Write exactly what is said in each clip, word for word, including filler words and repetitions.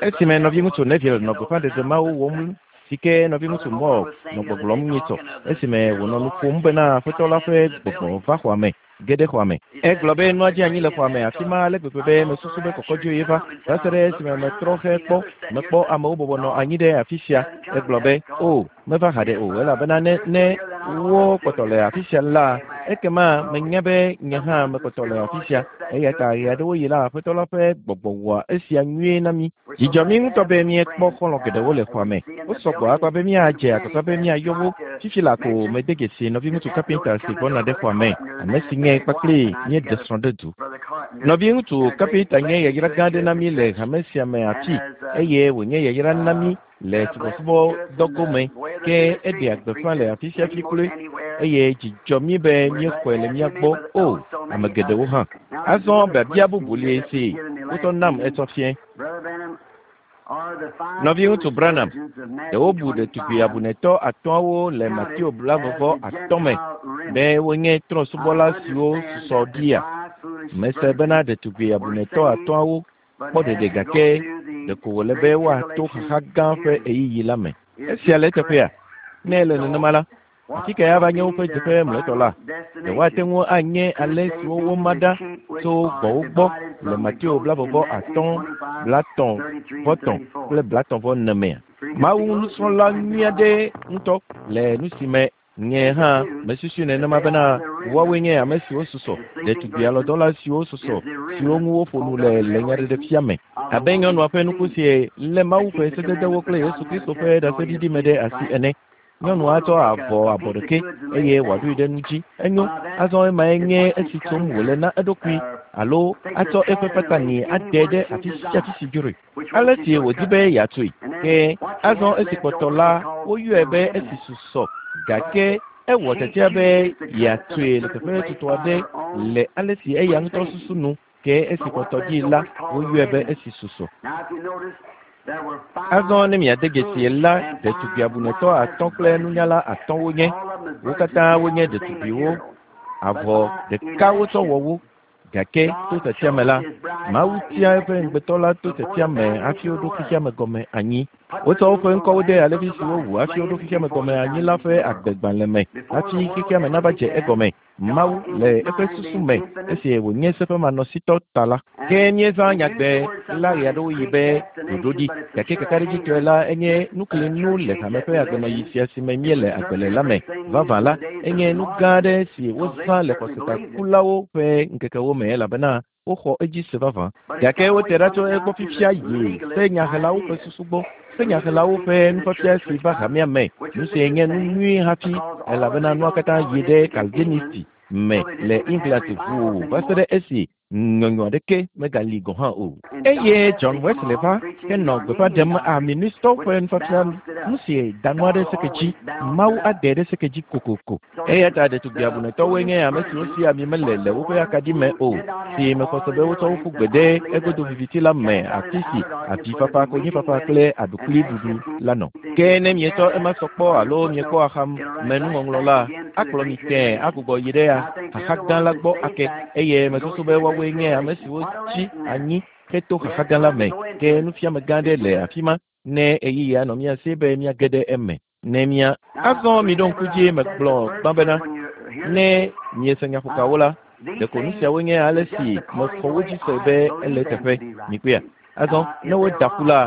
Esime nɔviŋutsu Neville nɔ gbeƒãɖeɖe mawo wɔm si ke nɔviŋutsu Moore nɔ gbɔgblɔm nyitsɔ esime wònɔ nu ƒom bena Aƒetɔ la ƒe gbɔgbɔ va xɔa me ge ɖe xɔa me. Egblɔ be nua dze anyi le xɔa me afi ma ale gbegbe be mesusu be kɔkɔdzoe ye va va se ɖe esime metrɔ xe kpɔ mekpɔ amewo bɔbɔ nɔ anyi ɖe afi sia. Egblɔ be o meva haɖe o elabena ne ne wo kpɔtɔ le afi sia la ekema menya be nye hã mekpɔtɔ le afi sia. Eya ta ɣe aɖewo yi la Aƒetɔ la ƒe gbɔgbɔ wɔa esia nyuie na mí. Dzidzɔ mí ŋutɔ be míekpɔ xɔlɔ̃ geɖewo le xɔa me. Wosɔ gbɔ akpa be míadze agbagba be míayɔ wo. Fifi la ko mede dzesi nɔviŋutsu Carpenter si gbɔna ɖe xɔa me, ame si nye kpakple míeɖe srɔ̃ ɖe du. Nɔviŋutsu Carpenter nye yayra gã aɖe na mí le hame sia me afi eye wònye yayra na mí le subɔsubɔdɔ gome ke eɖea gbeƒã le afi sia fi kloe eye dzidzɔ mí be míexɔe le mía gbɔ o ame geɖewo hã. Azɔ biabia bubu li si wotɔ nam etsɔ fiẽ. Nɔviŋutsu Branham, ɖe wobu ɖetugbi abunetɔ atɔ̃awo le Mateo blaeve atɔ̃ me be wonye trɔ̃subɔla siwo susɔ ɖia? Mese bena ɖetugbi abunetɔ atɔ̃awo kpɔ ɖeɖe gake ɖeko wòle be woato xaxa gã ƒe ɣeyiɣi la me. Esia le eteƒea? Ne ele nenema la, afi kae ava nye woƒe dzeƒe mlɔetɔ la? Ɖe woate ŋu anye ale siwo woma ɖa tso gbɔwo gbɔ le Mateo blaeve atɔ̃, blatɔ̃ vɔ tɔ̃ kple blatɔ̃ vɔ ene mea? Mawu nusrɔ̃la nyui aɖe ŋutɔ le nu si me nye hã mesusui nenema bena woawoe nye ame siwo susɔ, ɖetugbi alɔdɔla siwo susɔ, siwo ŋu woƒo nu le le nyaɖeɖefia me. Abe nyɔnua ƒe nuku si lé Mawu ƒe sededewo kple Yesu Kristo ƒe ɖaseɖiɖi me ɖe asi ene. Nyɔnua tsɔ avɔ abɔ ɖeke eye wòaɖoe ɖe nu dzi. Enyo, azɔ emae nye esi tsom wòle na eɖokui alo atsɔ eƒe patani ade ɖe afi sia afi si dzroe. Ale si wòdi be yeatsoe. Ke azɔ esi kpɔtɔ la, woyɔe be esi susɔ gake ewɔ tiatia be yeatsoe le teƒe tutu aɖe le ale si eya ŋutɔ susu nu ke esi kpɔtɔ dzi la, woyɔe be esi susɔ. Azɔ ne miade dzesi la, ɖetugbi abunetɔ atɔ̃ kple nunyala atɔ̃ wonye. Wo katã wonye ɖetugbiwo. Avɔ ɖeka wotsɔ wɔ wo. Gake to tiatia me la, Mawu tia eƒe ŋugbetɔ la to tiatia me hafi woɖo xexea me gɔme anyi. Wotsɔ woƒe ŋkɔwo de alevi siwo wu hafi woɖo xexea me gɔme anyi la ƒe agbegbalẽ me hafi xexea me nava dze egɔme. Mawu le eƒe susu me esi wònye seƒemanɔsitɔ ta la. Ke míezã nyagbe la ɣeaɖewoɣi be ɖoɖoɖi gake kakaɖedzitɔe la enye nuklinu le hame ƒe agbenɔɣi sia si me míele agbe le la me. Vavã la, enye nu gã aɖe si wozã le xɔsetakulawo ƒe ŋkekewo me elabena woxɔ edzi se vavã. Gake wote ɖa tso egbɔ fifia yi senyahelawo ƒe susu gbɔ. Senyahelawo ƒe nufiafia si va hamea me. Nu si nye nu nyui hafi elabena nua katã yi ɖe Calvinisti me le England ʋuu va se ɖe esi nyɔnyɔ aɖeke megali gɔ̃ hã o. Eye John Wesley va henɔ gbeƒã ɖem Arministɔwo ƒe nufiafia nu si da nua ɖe seke dzi. Mawu ade ɖe seke dzi kokoko. Eya ta ɖetugbi abunetɔwoe nye ame siwo si ami mele le woƒe akaɖi me o, si mexɔ se be wotsɔ wo ƒu gbe ɖe egodo viviti la me afi si avifafa, konyifafa kple aɖukliɖuɖu la nɔ. Ke ne mietsɔ ema sɔ kpɔ alo miekpɔ axamenuŋɔŋlɔ la, akplɔ mi tẽe agbugbɔ yi ɖe xaxa gã la gbɔ ake eye mesusu be woawoe nye ame siwo tsi anyi heto xaxa gã la me. Ke nufiame gã aɖe le afi ma ne ɣeyiɣi anɔ mía si be míage ɖe eme. Ne mía azɔ miɖo ŋku dzi megblɔ gbã bena ne miese nyaƒokawo la, ɖeko nu siawo nye ale si mexɔ wo dzi se be ele teƒe. Mikpɔea? Azɔ ne woda ƒu la,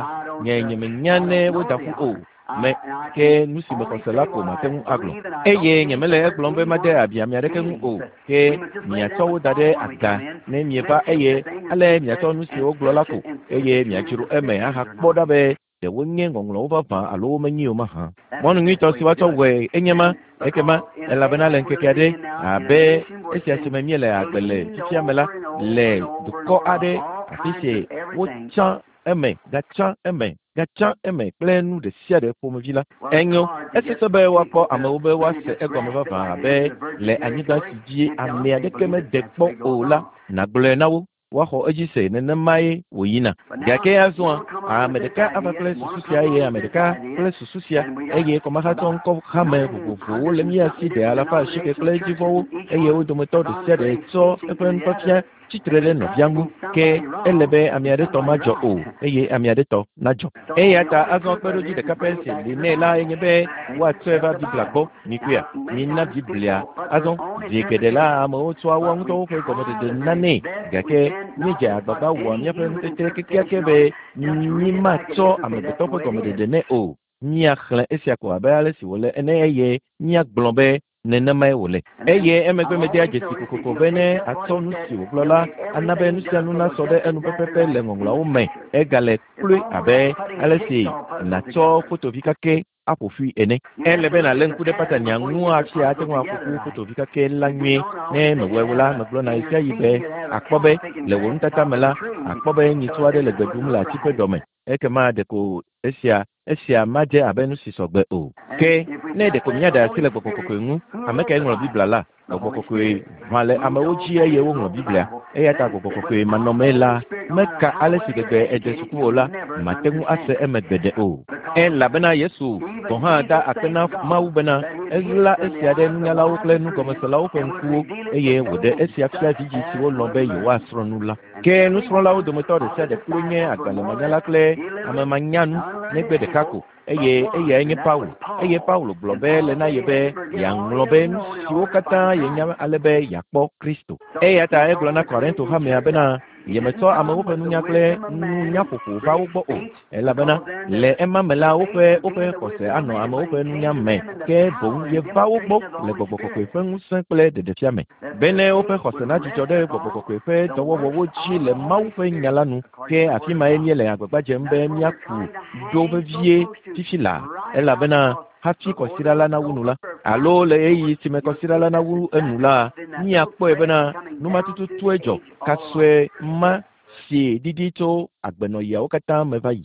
nye nyemenya ne woda ƒu o. Me ke nu si mexɔ se la ko mate ŋu agblɔ. Eye nyemele egblɔm be made abi ame aɖeke ŋu o. Ke miatsɔ wo da ɖe aga ne mieva eye ale miatsɔ nu si wogblɔ la ko eye miadzro eme ahakpɔ ɖa be ɖe wonye ŋɔŋlɔwo vavã alo womenye o mahã. Mɔnu nyuitɔ si woatsɔ wɔe enye ma ekema elabena le ŋkeke aɖe abe esia si me míele agbe le fifia me la le dukɔ aɖe afi si wotsã eme gatsã eme gatsã eme kple nu ɖe sia ɖe ƒomevi la. Enyo, esesẽ be woakpɔ amewo be woase egɔme vavã abe le anyigba si dzi ame aɖeke mede kpɔ o la, nàgblɔe na wo woaxɔ edzi se nenemae wòyina. Gake azɔa, Ame ɖeka ava kple susu sia eye ame ɖeka kple susu sia eye kɔmahatsɔ ŋkɔ hame vovovowo le mía si ɖe alafa asieke kple edzivɔwo eye wo dometɔ ɖe sia ɖe tsɔ eƒe nufiafia tsitre ɖe nɔvia ŋu ke ele be ame aɖe tɔ madzɔ o eye ame aɖe tɔ nadzɔ. Eya ta azɔ kpeɖodzi ɖeka pɛ si li nɛ la enye be woatsɔe va Biblia gbɔ mikuia mina Biblia azɔ zi geɖe la amewo tsɔa woa ŋutɔwo ƒe gɔmeɖeɖe nanɛ gake míedze agbagba wɔa míaƒe ŋutete kekeake be mímatsɔ amegbetɔ ƒe gɔmeɖeɖe nɛ o. Míaxlẽ esia ko abe ale si wòle ene eye míagblɔ be nenemae wòle. Eye emegbe medea dzesi kokoko be ne atsɔ nu si wògblɔ la ana be nu sia nu nasɔ ɖe enu pɛpɛpɛ le ŋɔŋlɔawo me egale kloe abe ale si nàtsɔ fotovi kakɛ aƒo ƒui ene. Ele be nàlé ŋku ɖe patania ŋu hafi ate ŋu aƒo ƒu fotovi kakɛ la nyuie. Ne mewɔe o la, megblɔna ɣe sia ɣi be akpɔ be le wò nutata me la, akpɔ be nyitsu aɖe le gbe ɖum le ati ƒe ɖɔme. Ekema ɖeko esia esia madze abe nu si sɔgbe o. Ke ne ɖeko míaɖe asi le gbɔgbɔ kɔkɔe ŋu, ame kae ŋlɔ Biblia la? Gbɔgbɔ kɔkɔe ʋã le amewo dzi eye woŋlɔ Biblia. Eya ta gbɔgbɔ kɔkɔe manɔmee la, meka ale si gbegbe ède suku o la, mate ŋu ase eme gbeɖe o. Elabena Yesu gɔ̃ hã da akpe na Mawu bena eɣla esia ɖe nunyalawo kple nugɔmeselawo ƒe ŋkuwo eye wòɖe esia fia vidzĩ siwo lɔ̃ be yewoasrɔ̃ nu la. Ke nusrɔ̃lawo dometɔ ɖe sia ɖe kloe nye agbalẽmanyala kple amemanyanu negbe ɖeka ko eye eyae nye Paulo. Eye Paulo gblɔ be le na ye be yeaŋlɔ be nu siwo katã yenya ale be yeakpɔ Kristo. Eya ta egblɔ na Korinto hamea bena yemetsɔ amewo ƒe nunya kple nunyaƒoƒo va wo gbɔ o elabena le ema me la woƒe woƒe xɔse anɔ amewo ƒe nunya me ke boŋ yeva wo gbɔ le gbɔgbɔ kɔkɔe ƒe ŋusẽ kple ɖeɖefia me bene woƒe xɔse nadzudzɔ ɖe gbɔgbɔ kɔkɔe ƒe dɔwɔwɔwo dzi le Mawu ƒe nya la nu ke afi mae míele agbagba dzem be míaku ɖo vevie fifi laa elabena hafi kɔsiɖa la nawu nu la alo le ɣeyiɣi si me kɔsiɖa la nawu enu la míakpɔe bena nu ma tututue dzɔ kasɔe ma si ɖiɖi tso agbenɔɣiawo katã me va yi.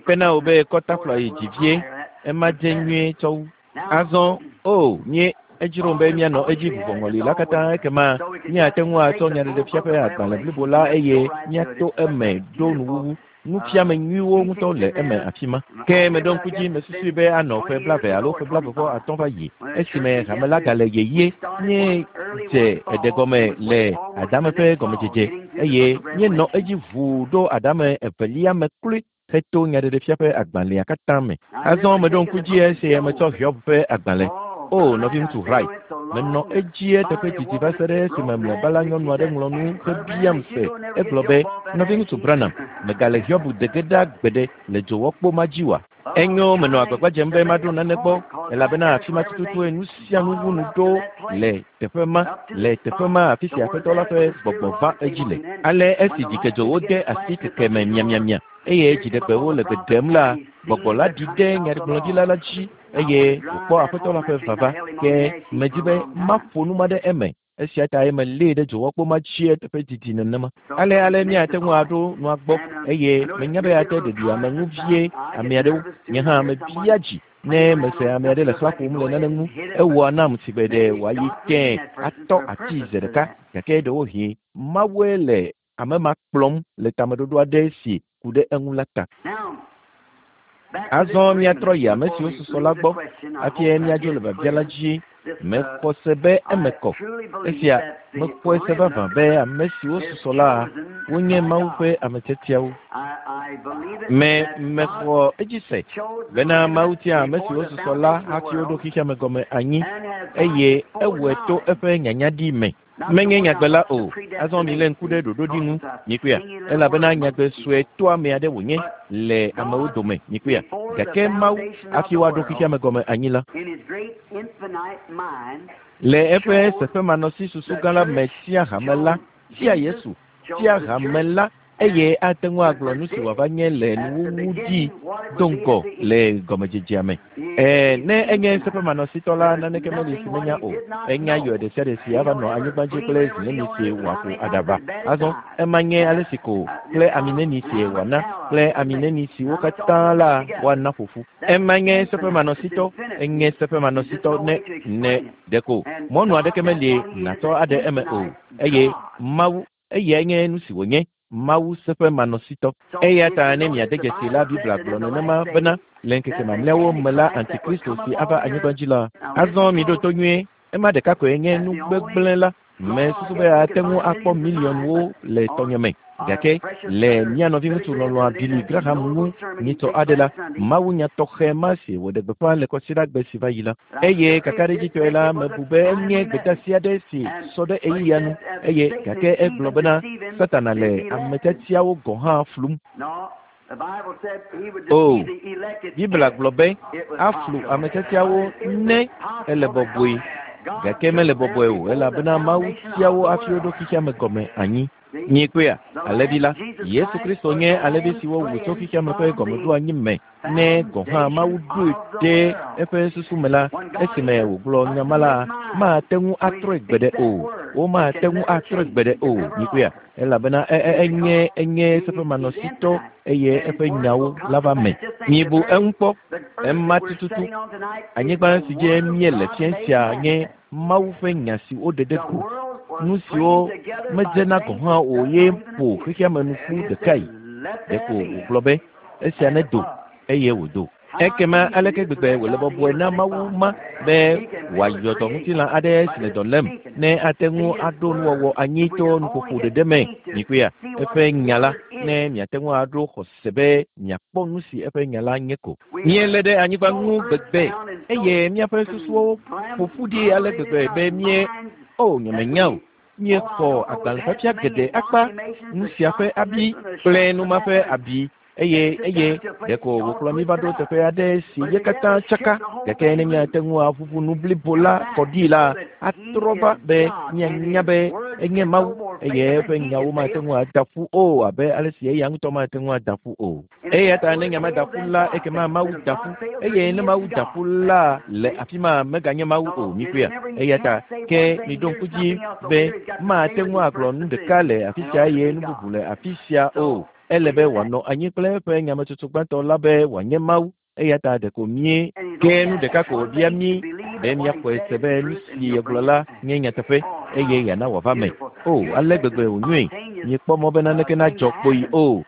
Kpena wò be kɔtafla yi dzi vie ema dze nyuie tsɔ wu. Azɔ o nye edzrom be míanɔ edzi vuvɔŋɔli la katã ekema míate ŋu atsɔ nyaɖeɖefia ƒe agbalẽ blibo la eye míato eme ɖo nuwuwu. Nufiame nyuiwo ŋutɔ le eme afi ma. Ke meɖo ŋku dzi mesusui be anɔ ƒe blaeve alo ƒe blaeve vɔ atɔ̃ va yi esime hame la gale yeye míedze eɖe gɔme le adame ƒe gɔmedzedze eye míenɔ edzi ʋuu ɖo adame evelia me kloe heto nyaɖeɖefia ƒe agbalẽa katã me. Azɔ meɖo ŋku dzi esi metsɔ Hiob ƒe agbalẽ. O nɔviŋutsu Wright, menɔ edzi eteƒe didi va se ɖe esime mlɔeba la nyɔnu aɖe ŋlɔ nu hebiam se. Egblɔ be, nɔviŋutsu Branham, megale Hiob de ge ɖa gbeɖe le dzowɔkpo ma dzi oa? Enyo menɔ agbagba dzem be maɖo nane gbɔ elabena afi ma tututue nu sia nu ŋu nu ɖo le teƒe ma le teƒe ma afi si aƒetɔ la ƒe gbɔgbɔ va edzi le. Ale esi dzikedzowo de asi keke me miamiamia eye dziɖegbewo le gbe ɖem la, gbɔgbɔ la ɖi ɖe nyagblɔɖila la dzi eye wòkpɔ aƒetɔ la ƒe vava ke medzi be maƒo nu ma ɖe eme. Esia tae melée ɖe dzowɔkpo ma dzi eteƒe didi nenema. Ale ale míate ŋu aɖo nua gbɔ eye menya be ate ɖeɖi ame ŋu vie ame aɖewo. Nye hã mebia dzi ne mese ame aɖe le xlã ƒom le nane ŋu ewɔa nam si gbe ɖe wòayi tẽ atɔ ati ze ɖeka gake ɖewohĩ Mawue le ame ma kplɔm le tameɖoɖo aɖe si ku ɖe eŋu la ta. Azɔ míatrɔ yi ame siwo susɔ la gbɔ hafi míadzo le biabia la dzi. Mexɔ se be eme kɔ. Esia mexɔe se vavã be ame siwo susɔ la wonye Mawu ƒe ame tiatiawo. Me mexɔ edzi se bena Mawu tia ame siwo susɔ la hafi woɖo xexea me gɔme anyi eye ewɔe to eƒe nyanyaɖi me. Menye nyagbe la o. Azɔ milé ŋku ɖe ɖoɖoɖi ŋu mikpɔea elabena nyagbe sue toame aɖe wònye le amewo dome mikpɔea gake Mawu hafi woaɖo xexea me gɔme anyi la le eƒe seƒemanɔsi susu gã la me tia hame la tia Yesu tia hame la eye ate ŋu agblɔ nu si wòava nye le nuwuwu dzi do ŋgɔ le gɔmedzedzea me. Ɛɛ ne enye seƒemanɔsitɔ la naneke meli si menya o. Enya yɔ ɖe sia ɖe si ava nɔ anyigba dzi kple zi neni si wòaƒo aɖaba. Azɔ ema nye ale si ko kple ami neni si wòana kple ami neni siwo katã la woana ƒoƒu. Ema nye seƒemanɔsitɔ enye seƒemanɔsitɔ ne ne ɖeko mɔnu aɖeke meli nàtsɔ aɖe eme o eye Mawu eyae nye nu si wònye. Mawu seƒemanɔsitɔ. Eya ta ne miade dzesi la, Biblia gblɔ nenema bena le ŋkeke mamlɛawo me la, Antikristo si ava anyigba dzi la. Azɔ miɖo to nyuie, ema ɖeka koe nye nu gbegblẽ la. Mesusu be ate ŋu akpɔ miliɔnwo le tɔnye me. Gake le mía nɔviŋutsu lɔlɔ̃a Billy Graham ŋu nyitɔ aɖe la, mawunya tɔxɛ ma si wòɖe gbeƒã le kɔsiɖagbe si va yi la. Eye kakaɖedzitɔe la, mebu be enye gbedeasi aɖe si sɔ ɖe ɣeyiɣia nu eye gake egblɔ bena Satana le ame tiatiawo gɔ̃ hã flum. O, Biblia gblɔ be aflu ame tiatiawo ne ele bɔbɔe. Gake mele bɔbɔe o, elabena Mawu tia wo hafi woɖo xexea me gɔme anyi. Miekpɔea, alẽvi la, Yesu Kristo nye alẽvi si wowu tso xexea me ƒe gɔmeɖoanyi me. Ne gɔ̃ hã Mawu ɖoe ɖe eƒe susu me la, esime wògblɔ nya ma la, mate ŋu atrɔe gbeɖe o. Womate ŋu atrɔe gbeɖe o. Miekpɔea, elabena enye enye seƒemanɔsitɔ eye eƒe nyawo la va me. Mibu eŋu kpɔ, ema tututu. Anyigba si dzi míele fia sia nye Mawu ƒe nya si woɖe ɖe go. Nu siwo medzena gɔ̃ hã o ye ƒo xexea me nu ƒu ɖekae. Ɖeko wògblɔ be esia nedo eye wòdo. Ekema aleke gbegbe wòle bɔbɔe na Mawu ma be wòayɔ dɔ ŋutilã aɖe si le dɔ lém ne ate ŋu aɖo nuwɔwɔ anyi to nuƒoƒo ɖeɖe me. Mikpɔea, eƒe nya la, ne miate ŋu aɖo xɔse be miakpɔ nu si eƒe nya la nye ko. Míelé ɖe anyigba ŋu gbegbe eye míaƒe susuwo ƒo ƒu ɖi ale gbegbe be mie o nyemenya o. Míexɔ agbalẽfiafia geɖe akpa, nu sia ƒe abi kple nu ma ƒe abi. Eye eye ɖeko wòkplɔ mí va ɖo teƒe aɖe si ye katã tsaka. Gake ne míate ŋu aʋuʋu nu blibo la kɔ ɖi la, atrɔ va be míanya be enye Mawu eye eƒe nyawo mate ŋu ada ƒu o abe ale si eya ŋutɔ mate ŋu ada ƒu o. Eya ta ne nya mada ƒu la, ekema Mawu da ƒu. Eye ne Mawu da ƒu la le afi ma meganye Mawu o. Mikpɔea? Eya ta ke miɖo ŋku dzi be mate ŋu agblɔ nu ɖeka le afi sia eye nu bubu le afi sia o. Ele be wòanɔ anyi kple eƒe nyametsotso gbãtɔ la be wòanye Mawu. Eya ta ɖeko mí ke nu ɖeka ko wòbia mí be míaxɔe se be nu si yegblɔ la nye nyateƒe eye yeana wòava me. O, ale gbegbe wònyoe. Miekpɔ mɔ be naneke nadzɔ kpoyi o.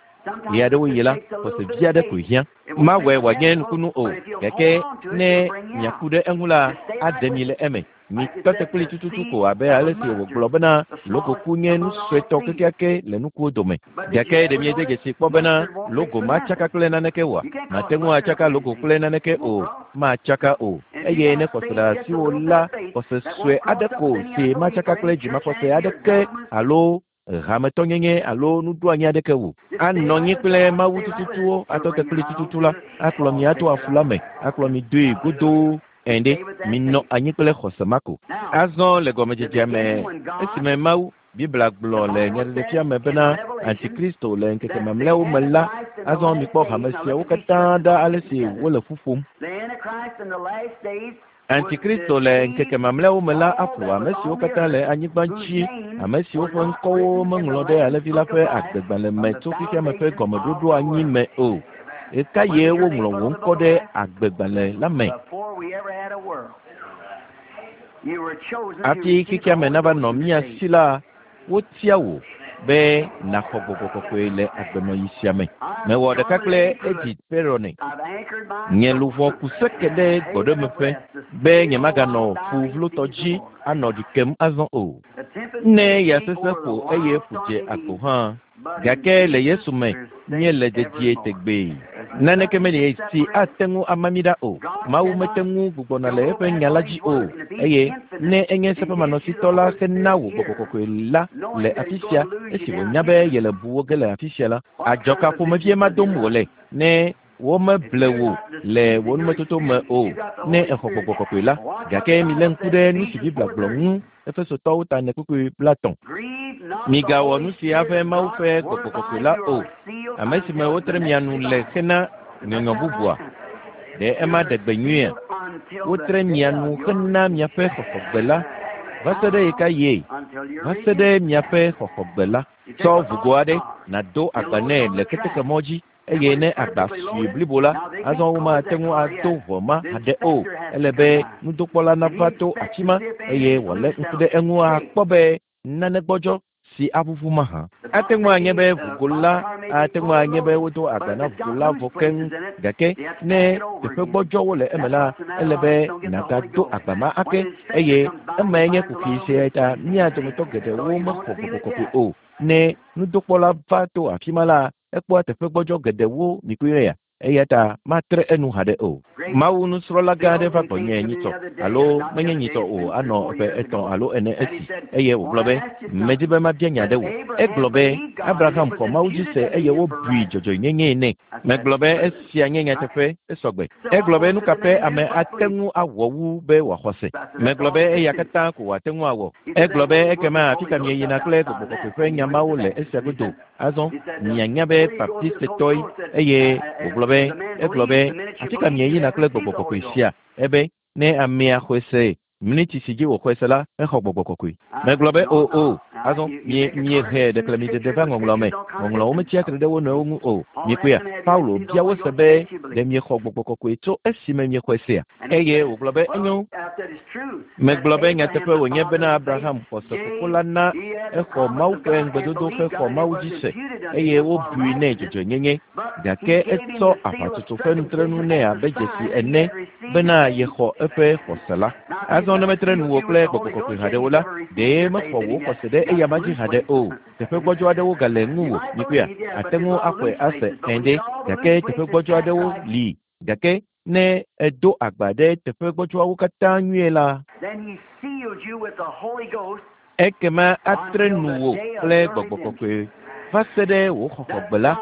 Ɣe aɖewo yi la, xɔse vi aɖe koe hiã. Mawɔe wòanye nukunu o, gake ne miaku ɖe eŋu la, aɖe mi le eme. Mitɔ te kpli tututu ko abe ale si wògblɔ bena logoku nye nu suetɔ kekeake le nukuwo dome. Gake ɖe miede dzesi kpɔ bena logo matsaka kple naneke oa? Mate ŋu atsaka logo kple naneke o, matsaka o. Eye ne xɔse le asiwò la, xɔse sue aɖe ko si matsaka kple dzimaxɔse aɖeke alo hametɔnyenye alo nuɖoanyi aɖeke o. Anɔ anyi kple Mawu tututuwo atɔ te kpli tututu la, akplɔ mi ato afu la me, akplɔ mi doe godoo. Ende minɔ anyi kple xɔse ma ko. Azɔ le gɔmedzedzea me, esime Mawu Biblia gblɔ le nyaɖeɖefia me bena Antikristo le ŋkeke mamlɛawo me la, azɔ mikpɔ hame siawo katã ɖa ale si wole ƒu ƒom. Antikristo le ŋkeke mamlɛawo me la aƒo ame siwo katã le anyigba dzi, ame siwo ƒe ŋkɔwo meŋlɔ ɖe alẽvi la ƒe agbegbalẽ me tso xexea me ƒe gɔmeɖoɖo anyi me o. Ɣekaɣie woŋlɔ wò ŋkɔ ɖe agbegbalẽ la me? Hafi xexea me nava nɔ mía si la, wotia wò be nàxɔ gbɔgbɔ kɔkɔe le agbenɔɣi sia me. Mewɔ ɖeka kple Edith Perrone. Nye luʋɔ ku seke ɖe gbɔɖemeƒe be nyemaganɔ ƒu vlotɔ dzi anɔ ɖi kem azɔ o. Ne ya sesẽ ƒo eye ƒu dze agbo hã, gake le Yesu me míele dedie tegbee. Naneke meli si ate ŋu ama mí ɖa o. Mawu mete ŋu gbugbɔna le eƒe nya la dzi o. Eye ne enye seƒemanɔsitɔ la hena wò gbɔgbɔ kɔkɔe la le afi sia, esi wònya be yele bu wo ge le afi sia la, adzɔka ƒomevie ma dom wòle ne womeble wò le wò numetoto me o ne exɔ gbɔgbɔ kɔkɔe la. Gake milé ŋku ɖe nu si Biblia gblɔ ŋu Efesotɔwo ta ene kpukpui blaetɔ̃. Migawɔ nu sia ƒe Mawu ƒe gbɔgbɔ kɔkɔe la o, ame si me wotre mia nu le hena nyɔnyɔ bubua. Ɖe ema ɖe gbe nyuiea? Wotre mia nu hena miaƒe xɔxɔgbe la va se ɖe ɣekaɣie? Va se ɖe miaƒe xɔxɔgbe la. Tsɔ ʋugo aɖe nàdo agba nɛ le ketekemɔ dzi eye ne agba sue blibo la, azɔ womate ŋu ado ʋɔ ma haɖe o. Ele be nudokpɔla nava to afi ma eye wòalé ŋku ɖe eŋu akpɔ be nane gbɔdzɔ si aʋuʋu mahã. Ate ŋu anye be ʋugo la ate ŋu anye be wodo agba na ʋugo la vɔ keŋ gake ne teƒe gbɔdzɔwo le eme la ele be nàgado agba ma ake eye emae nye kuxi sia ta mía dometɔ geɖewo mexɔ gbɔgbɔ kɔkɔe o. Ne nudokpɔla va to afi ma la ekpɔa teƒe gbɔdzɔ geɖewo mikpɔe ya eya ta matre enu haɖe o. Mawu nusrɔ̃la gã aɖe va gbɔnye nyitsɔ alo menye nyitsɔ o anɔ ƒe etɔ̃ alo ene esi eye wògblɔ be medi be mabia nya ɖe wò. Egblɔ be Abraham xɔ Mawu dzi se eye wobui dzɔdzɔenyenyee nɛ. Megblɔ be esia nye nyateƒe esɔgbe. Egblɔ be nu ka ƒe ame ate ŋu awɔ wu be wòaxɔ se. Megblɔ be eya katã ko wòate ŋu awɔ. Egblɔ be ekema afi ka mieyina kple gbɔgbɔ kɔkɔe ƒe nya mawo le esia godo. Azɔ mianya be baptistetɔe eye wògblɔ be egblɔ be afi ka mieyina kple gbɔgbɔ kɔkɔe sia ebe ne amea xɔe se miniti si dzi wòxɔe se la exɔ gbɔgbɔ kɔkɔe. Megblɔ be o o azɔ mie miehe ɖeklemiɖeɖe va ŋɔŋlɔ me ŋɔŋlɔwo metsia tre ɖe wo nɔewo ŋu o. Miekpɔea Paulo bia wo se be ɖe miexɔ gbɔgbɔ kɔkɔe tso esime miexɔe sea eye wògblɔ be enyo. Megblɔ be nyateƒe wònye bena Abraham xɔ se fofo la na exɔ Mawu ƒe ŋugbedodo hexɔ Mawu dzi se eye wobui nɛ dzɔdzɔenyenye gake etsɔ aʋatsotso ƒe nutrenu nɛ abe dzesi ene bena yexɔ eƒe xɔse la. Azɔ ne metre nu wò kple gbɔgbɔ kɔkɔe haɖe o la ɖe mexɔ wò xɔse ɖe eyama dzi haɖe o. Teƒe gbɔdzɔ aɖewo gale ŋuwò mikpɔea ate ŋu axɔe ase ẽ ɖe gake teƒe gbɔdzɔ aɖewo li gake ne edo agba ɖe teƒe gbɔdzɔawo katã nyuie la ekema atre nu wò kple gbɔgbɔ kɔkɔe va se ɖe wò xɔxɔgbe la.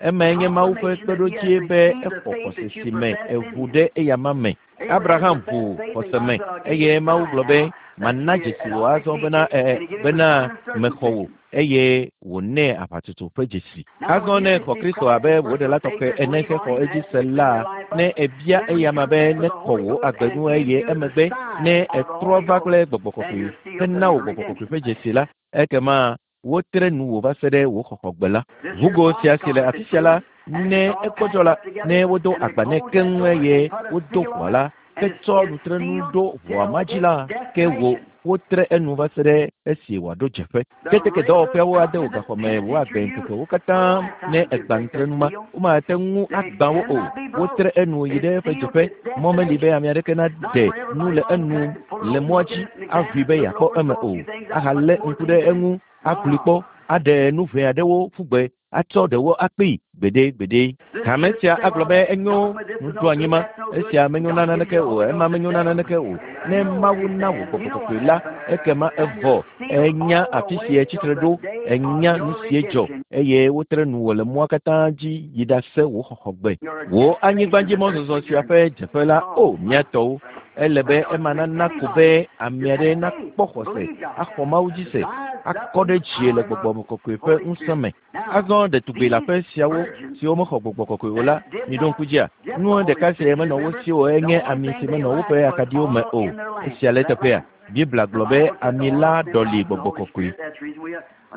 Emae nye Mawu ƒe kpeɖodzie be exɔ xɔse si me eʋu ɖe eyama me. Abraham ʋu xɔse me eye Mawu gblɔ be mana dzesi wò azɔ bena ɛ bena mexɔ wò eye wònɛ aʋatsotso ƒe dzesi. Azɔ ne xɔ Kristo abe wò ɖela tɔxɛ ene hexɔ edzi se la ne ebia eyama be nekɔ wò agbe ŋu eye emegbe ne etrɔ va kple gbɔgbɔ kɔkɔe hena wò gbɔgbɔ kɔkɔe ƒe dzesi la ekema wotre nu wò va se ɖe wò xɔxɔgbe la. Ʋugo sia si le afi sia la ne ekpɔdzɔ la ne wodo agba nɛ keŋ eye wodo ʋua la hetsɔ nutrenu ɖo ʋua ma dzi la ke wò wotre enu va se ɖe esi wòaɖo dzeƒe. Keteke dɔwɔƒeawo ade wò gaxɔme wò agbe ŋkekewo katã ne egbã nutrenu ma womate ŋu agbã wo o. Wotre enu yi ɖe eƒe dzeƒe. Mɔ meli be ame aɖeke naɖe nu le enu le mɔa dzi aʋui be yeakpɔ eme o ahalé ŋku ɖe eŋu aglui kpɔ aɖe nu ʋɛ aɖewo ƒu gbe atsɔ ɖewo akpee gbeɖe gbeɖe. Hame sia agblɔ be enyo nuɖoanyi ma esia menyo na naneke o ema menyo na naneke o. Ne Mawu na wò gbɔgbɔ kɔkɔe la ekema evɔ enya afi si etsitre ɖo enya nu si dzɔ eye wotre nu wò le mɔa katã dzi yi ɖase wò xɔxɔgbe. Wò anyigbadzimɔzɔzɔ sia ƒe dzeƒe la o mía tɔwo ele be ema nana ko be ame aɖe nakpɔ xɔse axɔ Mawu dzi se akɔ ɖe dzie le gbɔgbɔ kɔkɔe ƒe ŋusẽ me. Azɔ ɖetugbi le aƒe siawo siwo mexɔ gbɔgbɔ kɔkɔe o la miɖo ŋku dzia nu ɖeka si menɔ wo si o enye ami si menɔ woƒe akaɖiwo me o. Esia le teƒea Biblia gblɔ be ami la ɖɔli gbɔgbɔ kɔkɔe.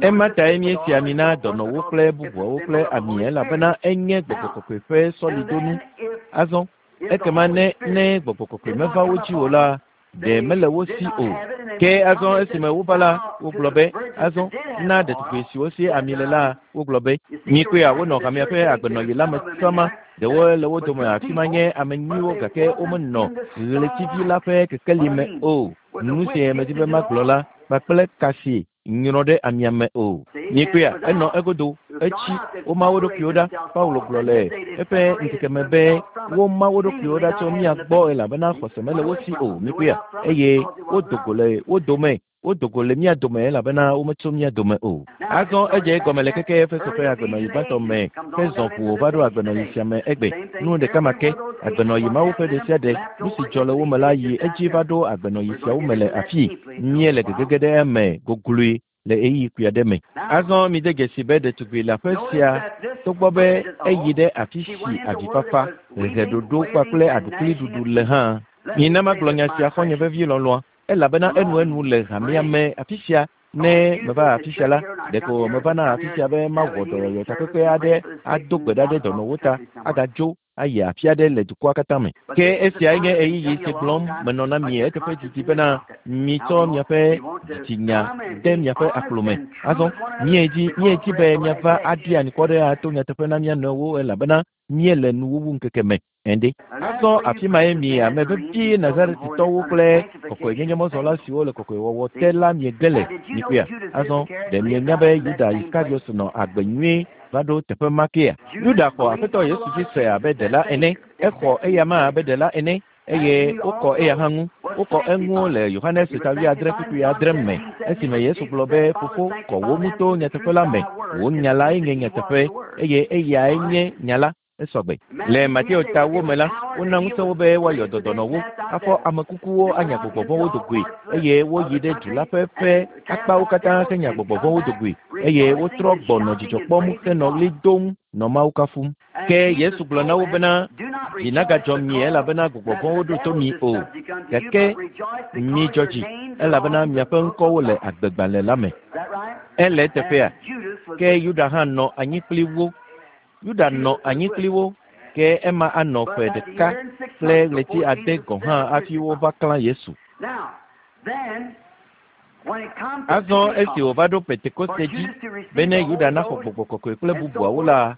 Ema tae míesi ami na dɔnɔwo kple bubuawo kple ami elabena enye gbɔgbɔ kɔkɔe ƒe sɔlidonu. Azɔ ekema ne ne gbɔgbɔ kɔkɔe meva wo dzi o la ɖe mele wo si o. Ke azɔ esime wova la wogblɔ be azɔ na ɖetugbi siwo si ami le la wogblɔ be mikpɔea wonɔ hamea ƒe agbenɔɣi la me sama ɖewo le wo dome afi ma nye ame nyuiwo gake womenɔ ɣletivi la ƒe kekeli me o. Nu si medi be magblɔ la kpakple ka si nyrɔ ɖe amia me o. Mikpɔea enɔ egodo etsi woma wo ɖokuiwo ɖa. Paulo gblɔ le eƒe ŋkeke me be woma wo ɖokuiwo ɖa tso mía gbɔ elabena xɔse mele wo si o. Mikpɔea eye wodo go le wo dome wodo go le mía dome elabena wometso mía dome o. Azɔ edze egɔme le keke Efeso ƒe agbenɔɣi gbãtɔ me hezɔ ʋu va ɖo agbenɔɣi sia me egbe. Nu ɖeka ma ke agbenɔɣi mawo ƒe ɖe sia ɖe nu si dzɔ le wo me la yi edzi va ɖo agbenɔɣi siawo me le afii. Míele gegege ɖe eme gogloe le ɣeyiɣi kpui aɖe me. Azɔ mide dzesi be ɖetugbi le aƒe sia togbɔ be eyi ɖe afi si avifafa, heheɖoɖo kpakple aɖukliɖuɖu le hã. Mina magblɔ nya sia xɔ̃nye vevi lɔlɔ̃a elabena enuenu le hamea me afi sia ne meva afi sia la ɖeko mevana afi sia be mawɔ dɔyɔyɔ takpekpe aɖe ado gbe ɖa ɖe dɔnɔwo ta agadzo ayi afi aɖe le dukɔa katã me. Ke esiae nye ɣeyiɣi si gblɔm menɔ na mi eteƒe didi bena mitsɔ miaƒe dzitsinya de miaƒe akplo me. Azɔ míedzi míedzi be miava aɖi anikɔ ɖe ato nyateƒe na mía nɔewo elabena míele nuwuwu ŋkeke me. Ende. Azɔ afi mae mi ame vevi Nazaretitɔwo kple kɔkɔenyenyemɔzɔla siwo le kɔkɔewɔwɔ te la miege le mikpɔea. Azɔ ɖe mienya be Yuda Iskariot nɔ agbe nyuie va ɖo teƒe ma kea? Yuda xɔ Aƒetɔ Yesu dzi se abe ɖela ene. Exɔ eyama abe ɖela ene eye wokɔ eya hã ŋu. Wokɔ eŋu le Yohanes ta wuiadre kpukpui adre me esime Yesu gblɔ be fofo kɔ wo ŋu to nyateƒe la me. Wò nya lae nye nyateƒe eye eyae nye nya la. Esɔgbe. Le Mateo ta wo me la, wona ŋusẽ wo be woayɔ dɔdɔnɔwo, afɔ ame kukuwo anya gbɔgbɔ vɔ̃wo do goe eye woyi ɖe du la ƒe ƒe akpawo katã henya gbɔgbɔ vɔ̃wo do goe eye wotrɔ gbɔ nɔ dzidzɔ kpɔm henɔ ɣli dom nɔ Mawu kafum. Ke Yesu gblɔ na wo bena dzi nagadzɔ mi elabena gbɔgbɔ vɔ̃wo ɖo to mi o. Gake midzɔ dzi elabena miaƒe ŋkɔwo le agbegbalẽ la me. Ele eteƒea? Ke Yuda hã nɔ anyi kpli wo. Yuda nɔ anyi kpli wo ke ema anɔ ƒe ɖeka kple ɣleti ade gɔ̃ hã hafi wova klã Yesu. Azɔ esi wòva ɖo Pentekoste dzi bene Yuda naxɔ gbɔgbɔ kɔkɔe kple bubuawo la,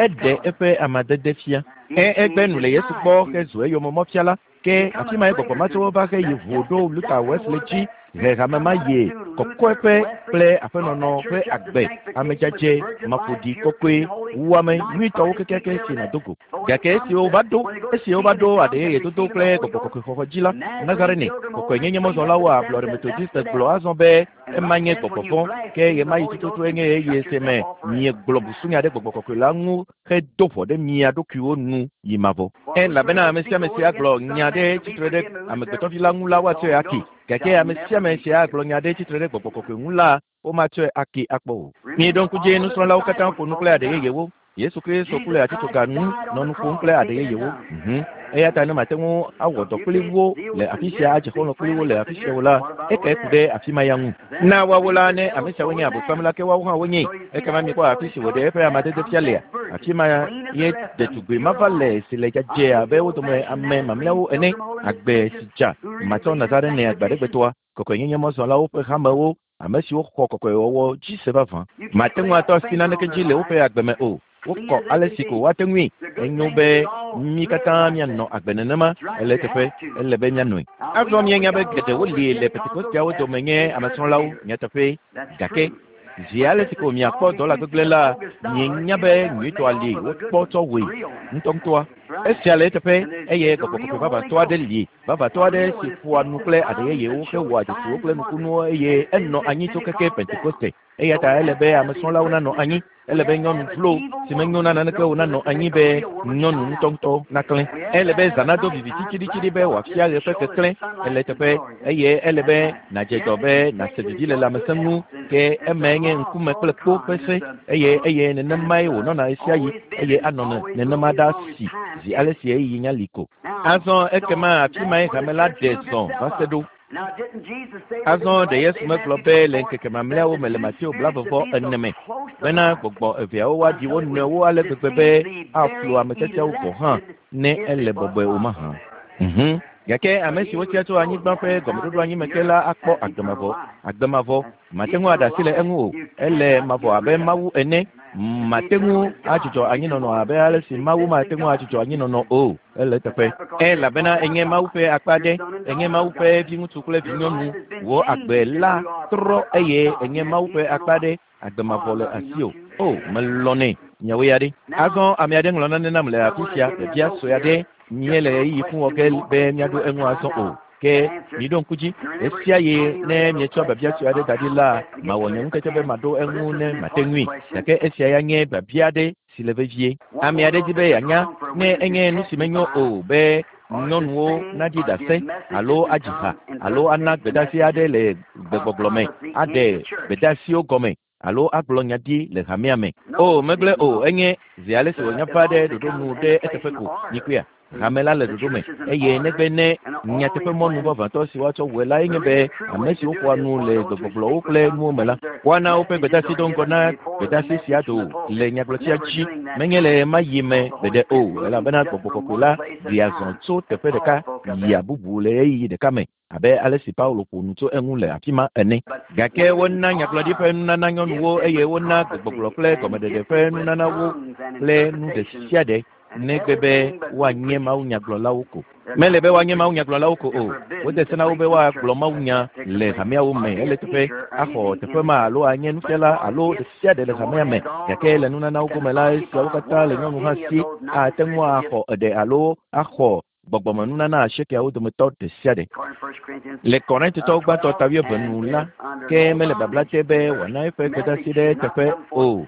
eɖe eƒe amadede fia. Ke egbe nu le Yesu gbɔ hezu eyomemɔfiala. Ke afi mae gbɔgbɔ matsɔwo va heyi ʋu ɖo Luther Wesley dzi he hame ma ye kɔkɔeƒe kple aƒenɔnɔ ƒe agbe amedzadze maƒoɖi kɔkɔe wuame nyuitɔwo kekeake si nàdo go. Gake esi wova ɖo esi wova ɖo aɖe yeye dodo kple gbɔgbɔ kɔkɔe xɔxɔ dzi la, Nazarene kɔkɔenyenyemɔzɔlawo ablɔɖe Methodiste gblɔ azɔ be ema nye gbɔgbɔ vɔ̃ ke ɣemaɣi tututu enye ɣeyiɣi si me miegblɔ busunya ɖe gbɔgbɔ kɔkɔe la ŋu hedo ʋɔ ɖe mia ɖokuiwo nu yi mavɔ. Elabena ame sia ame si agblɔ nya ɖe tsitre ɖe amegbetɔvi la ŋu la woatsɔe ake. Gake ame sia ame si agblɔ nya ɖe tsitre ɖe gbɔgbɔ kɔkɔe ŋu la womatsɔe ake akpɔ o. Mieɖo ŋku dzi nusrɔ̃lawo katã ƒo nu kple aɖe yeyewo. Yesu Kristo ku le atitsoga nu nɔ nu ƒom kple aɖe yeyewo. Mhm. Eya ta ne mate ŋu awɔ dɔ kpli wo le afi sia adze xɔlɔ̃ kpli wo le afi sia o la, ekae ku ɖe afi ma ya ŋu. Na woawo la ne ame siawo nye Abosam la ke woawo hã wonye. Ekema mikpɔ afi si wòɖe eƒe amadede fia lea. Afi ma ye ɖetugbi mava le si le dzadzɛ abe wo dome ame mamlɛawo ene. Agbe si dza matsɔ Nazarene agbaɖegbetɔa, kɔkɔenyenyemɔzɔlawo ƒe hamewo, ame siwo xɔ kɔkɔewɔwɔ dzi se vavã. Mate ŋu atɔ asi naneke dzi le woƒe agbe me o. Wokɔ ale si ko woate ŋui. Enyo be mí katã míanɔ agbe nenema ele teƒe ele be míanɔe. Azɔ míenya be geɖewo li le Pentekosteawo dome nye amesrɔ̃lawo nyateƒe. Gake zi ale si ko miakpɔ dɔla gbegblẽ la, mienya be nyuitɔa li wokpɔ tsɔ wɔe ŋutɔŋutɔa. Esia le eteƒe eye gbɔgbɔ kɔkɔe vavãtɔ aɖe li vavãtɔ aɖe si ƒoa nu kple aɖe yeyewo hewɔa dzesiwo kple nukunuwo eye enɔ anyi tso keke Pentekoste. Eya ta ele be amesrɔ̃lawo nanɔ anyi. Ele be nyɔnu vlo si menyo na naneke o nanɔ anyi be nyɔnu ŋutɔŋutɔ naklẽ. Ele be zã nado viviti tsiɖitsiɖi be wòafia ɣe ƒe keklẽ. Ele teƒe eye ele be nàdze dɔ be nàse vivi le lãmesẽ ŋu ke emae nye ŋkume kple kpo ƒe se eye eye nenemae wònɔna ɣesiaɣi eye anɔ nenema ɖaa si zi ale si ɣeyiɣi nya li ko. Azɔ ekema afi mae hame la ɖe zɔ va se ɖo. Azɔ ɖe Yesu megblɔ be le ŋkeke mamlɛawo me le Mateo blaeve ene me bena gbɔgbɔ eveawo woaɖi wo nɔewo ale gbegbe be aflu ame tiatiawo gɔ̃ hã ne ele bɔbɔe o mahã. Mhm. Gake ame siwo tia tso anyigba ƒe gɔmeɖoɖo anyi me ke la akpɔ agbe mavɔ. Agbe mavɔ mate ŋu aɖe asi le eŋu o. Ele mavɔ abe Mawu ene. Mate ŋu adzudzɔ anyinɔnɔ abe ale si Mawu mate ŋu adzudzɔ anyinɔnɔ o. Ele teƒe. Elabena enye Mawu ƒe akpa aɖe. Enye Mawu ƒe viŋutsu kple vinyɔnu. Wò agbe la trɔ eye enye Mawu ƒe akpa aɖe. Agbe mavɔ le asiwò. O, melɔ̃nɛ. Miawoe ya ɖe. Azɔ ame aɖe ŋlɔ nane nam le afi sia. Biabia sue aɖe míele ɣeyiɣi fũ wɔ ge be míaɖo eŋu azɔ o. Ke miɖo ŋku dzi ɣesiaɣi ne mietsɔ biabia sue aɖe da ɖi la, mawɔ nye ŋutete be maɖo eŋu ne mate ŋui. Gake esia ya nye biabia aɖe si le vevie. Ame aɖe di be yeanya ne enye nu si menyo o be nyɔnuwo naɖi ɖase alo adzi ha alo ana gbedeasi aɖe le gbegbɔgblɔ me, aɖe gbedeasiwo gɔme alo agblɔ nya ɖi le hamea me. O, megblẽ o, enye zi ale si wònya va ɖe ɖoɖo nu ɖe eteƒe ko. Mikpɔea? Hame la le ɖoɖo me eye negbe ne nyateƒemɔnu vavãtɔ si woatsɔ wɔe lae nye be ame siwo ƒoa nu le gbegbɔgblɔwo kple nuwo me la woana woƒe gbedeasi do ŋgɔ na gbedeasi sia do le nyagblɔtia dzi menye le ma yi me gbeɖe o elabena gbɔgbɔ kɔkɔe la ɖea zɔ tso teƒe ɖeka yia bubu le ɣeyiɣi ɖeka me abe ale si Paulo ƒo nu tso eŋu le afi ma ene. Gake wona nyagblɔɖi ƒe nunana nyɔnuwo eye wona gbegbɔgblɔ kple gɔmeɖeɖe ƒe nunana wo kple nu ɖe sia ɖe negbe be woanye mawunyagblɔlawo ko. Mele be woanye mawunyagblɔlawo ko o. Wode se na wo be woagblɔ mawunya le hameawo me ele teƒe axɔ teƒe ma alo anye nufiala alo ɖe sia ɖe le hamea me. Gake le nunanawo gome la, esiawo katã le nyɔnu hã si ate ŋu axɔ eɖe alo axɔ gbɔgbɔmenunana asiekeawo dometɔ ɖe sia ɖe. Le Korintotɔwo gbãtɔ ta wuieve nu la, ke mele babla te be wòana eƒe gbedeasi ɖe eteƒe o.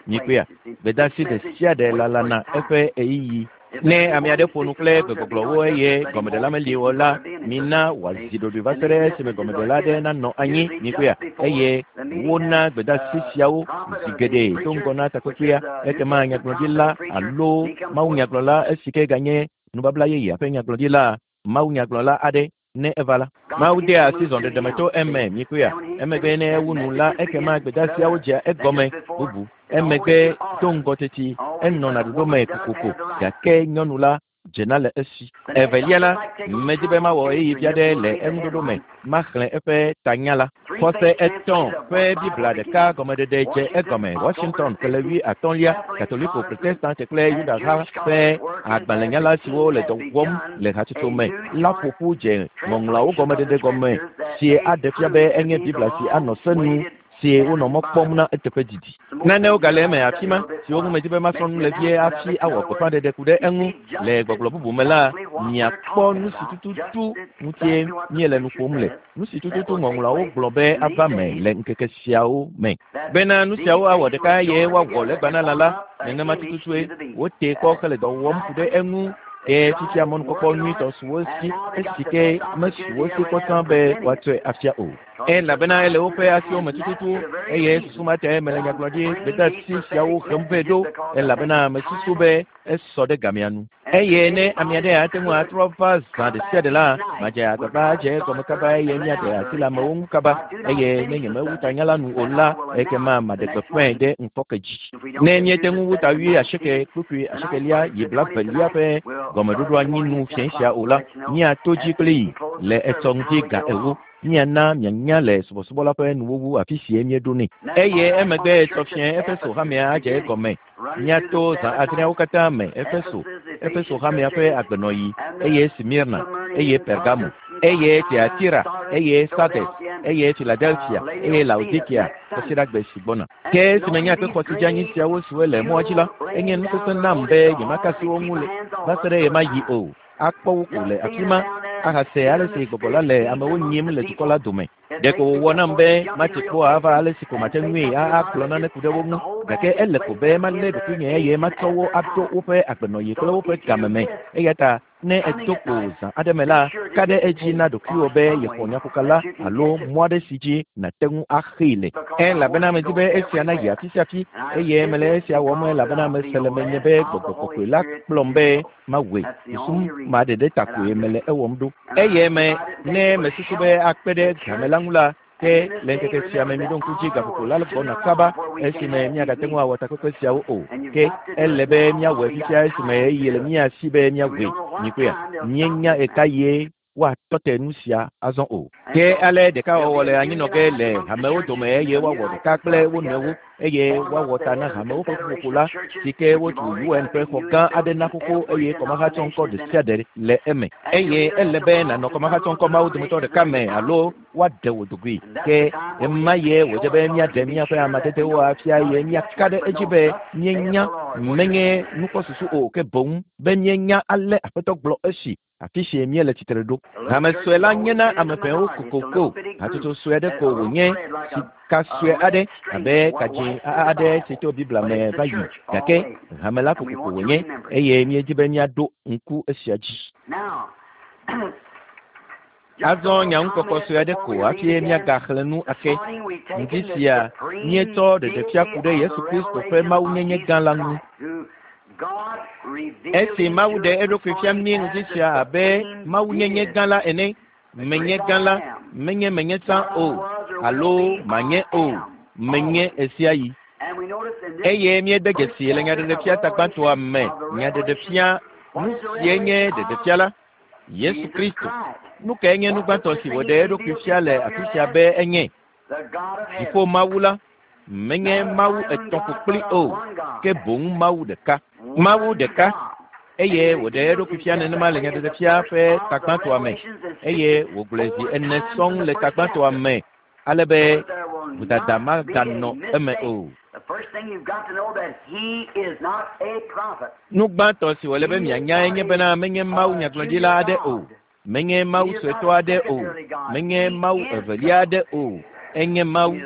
Nyikpea, gbedeasi ɖe sia ɖe lalana eƒe ɣeyiɣi. Ne ame aɖe ƒo nu kple gbegbɔgblɔwo eye gɔmeɖela meli o la, mina wòazi ɖoɖoe va se ɖe esime gɔmeɖela aɖe nanɔ anyi. Nyikpea, eye wona gbedeasi siawo zi geɖe do ŋgɔ na takpekpea. Ekema nyagblɔɖila alo mawunyagblɔla esi ke ganye nubabla yeyea ƒe nyagblɔɖila mawunyagblɔla aɖe ne eva la, Mawu dea asi zɔɖeɖe me tso eme. Nyikpea, emegbe ne ewu nu la, ekema gbedeasiawo dzea egɔme bubu. Emegbe do ŋgɔ teti enɔna ɖoɖo me kokoko gake nyɔnu la dzena le esi. Evelia la, medi be mawɔ ɣeyiɣi vi aɖe le eŋuɖoɖo me maxlẽ eƒe tanya la. Xɔse etɔ̃ ƒe Biblia ɖeka gɔmeɖeɖe dze egɔme. Washington ƒe wui atɔ̃lia, Katoliko, Protestant kple Yudaha ƒe agbalẽnyala siwo le dɔ wɔm le hatsotso me la ƒo ƒu dze ŋɔŋlɔawo gɔmeɖeɖe gɔme si aɖe fia be enye Biblia si anɔ se nu si wonɔ mɔ kpɔm na eteƒe didi. Nanewo gale eme afi ma siwo ŋu medi be masrɔ̃ nu le vie hafi awɔ gbeƒãɖeɖe ku ɖe eŋu. Le gbɔgblɔ bubu me la, miakpɔ nu si tututu ŋutie míele nu ƒom le. Nu si tututu ŋɔŋlɔawo gblɔ be ava me le ŋkeke siawo me. Bena nu siawo awɔ ɖeka eye woawɔ legbanala la, nenema tututue wote kpɔ hele dɔ wɔm ku ɖe eŋu. Ke fifia mɔnukpɔkpɔ nyuitɔ su wo si esi ke mesu wo si kpɔtɔ be woatsɔe afia o. Elabena ele woƒe asiwo me tututu eye susu ma tae mele nyagblɔɖi gbedeasi siawo hem vɛ ɖo elabena mesusu be esɔ ɖe gamea nu. Eye ne ame aɖe ate ŋu atrɔ va zã ɖe sia ɖe la, madze agbagba adze egɔme kaba eye míaɖe asi le amewo ŋu kaba. Eye ne nyemewu tanya la nu o la, ekema maɖe gbeƒãe ɖe ŋkɔke dzi. Ne míete ŋu wu ta wui asieke kpukpui asiekelia yi blavelia ƒe gɔmeɖoɖo anyi nu fiẽ sia o la, míato dzi kplii le etsɔ ŋdi ga ewo. Míana mianya le subɔsubɔ la ƒe nuwuwu afi sie míeɖo nɛ. Eye emegbe etsɔ fiẽ Efeso hamea adze egɔme. Míato zã adreawo katã me Efeso, Efeso hamea ƒe agbenɔɣi, eye Smirna, eye Pergamo, eye Tiatira, eye Sardes, eye Philadelphia, eye Laodikea kɔsiɖagbe si gbɔna. Ke esime nye akpexɔ si dze anyi siawo siwo le mɔa dzi la, enye nu sesẽ nam be nyemaka asi wo ŋu le va se ɖe ɣemaɣi o. Akpɔ wo ko le afi ma ahase ale si gbɔgbɔ la le amewo nyim le dukɔ la dome. Ɖeko wòwɔ nam be matsi kpo ava ale si ko mate ŋui agblɔ nane ku ɖe wo ŋu. Gake ele ko be malé ɖokuinye eye matsɔ wo aɖo woƒe agbenɔɣi kple woƒe game me. Eya ta ne edo kpo zã aɖe me la, ka ɖe edzi na ɖokuiwò be yexɔ nyaƒokala alo mɔ aɖe si dzi nàte ŋu axee le. Elabena medi be esia nayi afi sia afi eye mele esia wɔm elabena mese le menye be gbɔgbɔ kɔkɔe la kplɔm be mawɔe. Susu ma ɖeɖe ta koe mele ewɔm ɖo. Eye me ne mesusu be akpe ɖe game la ŋu la, ke le ŋkeke sia me miɖo ŋku dzi gaƒoƒo la gbɔna kaba esime míagate ŋu awɔ takpekpe siawo o. Ke ele be míawɔe fifia esime ɣeyiɣi le mía si be míawɔe. Nyikpea, míenya ɣekaɣie woatɔ te nu sia azɔ o. Ke ale ɖekawɔwɔ le anyinɔ ge le hamewo dome eye woawɔ ɖeka kple wo nɔewo eye woawɔ ta na hamewo ƒe ƒuƒoƒo la si ke wotu U N ƒe xɔ gã aɖe na xoxo eye kɔmahatsɔŋkɔ ɖe sia ɖe le eme. Eye ele be nànɔ kɔmahatsɔŋkɔ mawo dometɔ ɖeka me alo woaɖe wò dogoe. Ke ema ye wòdze be míaɖe míaƒe amadedewo afia eye míaka ɖe edzi be míenya menye nukpɔsusu o ke boŋ be míenya ale Aƒetɔ gblɔ esi afi si míele tsitre ɖo. Hame sue la nyena ame ʋɛwo kokoko. Hatsotso sue aɖe ko wònye sika sue aɖe abe kadzĩ aɖe si tso Biblia me va yi. Gake hame la kokoko wònye eye míedi be míaɖo ŋku esia dzi. Azɔ nyaŋukɔkɔ sue aɖe ko hafi míagaxlẽ nu ake. Ŋdi sia míetsɔ ɖeɖefia ku ɖe Yesu Kristo ƒe mawunyenye gã la ŋu. Esi Mawu ɖe eɖokui fia mí ŋdi sia abe Mawunyenye gã la ene, menye gã la, menye menye tsã o, alo manye o, menye ɣe sia ɣi. Eye míede dzesi le nyaɖeɖefia tagbãtɔa me, nyaɖeɖefia, nu sie nye ɖeɖefia la, Yesu Kristo. Nu kae nye nu gbãtɔ si wòɖe eɖokui fia le afi sia be enye? Dziƒo Mawu la, menye Mawu etɔ̃ ƒokpli o, ke boŋ Mawu ɖeka. Mawu ɖeka. Eye wòɖe eɖokui fia nenema le nyaɖeɖefia ƒe tagbãtɔa me, eye wògblɔe zi ene sɔŋ le tagbãtɔa me, ale be vodada maganɔ eme o. Nu gbãtɔ si wòle be mianyae nye bena menye Mawu nyagblɔɖila aɖe o, menye Mawu suetɔ aɖe o, menye Mawu evelia aɖe o, enye Mawu,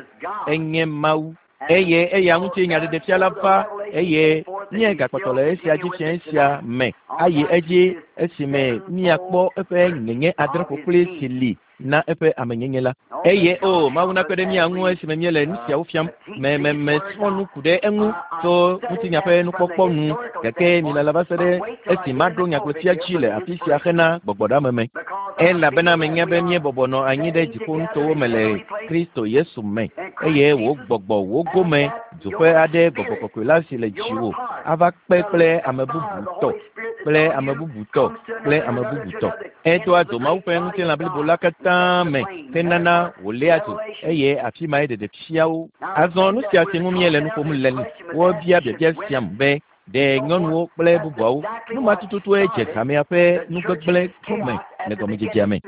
enye Mawu. Eye eya ŋuti nyaɖeɖefia la va, eye míegakpɔtɔ le esia dzi fiẽ sia me ayi edzi esime míakpɔ eƒe nyenye adre ƒokpli si li na eƒe amenyenye la. Eye o Mawu nakpe ɖe mía ŋu esime míele nu siawo fiam. Me me mesrɔ̃ nu ku ɖe eŋu tso ŋutinya ƒe nukpɔkpɔ nu, gake milala va se ɖe esi maɖo nyagblɔtia dzi le afi sia hena gbɔgbɔɖeame me. Elabena menya be míebɔbɔ nɔ anyi ɖe dziƒonutowo me le Kristo Yesu me, eye wò gbɔgbɔ wò gome dzoƒe aɖe gbɔgbɔ kɔkɔe la si le dziwò ava kpe kple ame bubu tɔ, kple ame bubu tɔ, kple ame bubu tɔ. Edoa dzo Mawu ƒe ŋutilã blibo la katã me henana wòléa dzo, eye afi mae ɖeɖefiawo. Azɔ nu sia si ŋu míele nu ƒom le wobia biabia siam be ɖe nyɔnuwo kple bubuawo. Nu ma tututue dze hamea ƒe nugbegblẽ gɔme le gɔmedzedzea me.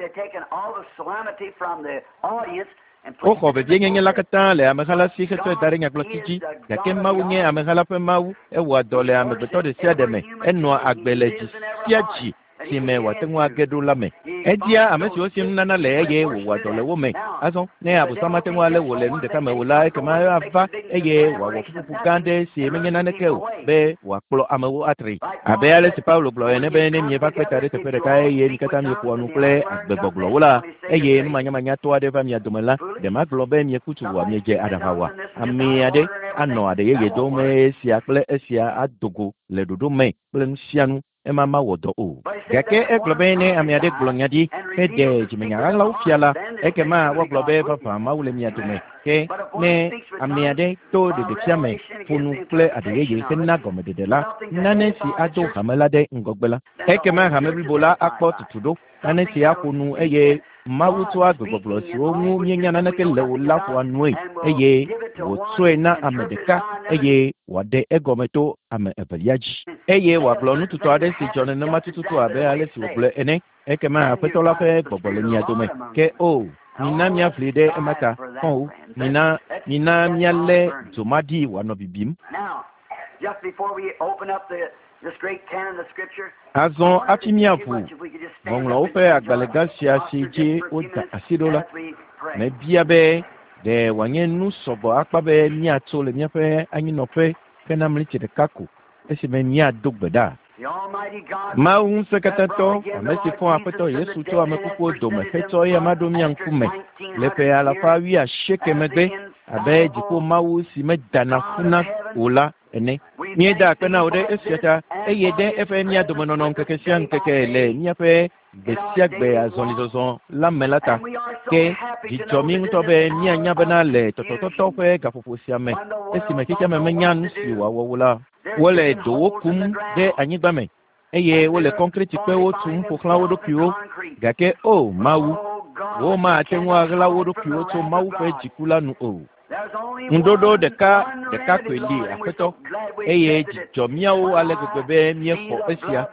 Woxɔ vevienyenye la katã le ameha la si hetsɔe da ɖe nyagblɔti dzi, gake Mawu nye ameha la ƒe Mawu, ewɔa dɔ le amegbetɔ ɖe sia ɖe me, enɔa agbe le dzi sia dzi si me wòate ŋu age ɖo la me. Edia ame siwo si nunana le eye wòwɔa dɔ le wo me. Azɔ ne Abosam mate ŋu alé wò le nu ɖeka me o la, ekema ava eye wòawɔ ƒuƒoƒo gã aɖe si menye naneke o be wòakplɔ amewo atri. Abe ale si Paulo gblɔ ene be ne mieva kpe ta ɖe teƒe ɖeka eye mi katã mieƒoa nu kple agbegbɔgblɔwo la, eye numanyamanyatɔ aɖe va mia dome la, ɖe magblɔ be mieku tu oa, miedze aɖaʋa oa? Ame aɖe anɔ aɖe yeye dom esia kple esia ado go le ɖoɖo me kple nu sia nu. Ema mawɔ dɔ o. Gake egblɔ be ne ame aɖe gblɔ nya ɖi heɖe dzimenya ɣaɣlawo fia la, ekema woagblɔ be vavã Mawu le mia dome. Ke ne ame aɖe to ɖeɖefia me ƒo nu kple aɖe yeye hena gɔmeɖeɖe la, nane si ado hame la ɖe ŋgɔgbe la, ekema hame blibo la akpɔ tutu ɖo. Nane si aƒo nu eye Mawu tsɔa gbegbɔgblɔ siwo ŋu míenya naneke le o la ƒoa nue eye wòtsɔe na ame ɖeka eye wòaɖe egɔme to ame evelia dzi. Eye wòagblɔ nututɔ aɖe si dzɔ nenema tututu abe ale si wògblɔe ene. Ekema Aƒetɔ la ƒe gbɔgbɔ le mia dome. Ke o, mina míaʋli ɖe ema ta. Xɔ̃wo, mina mina míalé dzo ma ɖi wòanɔ bibim. Azɔ hafi míaʋu Ŋɔŋlɔawo ƒe agbalẽ gã sia si dzi woda asi ɖo la, mebia be ɖe wòanye nu sɔgbɔ akpa be míatso le míaƒe anyinɔƒe hena mlitsi ɖeka ko esime míado gbe ɖa. Mawu ŋusẽkatãtɔ, ame si fɔ Aƒetɔ Yesu tso ame kukuwo dome hetsɔ eya ɖo mía ŋkume le ƒe alafa wuiasieke megbe abe dziƒo Mawu si medana ƒuna o la ene. Míeda akpe na wò ɖe esia ta eye ɖe eƒe mía domenɔnɔ ŋkeke sia ŋkeke le míaƒe gbe sia gbe azɔlizɔzɔ la me la ta. Ke dzidzɔ mí ŋutɔ be míanya bena le tɔtɔtɔtɔ ƒe gaƒoƒo sia me esime xexeame menya nu si wòawɔ o la, wole dowo kum ɖe anyigba me eye wole kɔnkretikpewo tum ƒo xlã wo ɖokuiwo. Gake o Mawu, womate ŋu aɣla wo ɖokuiwo tso Mawu ƒe dziku la nu o. Ŋuɖoɖo ɖeka ɖeka koe li Aƒetɔ, eye dzidzɔ míawo ale gbegbe be míexɔ esia.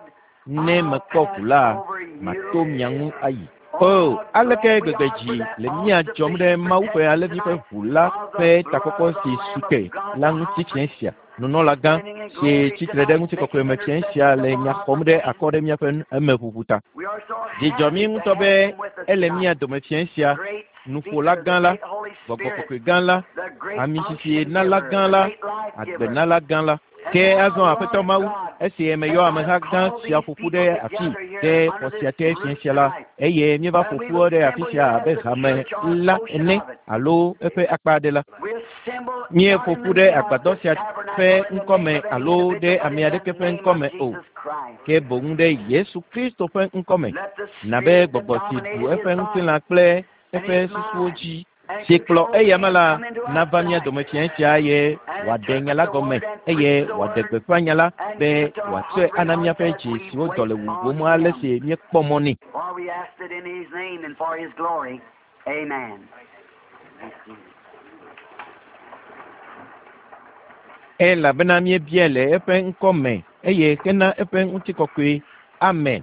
Ne mekpɔ ʋu la, mato mia ŋu ayi. O, aleke gbegbe dzi le mía dzɔm ɖe Mawu ƒe alẽvi ƒe ʋu la ƒe takpɔkpɔ si su te la ŋuti fiẽ sia. Nunɔlagã si tsitre ɖe ŋutikɔkɔe me fiẽ sia le nya xɔm ɖe akɔ ɖe míaƒe emeʋuʋu ta. Dzidzɔ mí ŋutɔ be ele mía dome fiẽ sia, nuƒola gã la, gbɔgbɔ kɔkɔe gã la, amisisi nala gã la, agbenala gã la. Ke azɔ Aƒetɔ Mawu, Esi meyɔ ameha gã sia ƒo ƒu ɖe afi ɖe xɔ sia te fiẽ sia la, eye míeva ƒo ƒu ɖe afi sia abe hame la ene alo eƒe akpa aɖe la. Míeƒo ƒu ɖe agbadɔ sia ƒe ŋkɔme alo ɖe ame aɖeke ƒe ŋkɔme o, ke boŋ ɖe Yesu Kristo ƒe ŋkɔme, nabe gbɔgbɔ si ɖu eƒe ŋutilã kple eƒe susuwo dzi si kplɔ eyama la nava mía dome fiẽ sia eye wòaɖe nya la gɔme eye wòaɖe gbeƒã nya la be wòatsɔe ana míaƒe dzi siwo dɔ le wuwum ale si míekpɔ mɔ nɛ. For we ask it in His name and for His glory. Amen. Elabena míebiae le eƒe ŋkɔme eye hena eƒe ŋutikɔkɔe. Amen.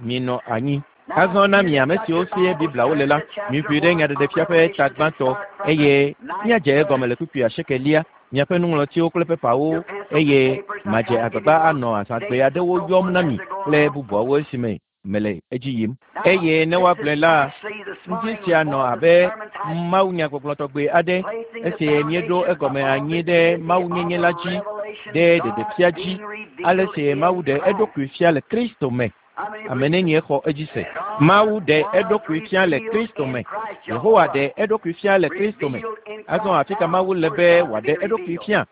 Minɔ anyi. Azɔ na mi ame siwo sie Bibliawo le la, miʋui ɖe Nyaɖeɖefia ƒe ta gbãtɔ eye míadze egɔme le kpukpui asiekelia, miaƒe nuŋlɔtiwo kple pepawo eye madze agbagba anɔ azãgbe aɖewo yɔm na mi kple bubuawo esime mele edzi yim. Eye ne woagblɔe la, ŋdi sia nɔ abe mawunyagbɔgblɔ tɔgbe aɖe esi míeɖo egɔme anyi ɖe mawunyenye la dzi, ɖe ɖeɖefia dzi, ale si Mawu ɖe eɖokui fia le Kristo me. Ame nenie xɔ edzi se. Mawu ɖe eɖokui fia le Kristo me. Yehowa ɖe eɖokui fia le Kristo me. Azɔ afi ka Mawu le be wòaɖe eɖokui fia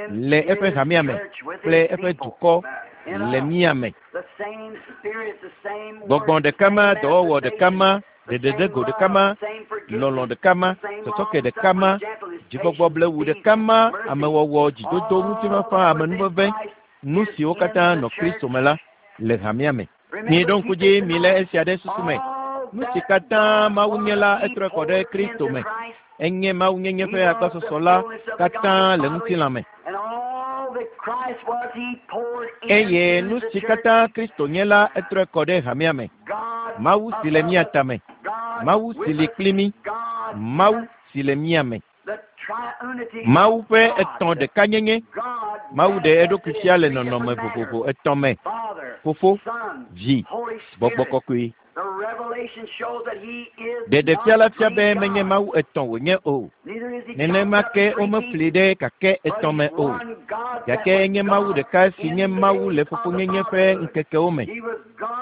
le eƒe hamea me kple eƒe dukɔ le mía me. Gbɔgbɔ ɖeka ma, dɔwɔwɔ ɖeka ma, ɖeɖeɖego ɖeka ma, lɔlɔ̃ ɖeka ma, sɔsɔke ɖeka ma, dzigbɔgbɔ blewu ɖeka ma, amewɔwɔ, dzidodo, ŋutifafa, amenuveve, nu siwo katã nɔ Kristo me la le hamea me. Miɖo ŋku dzi milé esia ɖe susu me. Nu si katã Mawu nye la, etrɔe kɔ ɖe Kristo me. Enye mawunyenye ƒe agbɔsɔsɔ la katã le ŋutilã me. Eye nu si katã Kristo nye la, etrɔe kɔ ɖe hamea me. Mawu si le mía tame, Mawu si li kpli mí, Mawu si le mía me. Mawu ƒe etɔ̃ ɖekanyenye. Mawu ɖe eɖokui fia le nɔnɔme vovovo etɔ̃ me: Fofo, Vi, Gbɔgbɔ Kɔkɔe. Ɖeɖefia la fia be menye Mawu etɔ̃ wònye o. Nenema ke womefli ɖe kakɛ etɔ̃ me o. Gake enye Mawu ɖeka si nye Mawu le fofonyenye ƒe ŋkekewo me.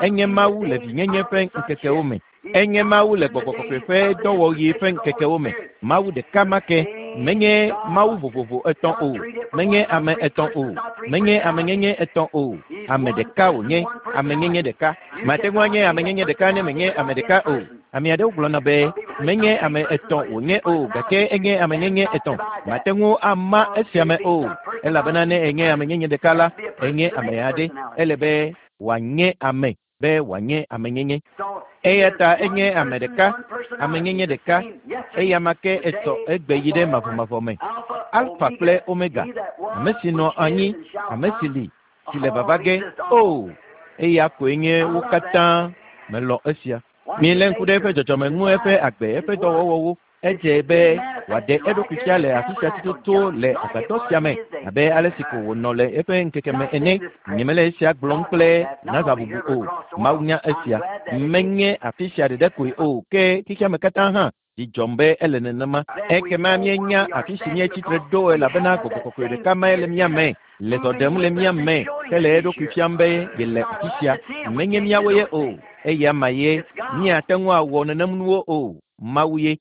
Enye Mawu le vinyenye ƒe ŋkekewo me. Enye Mawu le Gbɔgbɔ Kɔkɔe ƒe dɔwɔɣi ƒe ŋkekewo me. Mawu ɖeka ma ke. Menye Mawu vovovo etɔ̃ o. Menye ame etɔ̃ o. Menye amenyenye etɔ̃ o. Ame ɖeka wònye, amenyenye ɖeka. Mate ŋu anye amenyenye ɖeka ne menye ame ɖeka o. Ame aɖewo gblɔna be menye ame etɔ̃ wònye o, gake enye amenyenye etɔ̃. Mate ŋu ama esia me o, elabena ne enye amenyenye ɖeka la, enye ame aɖe. Ele be wòanye ame be wòanye amenyenye. Eya ta enye ame ɖeka, amenyenye ɖeka. Eya ma ke esɔ egbe yi ɖe mavɔmavɔ me. Alfa kple Omega, ame si nɔ anyi, ame si li, si le vava ge. O, eya koe nye wo katã. Melɔ̃ esia. Milé ŋku ɖe eƒe dzɔdzɔme ŋu, eƒe agbe, eƒe dɔwɔwɔwo. Edze be wòaɖe eɖokui fia le afi sia tututu le agbadɔ sia me abe ale si ko wònɔ le eƒe ŋkeke me ene. Nyemele esia gblɔm kple nazãbubu o. Mawu nya esia. Menye afi sia ɖeɖe koe o, ke xexea me katã hã dzi dzɔm be ele nenema. Ekema míenya afi si míetsi tre ɖo elabena Gbɔgbɔ Kɔkɔe ɖeka mae le mía me, le zɔ ɖem le mía me hele eɖokui fiam be yele afi sia. Menye míawoe ye o, eya ma ye. Míate ŋu awɔ nenem nuwo o. Mawu ye.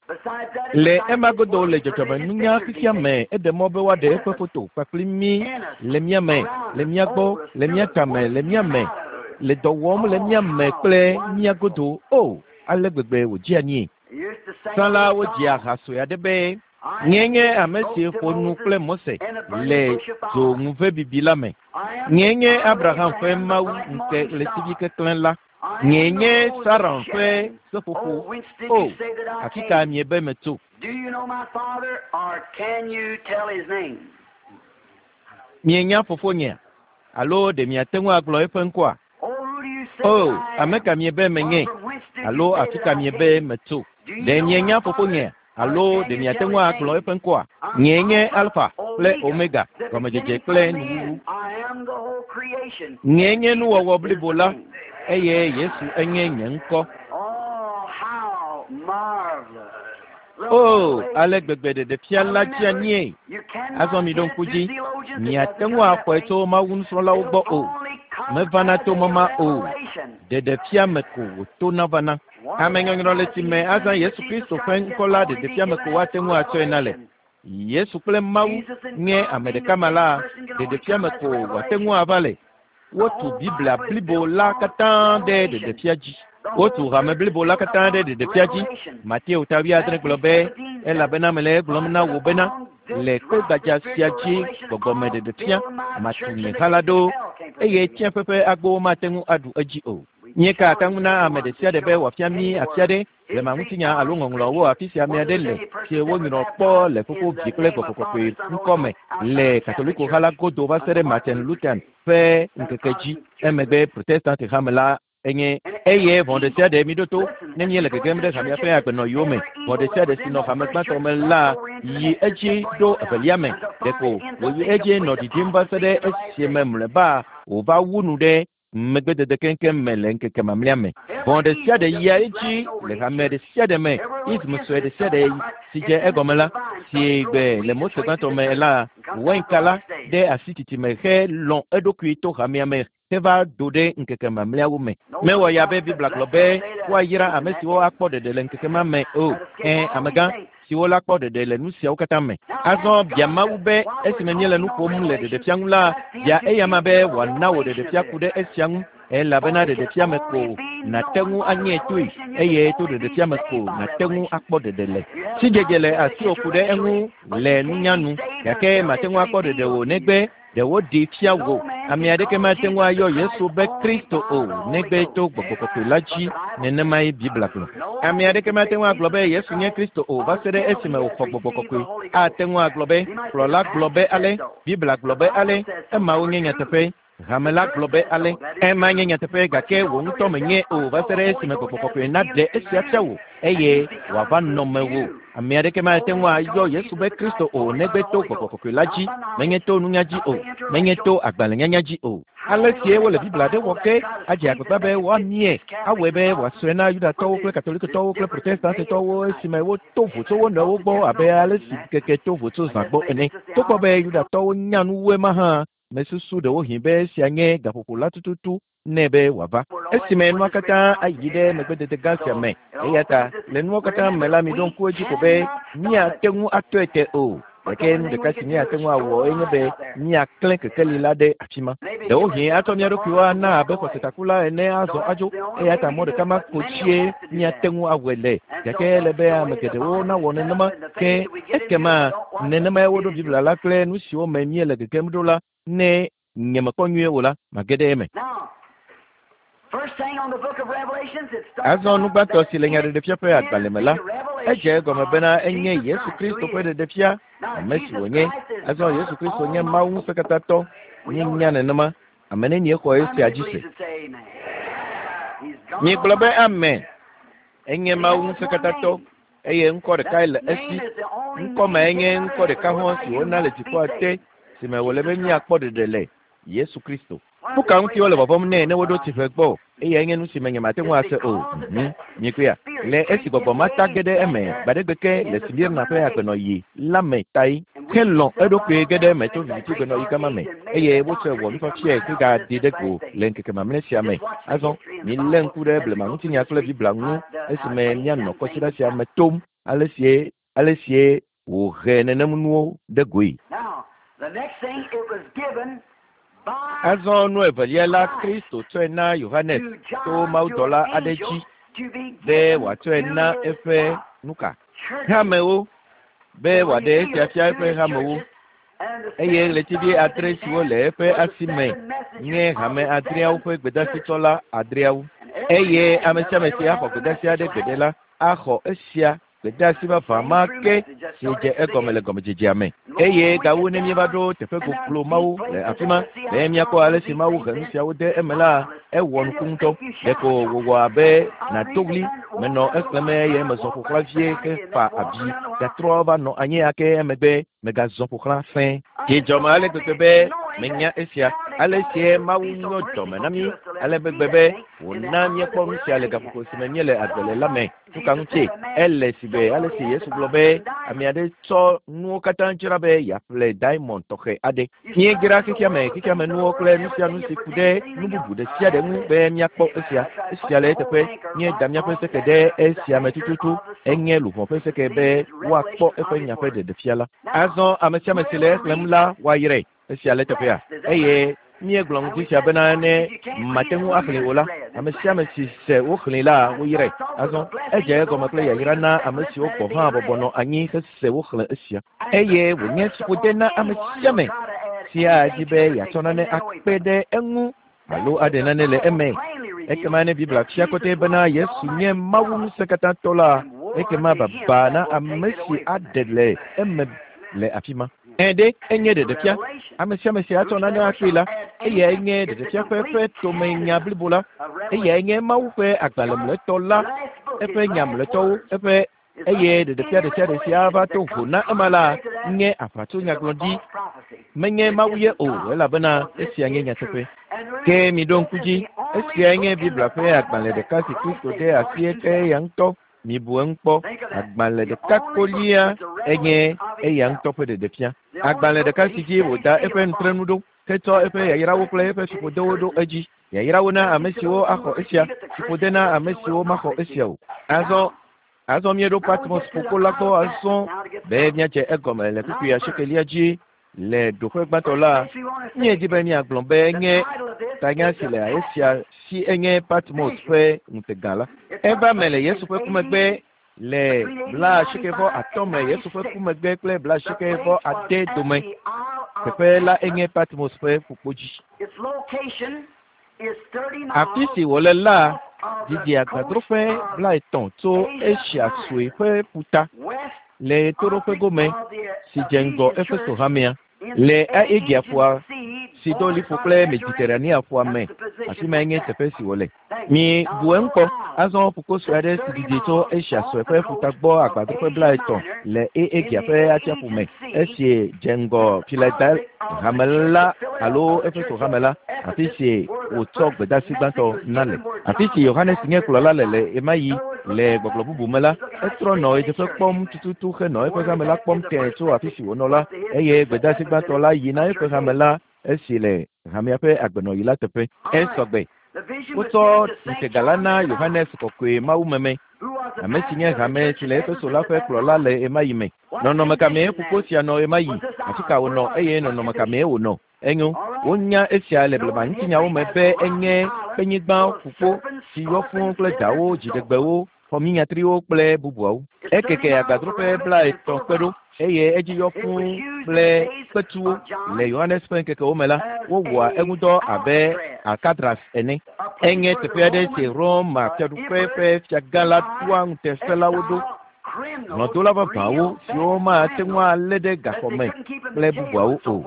Le ema godo le dzɔdzɔmenunya xexea me, eɖe mɔ be woaɖe eƒe foto kpakple mí le mía me, le mía gbɔ, le mía tame, le mía me, le dɔ wɔm le mía me kple mía godo. O, ale gbegbe wòdzea anyie. Tsã la wodzia ha sue aɖe be nye nye ame si ƒo nu kple Mose le dzo ŋuvebibi la me. Nye nye Abraham ƒe Mawu ŋke ɣletivi keklẽ la. Nye nye Saron ƒe seƒoƒo. O, afi ka miebe metso? Do you know my father, or can you tell his name? Mienya fofonyea alo ɖe miate ŋu agblɔ eƒe ŋkɔa? Oh, who do you say O, I ame am? ka miebe menye Or from whence did you alo say afi that ka I miebe came? metso? Do you Ɖe know mienya my fofonyea father, or alo can ɖe you miate tell ŋu his agblɔ name? eƒe ŋkɔa? I'm Nyee nye Alpha, Alfa kple Omega, Omega, the gɔmedzedze beginning kple and the nuwuwu. end. I am the whole creation. Nyee nye Jesus nuwɔwɔ is blibo the la name. eye Yesu enye nye ŋkɔ. Oh, how marvelous O, ale gbegbe ɖeɖefia la dzia nie. Azɔ mi ɖo ŋku dzi, miate ŋu axɔe tso Mawu nusrɔ̃lawo gbɔ o. Mevana to mɔma o. Ɖeɖefia me ko wòtona vana. Ame nyɔnyrɔ le tsi me azã Yesu Kristo ƒe ŋkɔ la ɖeɖefia me ko woate ŋu atsɔe na le. Yesu kple Mawu nye ame ɖeka ma la, ɖeɖefia me ko wòate ŋu ava le. Wotu Biblia blibo la katã ɖe ɖeɖefia dzi. Wotu hame blibo la katã ɖe ɖeɖefia dzi. Mateo ta wuiadre gblɔ be, elabena mele egblɔm na wò bena, le kpe gbadza sia dzi gbɔgbɔme ɖeɖefia matu nye ha la ɖo, eye tsiẽƒe ƒe agbowo mate ŋu aɖu edzi o. Míeka ata ŋu na ame ɖe sia ɖe be wòafia mí afi aɖe blema ŋutinya alo ŋɔŋlɔwo afi sia ame aɖe le si wonyrɔ kpɔ le Fofo, Vi kple Gbɔgbɔ Kɔkɔe ŋkɔ me le Katoliko ha la godo va se ɖe Martin Luther ƒe ŋkeke dzi. Emegbe Protestant hame la enye eye vɔ̃ ɖe sia ɖe mi ɖo to ne míele gegem ɖe hamea ƒe agbenɔyiwo me. Vɔ̃ ɖe sia ɖe si nɔ hame gbãtɔ me la yi edzi ɖo evelia me. Ɖeko wòyi edzi nɔ ɖiɖim va se ɖe esime mlɔeba wòva wu nu ɖe megbedede keŋkeŋ me le ŋkeke mamlɛa me. Vɔ̃ ɖe sia ɖe yia edzi le hame ɖe sia ɖe me. Ism sue ɖe sia ɖe si dze egɔme la, si gbe le Mose gbãtɔ me la, wainka la ɖe asi titime helɔ̃ eɖokui to hamea me heva do ɖe ŋkeke mamlɛawo me. Mewɔ ya be Biblia gblɔ be woayra ame siwo akpɔ ɖeɖe le ŋkeke ma me o. Ẽ, amegã siwo la kpɔ ɖeɖe le nu siawo katã me. Azɔ bia Mawu be esime míele nu ƒom le ɖeɖefia ŋu la, bia eyama be wòana wò ɖeɖefia ku ɖe esia ŋu, elabena ɖeɖefia me ko nàte ŋu anye toe, eye to ɖeɖefia me ko nàte ŋu akpɔ ɖeɖe le. Sidzedze le asiwò ku ɖe eŋu le nunya nu, gake màte ŋu akpɔ ɖeɖe o negbe ɖe woɖee fia wò. Ame aɖeke mate ŋu ayɔ Yesu be Kristo o negbe to Gbɔgbɔ Kɔkɔe la dzi. Nenemae Biblia gblɔ. Ame aɖeke mate ŋu agblɔ be Yesu nye Kristo o va se ɖe esime wòxɔ Gbɔgbɔ Kɔkɔe. Ate ŋu agblɔ be kplɔla gblɔ be ale, Biblia gblɔ be ale, emawo nye nyateƒe. Hame la gblɔ be ale, ema nye nyateƒe gake wò ŋutɔ menye o va se ɖe esime Gbɔgbɔ Kɔkɔe naɖe esia fia wò eye wòava nɔ mewò. Ame aɖeke mate ŋu ayɔ Yesu be Kristo o negbe to Gbɔgbɔ Kɔkɔe la dzi, menye to nunya dzi o, menye to agbalẽnyanya dzi o. Ale sie wole Biblia ɖe wɔ ke adze agbagba be woamie, awɔe be wòasɔe na Yudatɔwo kple Katolikotɔwo kple Protestantitɔwo esime woto vo tso wo nɔewo gbɔ abe ale si keke to vo tso zã gbɔ ene. Togbɔ be Yudatɔwo nya nu wu ema hã, mesusu ɖewohĩ be esia nye gaƒoƒo la tututu nɛ be wòava. Esime nua katã ayi ɖe megbedede gã sia me. Eya ta le nuwo katã me la, miɖo ŋku edzi ko be míate ŋu atɔe te o. Gake nu ɖeka si míate ŋu awɔ enye be míaklẽ kekeli la ɖe afi ma. Ɖewohĩ atsɔ mía ɖokuiwo ana abe xɔsetakula ene azɔ adzo. Eya ta mɔ ɖeka ma ko dzie míate ŋu awɔe le. Gake ele be ame geɖewo nawɔ nenema ke ekema nenemae woɖo Biblia la kple nu siwo me míele gegem ɖo la ne nyemekpɔ nyuie o la, mage ɖe eme. Azɔ nu gbãtɔ si le Nyaɖeɖefia ƒe agbalẽ me la, edze egɔme bena enye Yesu Kristo ƒe ɖeɖefia, ame si wònye. Azɔ Yesu Kristo nye Mawu ŋusẽkatãtɔ. Míenya nenema. Ame nenie xɔ esia dzi se? Míegblɔ be amen. Enye Mawu ŋusẽkatãtɔ eye ŋkɔ ɖekae le esi. Ŋkɔ mae nye ŋkɔ ɖeka hɔ̃ si wona le dziƒoa te si me wòle be míakpɔ ɖeɖe le, Yesu Kristo. Nu ka ŋuti wole vɔvɔ̃m nɛ ne woɖo tsiƒe gbɔ? Eyae nye nu si me nyemate ŋu ase o. Mhm. Miekpɔea? Le esi gbɔgbɔ ma ta ge ɖe eme gbaɖegbe ke le Smirna ƒe agbenɔɣi la me tae helɔ̃ eɖokui ge ɖe eme tso viviti gbenɔɣi gama me eye wotsɔe wɔ nufiafiae hegaɖi ɖe go le ŋkeke mamlɛ sia me. Azɔ milé ŋku ɖe blema ŋutinya kple Biblia ŋu esime míanɔ kɔsiɖa sia me tom ale sie ale sie wòhe nenem nuwo ɖe goe. Azɔ nu evelia la, Kristo tsɔe na Yohanes to mawudɔla aɖe dzi be wòatsɔe na eƒe nuka? Hamewo, be wòaɖe esia fia eƒe hamewo. Eye ɣletivi adre siwo le eƒe asi me nye hame adreawo ƒe gbedasitsɔla adreawo. Eye ame sia ame si axɔ gbedasi aɖe gbeɖe la, axɔ esia gbedasi vavã ma ke si dze egɔme le gɔmedzedzea me. Eye gawu ne míeva ɖo teƒe goglo Mawu le afi ma, be míakpɔ ale si Mawu he nu siawo de eme la, ewɔ nuku ŋutɔ. Ɖeko wòwɔ abe nàdo ɣli, menɔ exlẽm eye mezɔ ƒo xlã vie hefa avi, gatrɔ va nɔ anyi ake emegbe megazɔ ƒo xlã fɛ̃. Dzidzɔme ale gbegbe be Menya esia. Ale sie Mawu nyɔ dɔme na mí ale gbegbe be wòna míekpɔ nu sia le gaƒoƒo si me míele agbe le la me. Nu ka ŋutie? Ele si be ale si Yesu gblɔ be ame aɖe tsɔ nuwo katã dzra be yeaƒle diamond tɔxɛ aɖe. Míedzra xexea me xexea me nuwo kple nu sia nu si ku ɖe nu bubu ɖe sia ɖe ŋu be míakpɔ esia. Esia le eteƒe. Míeda míaƒe seke ɖe esia me tututu. Enye luʋɔ ƒe seke be woakpɔ eƒe nya ƒe ɖeɖefia la. Azɔ ame sia ame si le exlẽm la woayrae. Esia le teƒea. Eye míegblɔ ŋuti sia bena ne mate ŋu axlẽ o la, ame sia ame si se woxlẽe la woyrae. Azɔ edze egɔme kple yayra na ame siwo gɔ̃ hã bɔbɔ nɔ anyi hese woxlẽ esia. Eye wònye fiƒode na ame sia ame si adi be yeatsɔ nane akpe ɖe eŋu alo aɖe nane le eme. Ekema ne Biblia fia kɔtɛ bena Yesu nye Mawu ŋusẽkatãtɔ la, ekema baba na ame si aɖe le eme le afi ma. Ẽ ɖe enye ɖeɖefia. Ame sia ame si atsɔ nane akpee la, eyae nye ɖeɖefia ƒe eƒe tomenya blibo la. Eyae nye Mawu ƒe agbalẽ mlɔetɔ la, eƒe nya mlɔetɔwo, eƒe eye ɖeɖefia ɖe sia ɖe si ava to vo na ema la nye aʋatsonyagblɔɖi. Menye Mawu ye o, elabena esia nye nyateƒe. Ke miɖo ŋku dzi, esiae nye Biblia ƒe agbalẽ ɖeka si Kristo de asi eke eya ŋutɔ. Mibu eŋu kpɔ. Agbalẽ ɖeka kolia enye eya ŋutɔ ƒe ɖeɖefia. Agbalẽ ɖeka si dzi wòda eƒe nutrenu ɖo, hetsɔ eƒe yayrawo kple eƒe fiƒodewo ɖo edzi. Yayrawo na ame siwo axɔ esia, fiƒode na ame siwo maxɔ esia o. Azɔ azɔ míeɖo Patmos ƒukpo la gbɔ azɔ be míadze egɔme le kpukpui asiekelia dzi le ɖoƒe gbãtɔ la. Míedi be míagblɔ be nye tanya si le esia si enye Patmos ƒe ŋutega la. Eva me le Yesu ƒe ku megbe le blaasieke vɔ atɔ̃ me Yesu ƒe ku megbe kple blaasieke vɔ ade dome. Teƒe la enye Patmos ƒe ƒukpo dzi. Afi si wòle la didi agbadroƒe blaetɔ̃ tso Asia Sue ƒe ƒuta le ɣetoɖoƒe gome si dze ŋgɔ Efeso hamea le Aegea ƒua si do liƒo kple Mediterranea ƒua me. Afi mae nye teƒe si wòle. Mi bu eŋu kpɔ. Azɔ ƒukpo sue aɖe si didi tso Asia Sue ƒe ƒuta gbɔ agbadroƒe blaetɔ̃ le Aegea ƒe atsiaƒu me esi dze ŋgɔ Filadelfia hame la alo Efeso hame la, afi si wòtsɔ gbedeasi gbãtɔ na le. Afi si Yohanes nye kplɔla le le ɣemaɣi le gbɔgblɔ bubu me la, etrɔ nɔ ɣedzeƒe kpɔm tututu henɔ eƒe hame la kpɔm tẽe tso afi si wònɔ la, eye gbedeasi gbãtɔ la yi na eƒe hame la esi le hamea ƒe agbenɔɣi la teƒe. Esɔgbe. Wotsɔ ŋutega la na Yohanes kɔkɔe mawumeme, ame si nye hame si le Efeso la ƒe kplɔla le ɣemaɣi me. Nɔnɔme ka mee ƒukpo sia nɔ ɣemaɣi? Afi ka wònɔ eye nɔnɔme ka mee wònɔ? Enyo, wonya esia le blema ŋutinyawo me be enye kpenyigba ƒukpo si yɔ fũu kple dawo, dziɖegbewo, xɔminyatriwo kple bubuawo. Ekeke agbadroƒe blaetɔ̃ kpe ɖo eye edzi yɔ fũu kple kpetuwo. Le Yohanes ƒe ŋkekewo me la, wowɔa eŋudɔ abe Alcatraz ene. Enye teƒe aɖe si Roma fiaɖuƒe ƒe fiagã la ɖoa ŋutasẽlawo ɖo. Hlɔ̃dola vavãwo siwo mate ŋu alé ɖe gaxɔ me kple bubuawo o.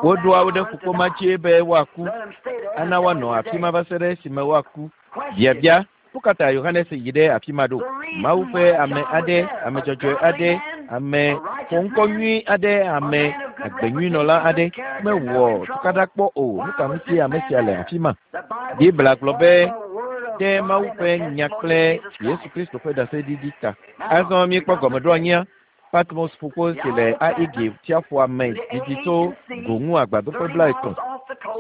Woɖoa wo ɖe ƒukpo ma dzi be woaku, ana woanɔ afi ma va se ɖe esime woaku. Biabia: Nu ka ta Yohanes yi ɖe afi ma ɖo? Mawu ƒe ame aɖe, ame dzɔdzɔe aɖe, ame xɔŋkɔ nyui aɖe, ame agbenyuinɔla aɖe mewɔ tukaɖa kpɔ o. Nu ka ŋutie ame sia le afi ma? Biblia gblɔ be ɖe Mawu ƒe nya kple Yesu Kristo ƒe ɖaseɖiɖi ta. Azɔ míekpɔ gɔmeɖoanyia. Patmos ƒukpo si le Aegea tsiaƒua me didi tso go ŋu agbadroƒe blaetɔ̃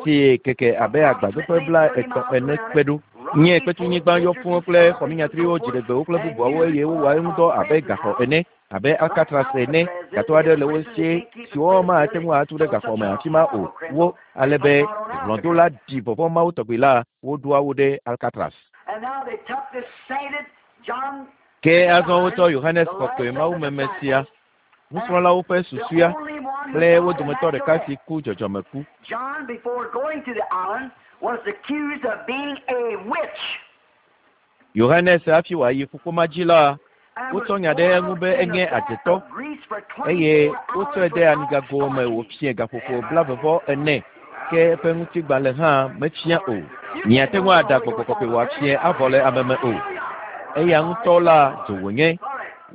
si keke abe agbadroƒe blaetɔ̃ ene kpe ɖo. Nye kpetunyigba yɔ fũu kple xɔminyatriwo, dziɖegbewo kple bubuawo eye wowɔa eŋudɔ abe gaxɔ ene, abe Alcatraz ene. Gatɔ aɖe le wo si siwo mate ŋu atu ɖe gaxɔ me afi ma o. Wo ale be hlɔ̃dola ɖi vɔvɔ̃ mawo tɔgbi la, woɖoa wo ɖe Alcatraz. Ke azɔ wotsɔ Yohanes kɔkɔe mawumeme sia, nusrɔ̃lawo ƒe susɔea kple wo dometɔ ɖeka si ku dzɔdzɔmeku. John, before going to the island, was accused of being a witch. Yohanes hafi wòayi ƒukpo ma dzi la, wotsɔ nya ɖe eŋu be enye adzetɔ eye wotsɔe de amigago me wòfie gaƒoƒo blaeve vɔ ene ke eƒe ŋutigbalẽ hã mefia o. Miate ŋu aɖa gbɔgbɔ kɔkɔe wòafie avɔ le ame me o. Eya ŋutɔ la dzo wònye.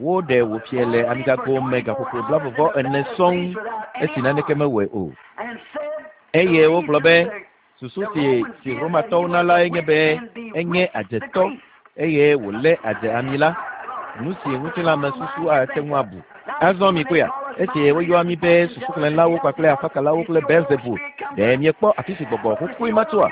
Woɖe wòfie le amigago me gaƒoƒo blaeve vɔ ene sɔŋ esi naneke mewɔe o. And said Eye wogblɔ be susu si si Romatɔwo na lae nye be enye adzetɔ eye wòlé adze ami la. Nu si ŋutilãmesusu ate ŋu abu. Azɔ mi kpɔea, esi woyɔa mi be susuxlẽlawo kpakple afakalawo kple Beelzebul, ɖe miekpɔ afi si gbɔgbɔ xoxoe ma tsoa?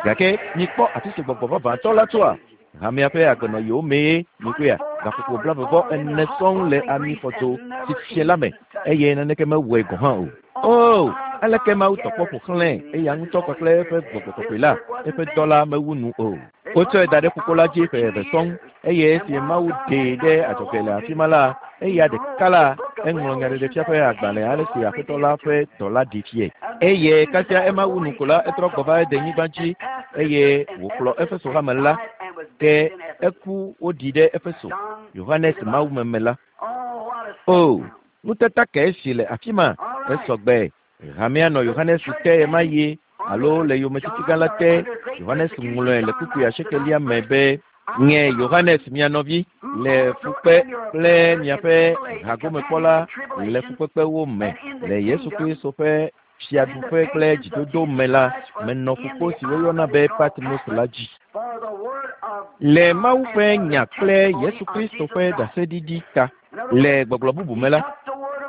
Gake mikpɔ afi si gbɔgbɔ vavãtɔ la tsoa? Hamea ƒe agbenɔɣiwo mee mi kpɔea, gaƒoƒo blaeve vɔ ene sɔŋ le ami xɔdzo si fie la me eye naneke mewɔe gɔ̃ hã o. O, aleke Mawu tɔ kpɔ ƒo xlãe eya ŋutɔ kpakple eƒe gbɔgbɔ kɔkɔe la, eƒe dɔ la mewu nu o. Wotsɔe da ɖe ƒukpo la dzi ƒe eve sɔŋ eye esi Mawu ɖee ɖe adzɔge le afi ma la, eya ɖeka la eŋlɔ nyaɖeɖefia ƒe agbalẽ ale si Aƒetɔ la ƒe dɔla ɖi fie. Eye kasia ema wu nu ko la, etrɔ gbɔ va denyigba dzi eye wòkplɔ Efeso hame la ke eku woɖi ɖe Efeso. Yohanes Mawumeme la. O, nutata kae si le afi ma esɔgbe. Hamea nɔ Yohanes te ɣemaɣi alo le yometiti gã la te. Yohanes ŋlɔe le kpukpui asiekelia me be nye Yohanes mia nɔvi le fukpe kple miaƒe hagomekpɔla le fukpekpewo me le Yesu Kristo ƒe fiaɖuƒe kple dzidodo me la menɔ ƒukpo si woyɔna be Patmos la dzi. Le Mawu ƒe nya kple Yesu Kristo ƒe ɖaseɖiɖi ta. Le gbɔgblɔ bubu me la,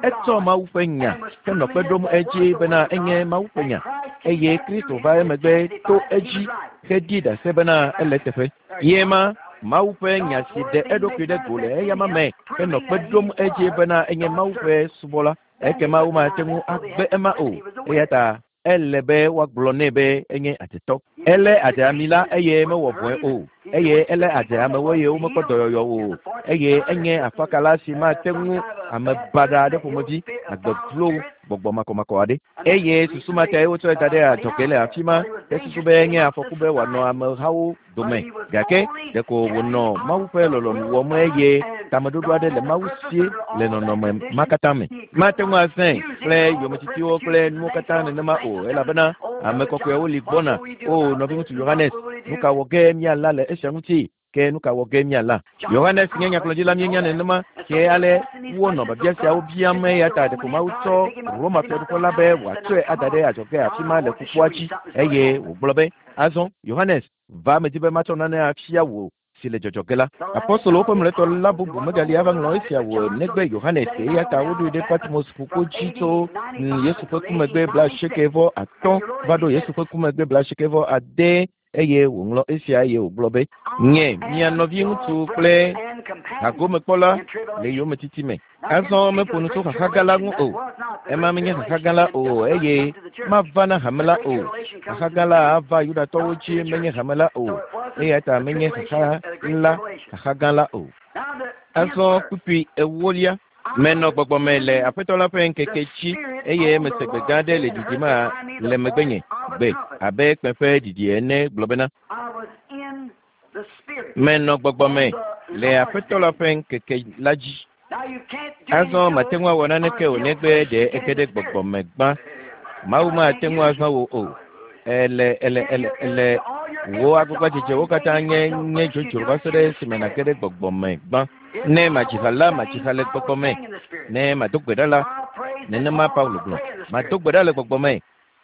etsɔ Mawu ƒe nya henɔ kpe ɖom edzi bena enye Mawu ƒe nya eye Kristo va emegbe to edzi heɖi ɖase bena ele eteƒe. Ye ma Mawu ƒe nya si ɖe eɖokui ɖe go le eyama me henɔ kpe ɖom edzi bena enye Mawu ƒe subɔla. Ekema womate ŋu agbe ema o. Eya ta ele be woagblɔ nɛ be enye adzetɔ. Elé adze ami la eye mewɔ vɔ̃e o. Eye elé adze amewo eye womekpɔ dɔyɔyɔ o. Eye enye afakala si mate ŋu ame baɖa aɖe ƒomevi agbe vlo gbɔgbɔ makɔmakɔ aɖe. Eye susu ma tae wotsɔe da ɖe adzɔge le afi ma hesusu be enye afɔku be wòanɔ amehawo dome. Gake ɖeko wònɔ Mawu ƒe lɔlɔ̃nu wɔm eye tameɖoɖo aɖe le Mawu sie le nɔnɔme ma katã me. Mate ŋu azãe kple yometitiwo kple nuwo katã nenema o elabena ame kɔkɔewo li gbɔna. O nɔviŋutsu Yohanes, nu ka wɔ ge míala le esia ŋuti? Ke nu ka wɔ ge míala? Yohanes nye nyagblɔɖila míenya nenema ke ale wonɔ biabia siawo biam eya ta ɖeko Mawu tsɔ Roma fiaɖuƒe la be wòatsɔe ada ɖe adzɔge afi ma le ƒukpoa dzi eye wògblɔ be azɔ Yohanes va medi be matsɔ nane afia wò si le dzɔdzɔ ge la. Apostolowo ƒe mlɔetɔ la bubu megali ava ŋlɔ esia wò negbe Yohanes eya ta woɖoe ɖe Patmos ƒukpo dzi tso Yesu ƒe ku megbe blaasieke vɔ atɔ̃ va ɖo Yesu ƒe ku megbe blaasieke vɔ ade eye wòŋlɔ esia eye wògblɔ be nye mia nɔviŋutsu kple hagomekpɔla le yometiti me. Azɔ meƒo nu tso xaxa gã la ŋu o. Ema menye xaxa gã la o eye mava na hame la o. Xaxa gã la ava Yudatɔwo dzi menye hame la o. Eya ta menye xaxa la xaxa gã la o. Azɔ kpukpui ewolia. Menɔ gbɔgbɔ me le Aƒetɔ la ƒe ŋkeke dzi eye mese gbe gã aɖe le ɖiɖim le megbenye gbe abe kpẽ ƒe ɖiɖi ene gblɔ bena menɔ gbɔgbɔ me le Aƒetɔ la ƒe ŋkeke la dzi. Azɔ mate ŋu awɔ naneke o negbe ɖe ege ɖe gbɔgbɔ me gbã. Mawu mate ŋu azã wò o. Ele ele ele ele wò agbagbadzedzewo katã nye nye dzodzro va se ɖe esime nàge ɖe gbɔgbɔ me gbã. Ne madzi ha la, madzi ha le gbɔgbɔ me. Ne mado gbe ɖa la, nenema Paulo gblɔ. Mado gbe ɖa le gbɔgbɔ me.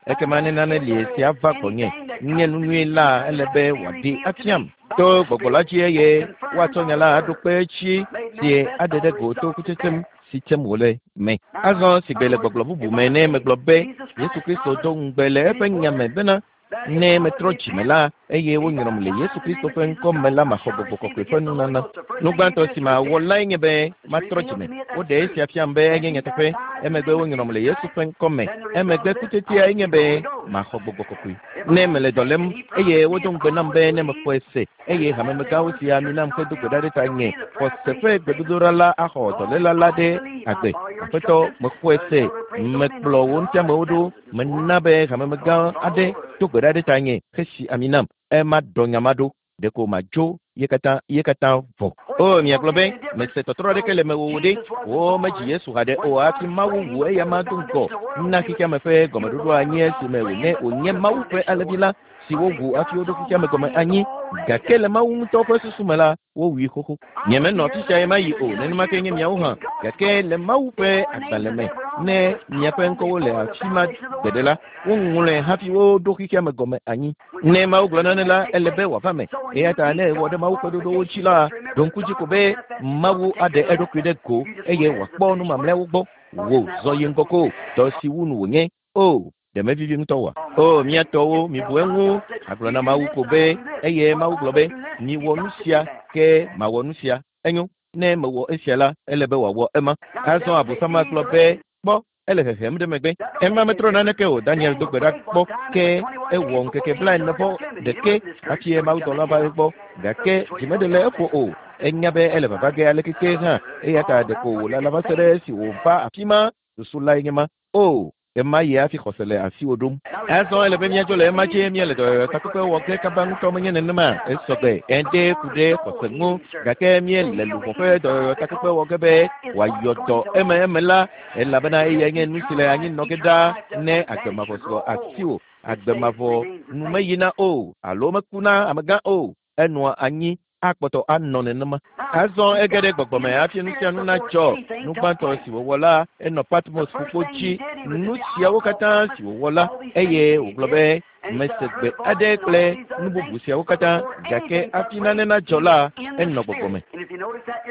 Ekema ne nane li si ava gbɔnye nye nu nyui la ele be wòaɖi afiam to gbɔgbɔ la dzi eye woatsɔ nya la aɖo kpe edzi si aɖe ɖe go to kutsetsem si tsem wòle me. Azɔ si gbe le gbɔgblɔ bubu me ne megblɔ be Yesu Kristo do ŋugbe le eƒe nya me bena ne metrɔ dzime la eye wonyrɔm le Yesu Kristo ƒe ŋkɔ me la maxɔ gbɔgbɔ kɔkɔe ƒe nunana. Nu gbãtɔ si mawɔ lae nye be matrɔ dzime. Woɖe esia fiam be enye nyateƒe. Emegbe wonyrɔm le Yesu ƒe ŋkɔ me. Emegbe kutsetsia enye be maxɔ gbɔgbɔ kɔkɔe. Ne mele dɔ lém eye wodo ŋugbe nam be ne mexɔe se eye hamemegãwo si ami nam hedo gbe ɖa ɖe tanye xɔse ƒe gbedodoɖa la axɔ dɔléla la ɖe agbe. Aƒetɔ mexɔe se mekplɔ wò ŋutiamewo ɖo mena be hamemegã aɖe do gbe ɖa ɖe tanye hesi ami nam. Ema dɔ nya ma ɖo ɖeko madzo ye katã ye katã vɔ. O miagblɔ be mese tɔtrɔ aɖeke le mewò o ɖe wo medzi Yesu haɖe o hafi Mawu wu eyama do ŋgɔ na xexeame ƒe gɔmeɖoɖo anyi esime wònye wònye Mawu ƒe alẽvi la si wowu hafi woɖo xexea me gɔme anyi gake le Mawu ŋutɔ ƒe susu me la wowui xoxo. Nyemenɔ afi sia ɣemaɣi o, nenema ke nye miawo hã. Gake le Mawu ƒe agbalẽ me, ne miaƒe ŋkɔwo le afi ma gbeɖe la, woŋlɔe hafi woɖo xexea me gɔme anyi. Ne Mawu gblɔ nane la, ele be wòava me. Eya ta ne ewɔ ɖe Mawu ƒe ɖoɖowo dzi la, ɖo ŋku dzi ko be Mawu aɖe eɖokui ɖe go eye wòakpɔ nu mamlɛawo gbɔ. Wò zɔ yi ŋgɔ ko, dɔ si wu nu wònye. O, ɖe mevivi ŋutɔ oa? O, mía tɔwo, mibu eŋu. Agblɔ na Mawu ko be, eye Mawu gblɔ be, miwɔ nu sia, ke mawɔ nu sia. Enyo, ne mewɔ esia la, ele be wòawɔ ema. Azɔ Abosam gblɔ be, kpɔ, ele hehem ɖe megbe. Ema metrɔ naneke o. Daniel do gbe ɖa kpɔ, ke ewɔ ŋkeke blaene vɔ ɖeke hafi mawudɔla va egbɔ. Gake dzi meɖe le eƒo o. Enya be ele vava ge aleke ke hã. Eya ta ɖeko wòlala va se ɖe esi wòva afi ma. Susu lae nye ma. O, ema yi hafi xɔse le asiwò ɖom. Azɔ ele be míadzo le ema dzi míele dɔyɔyɔtakpekpe wɔ ge kaba ŋutɔ menye nenema. Esɔgbe ede ku ɖe xɔse ŋu gake míele luʋɔ ƒe dɔyɔyɔtakpekpe wɔ ge be wòayɔ dɔ eme eme la elabena eyae nye nu si le anyi nɔ ge ɖaa ne agbe mavɔ sɔ asiwò. Agbe mavɔ nu meyina o alo mekuna amegã o. Enɔa anyi akpɔtɔ anɔ nenema. Azɔ ege ɖe gbɔgbɔme hafi nu sia nu natsɔ. Nu gbãtɔ si wòwɔ la, enɔ Patmos ƒukpo dzi. Nu siawo katã si wòwɔ la, eye wògblɔ be mese gbe aɖe kple nu bubu siawo katã gake hafi nane nadzɔ la, enɔ gbɔgbɔme.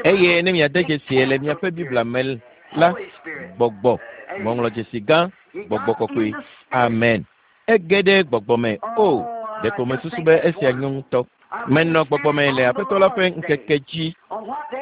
Eye ne miade dzesie le miaƒe Biblia me la, gbɔgbɔ, ŋɔŋlɔdzesi gã, gbɔgbɔ kɔkɔe. Amen. Ege ɖe gbɔgbɔme. O, ɖeko mesusu be esia nyo ŋutɔ. Menɔ gbɔgbɔme le Aƒetɔ la ƒe ŋkeke dzi.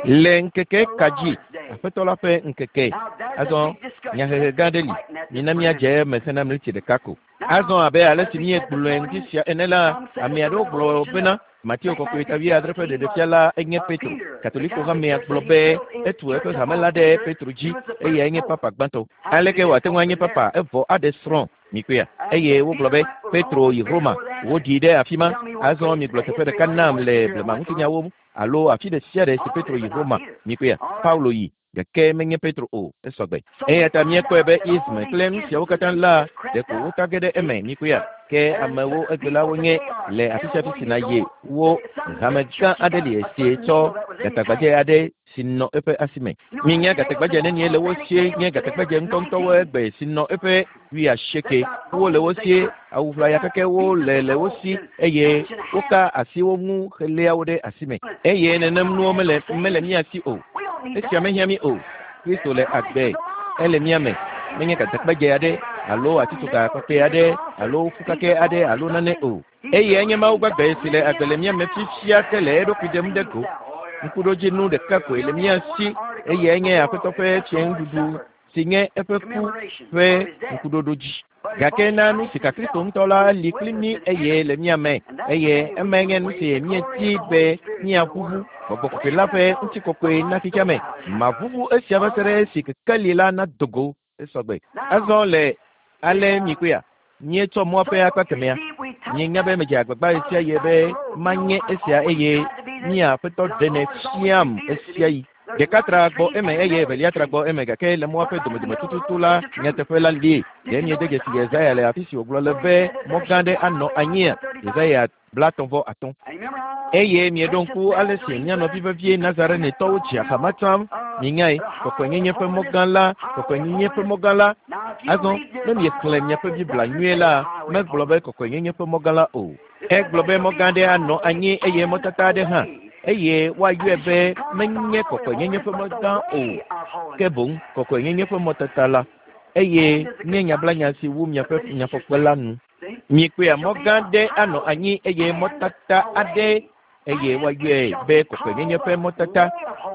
Le ŋkeke ka dzi? Aƒetɔ la ƒe ŋkeke. Azɔ nyahehe gã aɖe li. Mina míadze eme hena miniti ɖeka ko. Azɔ abe ale si míegblɔe ŋdi sia ene la, ame aɖewo gblɔ bena Mateo kɔkɔe ta wuiadre ƒe ɖeɖefia la enye Petro. Katoliko hamea gblɔ be etu eƒe hame la ɖe Petro dzi eyae nye papa gbãtɔ. Aleke wòate ŋu anye papa evɔ aɖe srɔ̃ mikpea? Eye wogblɔ be Petro yi Roma, woɖii ɖe afi ma. Azɔ migblɔ teƒe ɖeka nam le blema ŋutinyawo alo afi ɖe sia ɖe si Petro yi Roma mikpea? Paulo yi gake menye Petro o, esɔgbe. Eya ta míekpɔe be ism kple nu siawo katã la ɖeko wota ge ɖe eme mikpea? Ke amewo egbelawo nye le afi sia afi si nàyi wo hame gã aɖe li esi tsɔ gatagbadze aɖe si nɔ eƒe asime. Minya gatagbadze nenie le wo sie nye gatagbadze ŋutɔŋutɔwo egbe si nɔ eƒe wuiasieke. Wole wo sie, awu ʋlaya kekewo le le wo si eye woka asi wo ŋu heléa wo ɖe asime. Eye nenem nuwo mele mele mía si o. Esia mehiã mí o. Kristo le agbe, ele mía me. Menye gatagbadze aɖe alo atitsoga kpakpɛ aɖe alo fukake aɖe alo nane o. Eye enye Mawu gbagbe si le agbe le mía me fifia ke le eɖokui ɖem ɖe go. Ŋkuɖodzinu ɖeka koe le mía si eye nye Aƒetɔ ƒe fiẽnuɖuɖu si nye eƒe ku ƒe ŋkuɖoɖo dzi. Gake na nu si ka Kristo ŋutɔ la li kpli mí eye le mía me eye emae nye nu si míedi be míaʋuʋu gbɔgbɔ kɔkɔe la ƒe ŋutikɔkɔe na xexea me. Maʋuʋu esia va se ɖe esi kekeli la nado go esɔgbe. Azɔ le ale mikpɔea, míetsɔ mɔa ƒe akpa kemɛa. Mienya be medze agbagba ɣe sia ɣi be manye esia eye mía Aƒetɔ ɖenɛ fiam esia yi. Ɖeka tra gbɔ eme eye evelia tra gbɔ eme gake le mɔa ƒe domedome tututu la nyateƒe la li. Ɖe miede dzesi Yesaya le afi si wògblɔ le be mɔ gã aɖe anɔ anyia? Yesaya blaetɔ̃ vɔ atɔ̃. Eye mieɖo ŋku ale si mía nɔvi vevie Nazarenetɔwo dzi axama tsam. Mienyae, kɔkɔenyenye ƒe mɔ gã la, kɔkɔenyenye ƒe mɔ gã la. Azɔ ne miexlẽ miaƒe Biblia nyuie la, megblɔ be kɔkɔenyenye ƒe mɔ gã la o. Egblɔ be mɔ gã aɖe anɔ anyi eye mɔtata aɖe hã. Eye woayɔe be menye kɔkɔenyenye ƒe mɔ gã o, ke boŋ kɔkɔenyenye ƒe mɔtata la. Eye nye nyablanya si wu miaƒe nyafɔkpe la nu. Mikpɔea mɔ gã aɖe anɔ anyi eye mɔtata aɖe eye woayɔe be kɔkɔenyenye ƒe mɔtata,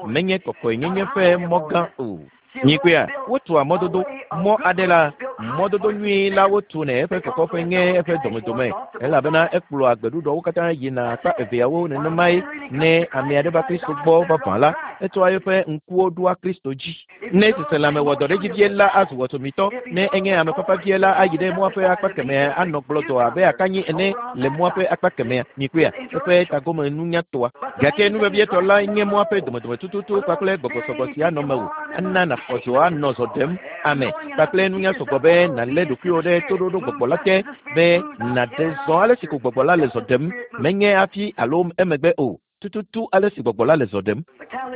menye kɔkɔenyenye ƒe mɔ gã o. Mikpɔea, wotua mɔdodo mɔ aɖe la, mɔdodo nyui la wotunɛ eƒe kɔkɔƒe nye eƒe domedome elabena ekplɔa gbeɖuɖɔwo katã yina akpa eveawo nenemae ne ame aɖe va Kristo gbɔ vavã la, Etsɔa eƒe ŋkuwo ɖoa Kristo dzi. Ne seselãme wɔ dɔ ɖe edzi vie la azu wɔtɔmitɔ. Ne enye ame fafa vie la ayi ɖe mɔa ƒe akpa kemɛ anɔ gblɔdɔ abe akanyi ene le mɔa ƒe akpa kemɛa. Mikpɔea, eƒe tagome nunyatɔa. Gake nu vevietɔ la nye mɔa ƒe domedome tututu kpakple gbɔgbɔsɔgbɔ si anɔ mewò. Ana nàxɔ dzo anɔ zɔ ɖem ame kpakple nunya sɔgbɔ be nàlé ɖokuiwò ɖe toɖoɖo gbɔgbɔ la te be nàɖe zɔ ale si ko gbɔgbɔ la le zɔ ɖem. Menye hafi alo emegbe o. Tututu ale si gbɔgbɔ la le zɔ ɖem.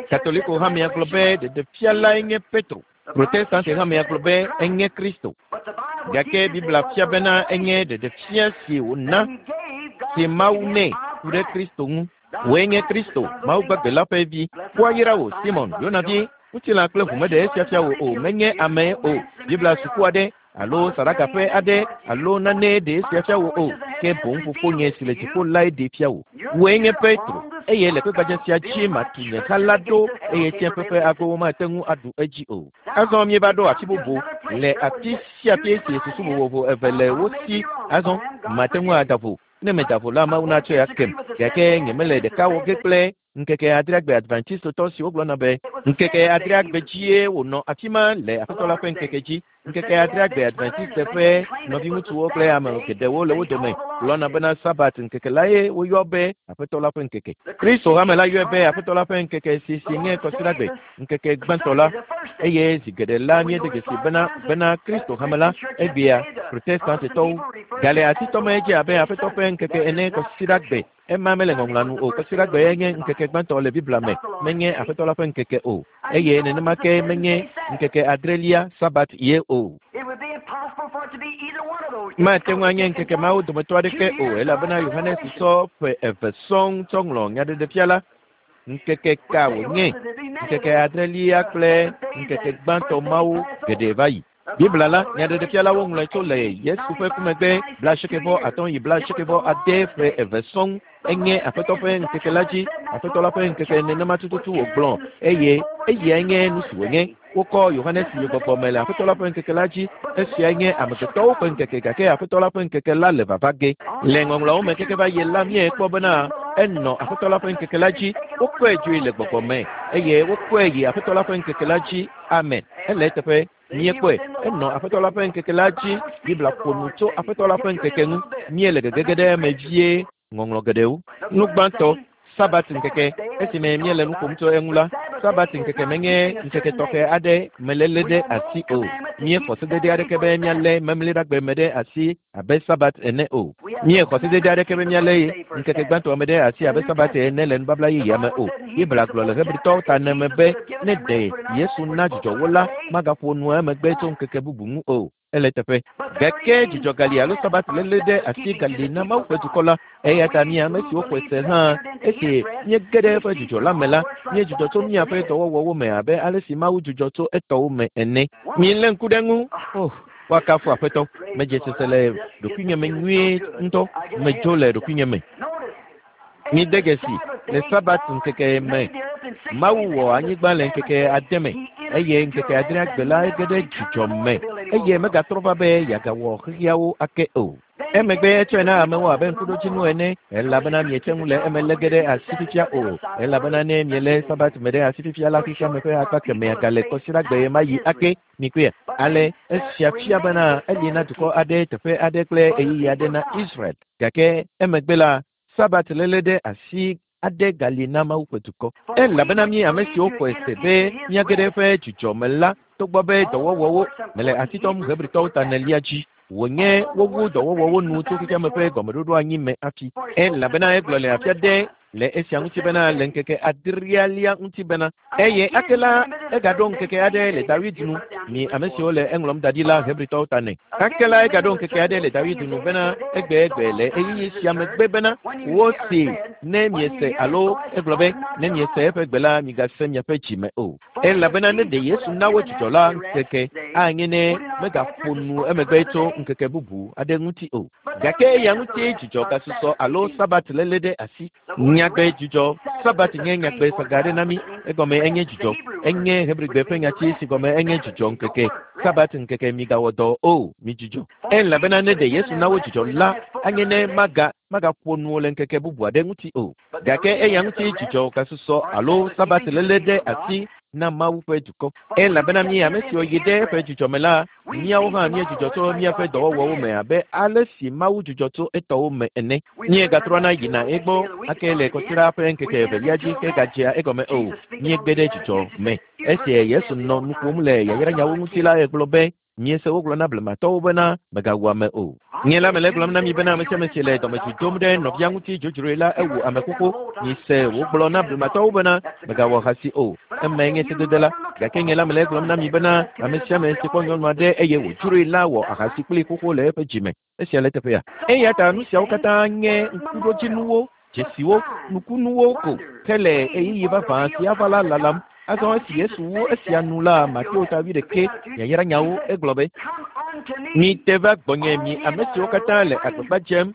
Katoliko hamea gblɔ be ɖeɖefia lae nye Petro. Protestante hamea gblɔ be enye Kristo. Gake Biblia fia bena enye ɖeɖefia si wòna si Mawu nɛ ku ɖe Kristo ŋu. Wòe nye Kristo, Mawu gbagbe la ƒe vi. Woayra wò, Simon, Yona vi. Ŋutilã kple ʋu meɖe esia fia wò o, menye ame o. Biblia suku aɖe alo saɖagaƒe aɖe alo nane ɖe esia fia wò o, ke boŋ fofonye si le dziƒo lae ɖee fia wò. Wòe nye Petro, eye le kpegbadze sia dzi matu nye ha la ɖo, eye tsiẽƒe ƒe agowo mate ŋu aɖu edzi o. Azɔ míeva ɖo afi bubu le afi sia afi si susu vovovo eve le wo si. Azɔ mate ŋu ada vo. Ne meda vo la, Mawu natsɔe akem. Gake nyemele ɖeka wɔ ge kple ŋkeke adreagbe Adventistotɔ siwo gblɔna be ŋkeke adreagbe dzie wònɔ afi ma le Aƒetɔ la ƒe ŋkeke dzi. Ŋkeke adreagbe Adventiste ƒe nɔviŋutsuwo kple ame geɖewo le wo dome gblɔna bena Sabat ŋkeke lae woyɔ be Aƒetɔ la ƒe ŋkeke. Kristo hame la yɔe be Aƒetɔ la ƒe ŋkeke si si nye kɔsiɖagbe, ŋkeke gbãtɔ la. Eye zi geɖe la míede dzesi bena bena Kristo hame la egbea Protestantetɔwo gale asitɔme dze abe Aƒetɔ ƒe ŋkeke ene kɔsiɖagbe. Ema mele ŋɔŋlɔa nu o. Kɔsiɖagbe nye ŋkeke gbãtɔ le Biblia me, menye Aƒetɔ la ƒe ŋkeke o. Eye nenema ke menye ŋkeke adrelia Sabat ye o. Mate ŋu anye ŋkeke mawo dometɔ aɖeke o, elabena Yohanes sɔ ƒe eve sɔŋ tsɔ ŋlɔ nyaɖeɖefia la. Ŋkeke ka wònye? Ŋkeke adrelia kple ŋkeke gbãtɔ mawo geɖe va yi. Biblia la, nyaɖeɖefia la woŋlɔe tso le Yesu ƒe ku megbe blaasiekɛ atɔ̃ yi blaasiekɛ ade ƒe eve sɔŋ. Enye Aƒetɔ ƒe ŋkeke la dzi. Aƒetɔ la ƒe ŋkeke nenema tututu wògblɔ eye eyae nye nu si wònye. Wokɔ Yohanes yi gbɔgbɔ me le Aƒetɔ la ƒe ŋkeke la dzi. Esiae nye amegbetɔwo ƒe ŋkeke gake Aƒetɔ la ƒe ŋkeke la le vava ge. Le ŋɔŋlɔawo me keke va yi la míekpɔ bena enɔ Aƒetɔ la ƒe ŋkeke la dzi. Wokɔe dzoe le gbɔgbɔ me eye wokɔe yi Aƒetɔ la ƒe ŋkeke la dzi. Amen. Ele eteƒe. Míekpɔe. Enɔ Aƒetɔ la ƒe ŋkeke la dzi. Biblia ƒo nu tso Aƒetɔ la ƒe ŋkeke ŋu. Míele gegege ɖe eme vie ŋɔŋlɔ geɖewo. Nu gbãtɔ, Sabat ŋkeke. Esime míele nu ƒom tso eŋu la, Sabat ŋkeke menye ŋkeke tɔxɛ aɖe meléle ɖe asi o. Míexɔ sedede aɖeke be míalé memleɖagbe me ɖe asi abe Sabat ene o. Míexɔ sedede aɖeke be míalé ŋkeke gbãtɔ me ɖe asi abe Sabat ene le nubabla yeyea me o. Biblia gblɔ le Hebritɔwo ta ene me be ne ɖe Yesu na dzidzɔ wo la, magaƒo nu emegbe tso ŋkeke bubu ŋu o. Ele teƒe. Gake dzidzɔ gali alo Sabat léle ɖe asi gali na Mawu ƒe dukɔ la. Eya ta mí ame siwo xɔe se hã esi míege ɖe eƒe dzidzɔ la me la, míedzudzɔ tso míaƒe dɔwɔwɔwo me abe ale si Mawu dzudzɔ tso etɔwo me ene. Mílé ŋku ɖe eŋu. Oh, woakafu Aƒetɔ. Medze sese le ɖokuinye me nyuie ŋutɔ. Medzo le ɖokuinye me. Míde dzesi le Sabat ŋkeke me. Mawu wɔ anyigba le ŋkeke ade me eye ŋkeke adrea gbe la ege ɖe dzidzɔ me eye megatrɔ va be yeagawɔ xexeawo ake o. Emegbe etsɔe na amewo abe ŋkuɖodzinu ene elabena miete ŋu le eme lé ge ɖe asi fifia o elabena ne mielé Sabat me ɖe asi fifia la xexeame ƒe akpa kemɛa gale kɔsiɖagbe ɣe ma ɣi ake. Mikpɔe. Ale esia fia bena eli na dukɔ aɖe teƒe aɖe kple ɣeyiɣi aɖe na Israel. Gake emegbe la Sabat léle ɖe asi aɖe gali na Mawu ƒe dukɔ. Elabena mí ame siwo xɔe se be míage ɖe eƒe dzidzɔ me la, togbɔ be dɔwɔwɔwo mele asi tɔm Hebritɔwo ta enelia dzi wònye wowu dɔwɔwɔwo nu tso xexeame ƒe gɔmeɖoɖo anyi me hafi. Elabena egblɔ le afi aɖe le esia ŋuti bena le ŋkeke adrelia ŋuti bena eye ake la egaɖo ŋkeke aɖe le Dawid nu. Mi ame siwo le eŋlɔm da ɖi la Hebritɔwo ta ne. Ake la egaɖo ŋkeke aɖe le Dawid nu bena egbe egbe le ɣeyiɣi sia megbe bena wosee ne miese alo egblɔ be ne miese eƒe gbe la migase miaƒe dzi me o. Elabena ne ɖe Yesu na wo dzidzɔ la ŋkeke anye ne megaƒo nu emegbe tso ŋkeke bubu aɖe ŋuti o. Gake eya ŋuti dzidzɔ gasusɔ alo Sabat léle ɖe asi. Nyagbe dzidzɔ Sabat nye nyagbe saga aɖe na mí. Egɔme enye dzidzɔ. Enye Hebrigbe ƒe nyati si gɔme enye dzidzɔ ŋkeke. Sabat ŋkeke migawɔ dɔ o, midzudzɔ. Elabena ne ɖe Yesu na wo dzidzɔ la, anye ne maga Magaƒo nu le ŋkeke bubu aɖe ŋuti o. Gake eya ŋuti dzidzɔ gasusɔ alo sabat léle ɖe asi na Mawu ƒe dukɔ. Elabena mi ame siwo yi ɖe eƒe dzidzɔ me la, míawo hã míedzudzɔ tso míaƒe dɔwɔwɔwo me abe ale si Mawu dzudzɔ tso etɔwo me ene. Míegatrɔna yina egbɔ ake le kɔsiɖa ƒe ŋkeke evelia dzi ke gadzea egɔme o. Míegbe ɖe dzidzɔ me. Esi Yesu nɔ nu ƒom le yayranyawo ŋuti la, egblɔ be míese wogblɔ na blematɔwo bena mègawu ame o. Nye la mele egblɔm na mi bena ame sia ame si le dɔmedzoe dom ɖe nɔvia ŋuti dzodzroe la ewu ame xoxo. Mise wogblɔ na blematɔwo bena mègawɔ ahasi o. Emae nye sedede la. Gake nye la mele egblɔm na mi bena ame sia ame si kpɔ nyɔnu aɖe eye wòdzroe la wɔ ahasi kplii xoxo le eƒe dzime. Esia le teƒea. Eya ta nu siawo katã nye ŋkuɖodzinuwo, dzesiwo, nukunuwo ko ke le ɣeyiɣi vavã si ava la lalam. Azɔ esi Yesu wu esia nu la, Mateo ta wuiɖekɛ yayranyawo egblɔ be, mite va gbɔnye mi ame siwo katã le agbagba dzem,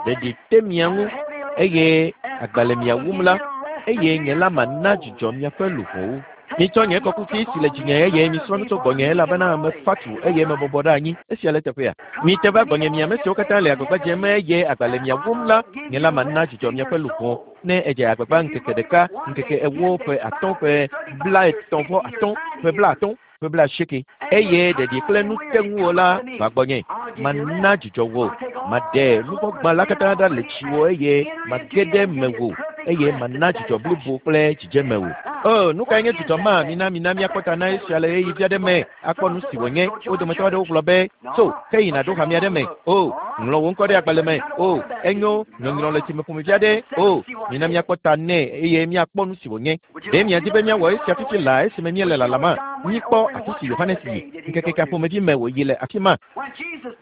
ɖeɖi te mia ŋu eye agba le mia wum la, eye nye la mana dzidzɔ miaƒe luʋɔwo. Mitsɔ nye kɔkuti si le dzinye eye misrɔ̃ nu tso gbɔnye elabena mefa tu eye mebɔbɔ ɖe anyi. Esia le teƒea. Mite va gbɔnye mi ame siwo katã le agbagba dzem eye agba le mia wum la, nye la mana dzidzɔ miaƒe luʋɔ. Ne edze agbagba ŋkeke ɖeka, ŋkeke ewo, ƒe atɔ̃, ƒe blaetɔ̃ vɔ atɔ̃, ƒe blaatɔ̃, ƒe blaasieke eye ɖeɖi kple nu te ŋuwò la va gbɔnye. Mana dzidzɔ wò, maɖe nuvɔ̃gba la katã ɖa le tsiwò eye mage ɖe mewò eye mana dzidzɔ blibo kple dzidzeme wò. O, nu kae nye dzidzɔ ma? Mina mina míakpɔ ta na esia le ɣeyiɣi vi aɖe me akpɔ nu si wònye. Wo dometɔ aɖewo gblɔ be, tso, ke yina ɖo hame aɖe me. O, ŋlɔ wò ŋkɔ ɖe agbalẽ me. O, enyo nyɔnyrɔ le tsime ƒomevi aɖe. O, mina míakpɔ ta nɛ eye míakpɔ nu si wònye. Ɖe miadi be míawɔ esia fifi laa esime míele lalama? Míkpɔ afi si Yohanes yi. Ŋkeke ka ƒomevi me wòyi le afi ma?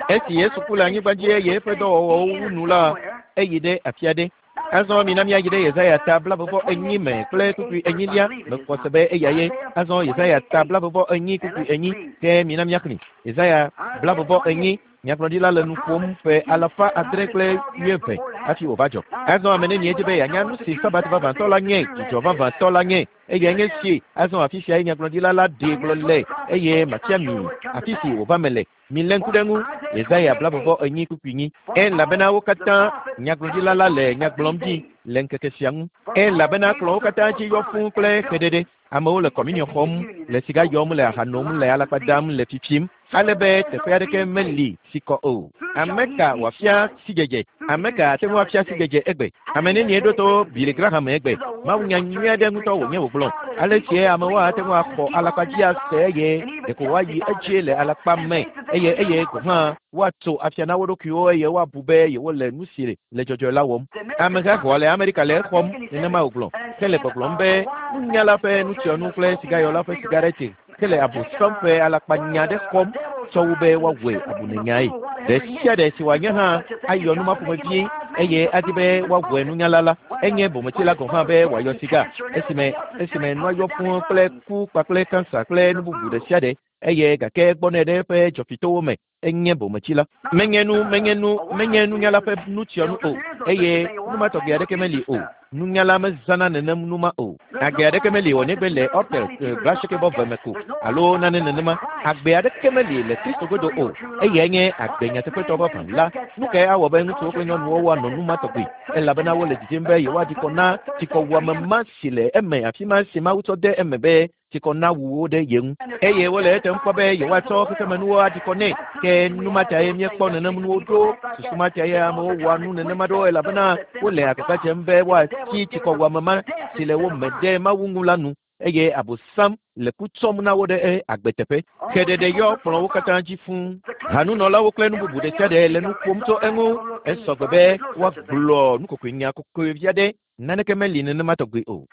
Esi Yesu ku le anyigba dzi eye eƒe dɔwɔwɔwo wu nu la, eyi ɖe afi aɖe. Azɔ mina míayi ɖe Yesaya ta blaeve enyi me kple kpukpui enyilia. Mexɔ se be eya ye. Azɔ Yesaya ta blaeve enyi kpukpui enyi ke mina míaxlẽ. Yesaya blaeve enyi. Nyagblɔɖila le nu ƒom ƒe alafa adre kple wuieve hafi wòva dzɔ. Azɔ ame nenie di be yeanya nu si Sabat vavãtɔ la nye, dzidzɔ vavãtɔ la nye, eyae nye si. Azɔ afi siae nyagblɔɖila la ɖee gblɔ le eye matia mi afi si wòva me le. Milé ŋku ɖe ŋu. Yesaya blaeve enyi kpukpui nyi. Elabena wo katã nyagblɔɖila la le nya gblɔm ɖi le ŋkeke sia ŋu. Elabena kplɔ̃wo katã dzi yɔ fũu kple xeɖeɖe. Amewo le kɔminiɔ xɔm, le siga yɔm, le aha nom, le alakpa dam, le fifim, ale be teƒe aɖeke meli si kɔ o. Ame ka wòafia sidzedze? Ame ka ate ŋu afia sidzedze egbe? Ame nenie ɖo to Billy Graham egbe? Mawunya nyui aɖe ŋutɔ wònye wògblɔ. Ale sie amewo ate ŋu axɔ alakpa dzi ase eye ɖeko woayi edzi le alakpa me eye eye gɔ̃ hã woatso afia na wo ɖokuiwo eye woabu be yewole nu si le dzɔdzɔe la wɔm. Ameha xɔa le Amerika le exɔm nenema wògblɔ. Ke le gbɔgblɔm be nunyala ƒe nutsyɔnu kple sigayɔla ƒe sigareti ke le abosam ƒe alakpanya aɖe xɔm tsɔ wu be woawɔe abunenyae. Ɖe sia ɖe si wòanye hã ayɔ nu ma ƒomevi eye adi be woawɔe nunyala la, enye bometsila gɔ̃ hã be wòayɔ siga esime esime nua yɔ fũu kple ku kpakple kansa kple nu bubu ɖe sia ɖe eye gake gbɔnɛ ɖe eƒe dzɔfitowo me. Enye bometsila. Menye nu menye nu menye nunyala ƒe nutsyɔnu o eye nu ma tɔgbi aɖeke meli o. Nunyala mezãna nenem nu ma o. Agbe aɖeke meli o negbe le Ortel blaasieke vɔ ve me ko alo nane nenema. Agbe aɖeke meli le Kristo godo o. Eyae nye agbe nyateƒetɔ vavã la. Nu kae awɔ be ŋutsuwo kple nyɔnuwo woanɔ nu ma tɔgbi? Elabena wole didim be yewoaɖi kɔ na tsikɔwuame ma si le eme afi ma si Mawu tsɔ de eme be tsikɔ na wu wo ɖe ye ŋu. Eye wole etem kpɔ be yewoatsɔ xexemenuwo aɖi kɔ nɛ. Ke nu ma tae míekpɔ nenem nuwo ɖo. Susu ma tae amewo wɔa nu nenema ɖo elabena wole agbagba dzem be woatsi tsikɔwuame ma si le wo me ɖe Mawu ŋu la nu eye abosam le ku tsɔm na wo ɖe agbe teƒe. Xeɖeɖe yɔ kplɔ̃wo katã dzi fũu. Hanunɔlawo kple nu bubu ɖe sia ɖe le nu ƒom tso eŋu. Esɔ gbe be woagblɔ nukokoenya kokoe vi aɖe. Naneke meli nenema tɔgbi o.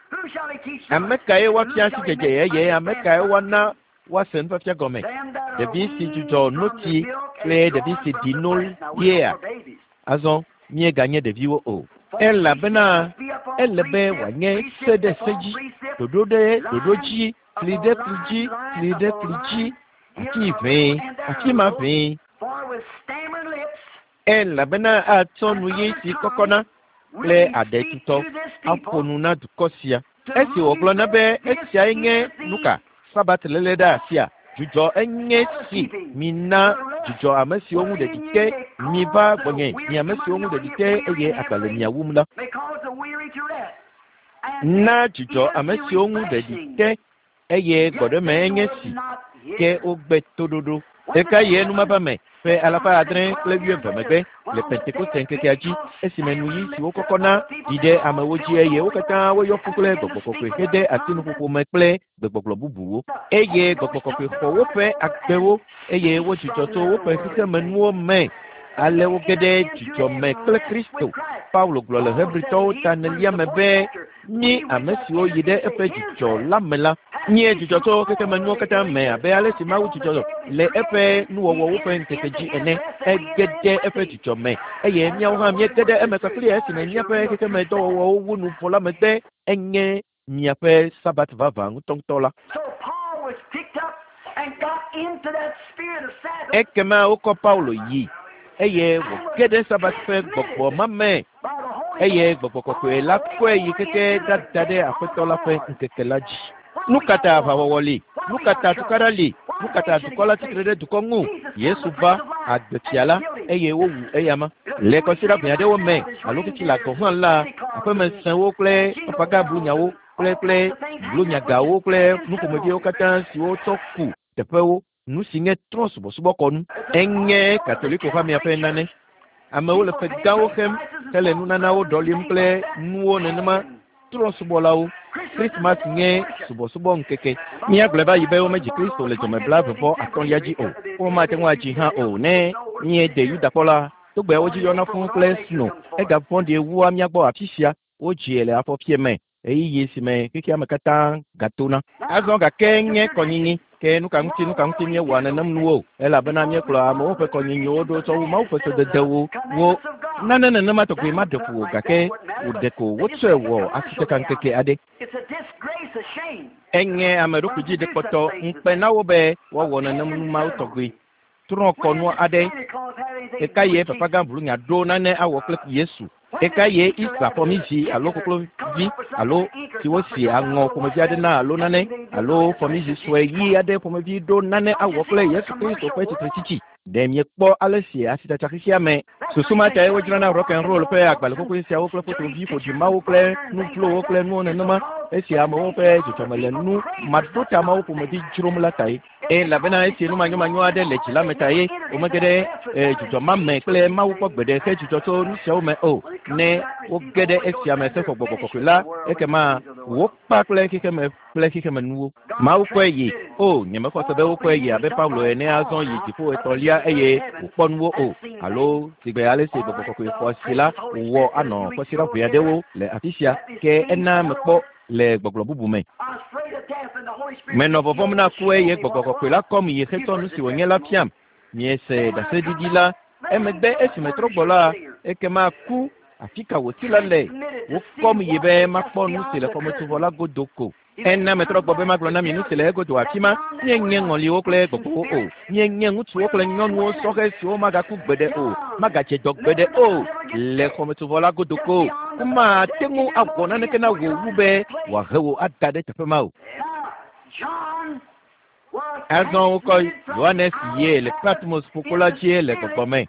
Ame kae woafia sidzedze eye ame kae woana woase nufiafia gɔme? Ɖevi si dzudzɔ notsi kple ɖevi si ɖi no yea? Azɔ míeganye ɖeviwo o. Elabena ele be wòanye se ɖe se dzi, ɖoɖo ɖe ɖoɖo dzi, fli ɖe fli dzi, fli ɖe fli dzi, afi ʋee, afi ma ʋee. Elabena atsɔ nu ɣi si kɔkɔna kple aɖe tutɔ aƒo nu na dukɔ sia. Esi wògblɔ na be esiae nye nu ka? Sabat léle ɖe asia, Dzudzɔ enye si mina dzudzɔ ame siwo ŋu ɖeɖi te miva gbɔnye mi ame siwo ŋu ɖeɖi te eye agba le mia wum la. Na dzudzɔ ame siwo ŋu ɖeɖi te eye gbɔɖeme enye si ke wogbe toɖoɖo. Eka ye numava me ƒe alafa adre kple wuieve megbe le Pentekoste ŋkekea dzi esime nuyi siwo kɔkɔna ɖi ɖe amewo dzi eye wo katã woyɔ fu kple gbɔgbɔ kɔkɔe hede asi nuƒoƒo me kple gbegbɔgblɔ bubuwo eye gbɔgbɔ kɔkɔe xɔ woƒe agbewo eye wodzudzɔ tso woƒe xexemenuwo me. Ale woge ɖe dzidzɔ me kple Kristo. Paulo gblɔ le Hebritɔwo ta enelia me be mí ame siwo yi ɖe eƒe dzidzɔ la me la míe dzidzɔ tso xexemenuwo katã me abe ale si Mawu dzidzɔ le eƒe nuwɔwɔwo ƒe ŋkeke dzi ene. Ege ɖe eƒe dzidzɔ me eye míawo hã míege ɖe eme kpakple esime míaƒe xexemedɔwɔwɔwo wu nu vɔ la megbe enye miaƒe Sabat vavã ŋutɔŋutɔ la. Ekema wokɔ Paulo yi eye wòge ɖe Sabat ƒe gbɔgbɔ ma me eye gbɔgbɔ kɔkɔe la kɔe yi keke ɖada ɖe Aƒetɔ la ƒe ŋkeke la dzi. Nu ka ta aʋawɔwɔ li? Nu ka ta tukaɖa li? Nu ka ta dukɔ la tsitre ɖe dukɔ ŋu? Yesu va agbefia la eye wowu eyama. Le kɔsiɖa ʋɛ aɖewo me alo fifia la gɔ̃ hã la, aƒemesẽwo kple papagablunnyawo kple kple blunyagawo kple nuƒomeviwo katã siwo tsɔ ku teƒewo nu si nye trɔ̃subɔsubɔkɔnu. Enye Katoliko hamea ƒe nane. Amewo le ƒe gãwo xem hele nunanawo ɖɔlim kple nuwo nenema trɔ̃subɔlawo. Christmas nye subɔsubɔ ŋkeke. Míagblɔe va yi be womedzi Kristo le dzɔme blaeve atɔ̃lia dzi o. Womate ŋu adzi hã o ne míede Yudakpɔ la. Togbeawo dzi yɔna fũu kple sno. Egavɔ̃ɖi wua mía gbɔ afi sia. Wodzie le afɔfie me ɣeyiɣi si me xexea me katã gatona. Azɔ gake nye kɔnyinyi ke nu ka ŋuti nu ka ŋuti míewɔa nenem nuwo elabena míekplɔ amewo ƒe kɔnyinyiwo ɖo tsɔ wu Mawu ƒe sededewo wo. Nane nenema tɔgbi maɖe fu o gake wòɖe ko wotsɔe wɔ asitekaŋkeke aɖe. Enye ame ɖokui dzi ɖekpɔtɔ ŋukpe na wo be woawɔ nenem nu mawo tɔgbi. Trɔ̃kɔnu aɖe eka ye papagã blunya ɖo nane awɔ kple Yesu. Eka ye Easter fɔmizi alo koklovi alo si wosi aŋɔ ƒomevi aɖe na alo nane alo fɔmizi sue ɣi aɖe ƒomevi ɖo nane awɔ kple Yesu Kristo ƒe tsitretsitsi. Ɖe miekpɔ ale si asitsatsa xexea me. Susu ma tae wodzrana rock and roll ƒe agbalẽ xoxoe siawo kple fotovi ƒoɖi mawo kple nu vlowo kple nuwo nenema esi amewo ƒe dzɔdzɔme le nu maɖotamawo ƒomevi dzrom la tae. Elabena esi numanyomanyo aɖe le dzi la me tae womege ɖe dzidzɔ ma me kple Mawu kpɔ gbeɖe he dzidzɔ tso nu siawo me o. Ne woge ɖe esia me hexɔ gbɔgbɔ kɔkɔe la, ekema wokpa kple xexeme kple xexemenuwo. Mawu kɔe yi. O, nyemexɔ se be wokɔe yi abe Paulo ene azɔ yi dziƒo etɔ̃lia eye wòkpɔ nuwo o. Alo sigbe ale si gbɔgbɔ kɔkɔe xɔ asi la wòwɔ anɔ kɔsiɖa ʋɛ aɖewo le afi sia ke ena mekpɔ le gbɔgblɔ bubu me. Menɔ vɔvɔ̃m na ku eye gbɔgbɔ kɔkɔe la kɔm yi hetsɔ nu si wònye la fiam. Miese ɖaseɖiɖi la emegbe esi metrɔ gbɔ la ekema ku afi ka wòti la le. Wokɔm yi be makpɔ nu si le xɔmetsovɔ la godo ko. Ena metrɔ gbɔ be magblɔ na mi nu si le egodo afi ma. Míenye ŋɔliwo kple gbɔgbɔwo o. Míenye ŋutsuwo kple nyɔnuwo sɔhɛ siwo magaku gbeɖe o, magadze dɔ gbeɖe o le xɔmetsovɔ la godo ko. Womate ŋu awɔ naneke na wò wu be wòahe wò ada ɖe teƒe ma o. Azɔ wokɔ Yohanes yie le Patmos ƒukpo la dzi le gbɔgbɔ me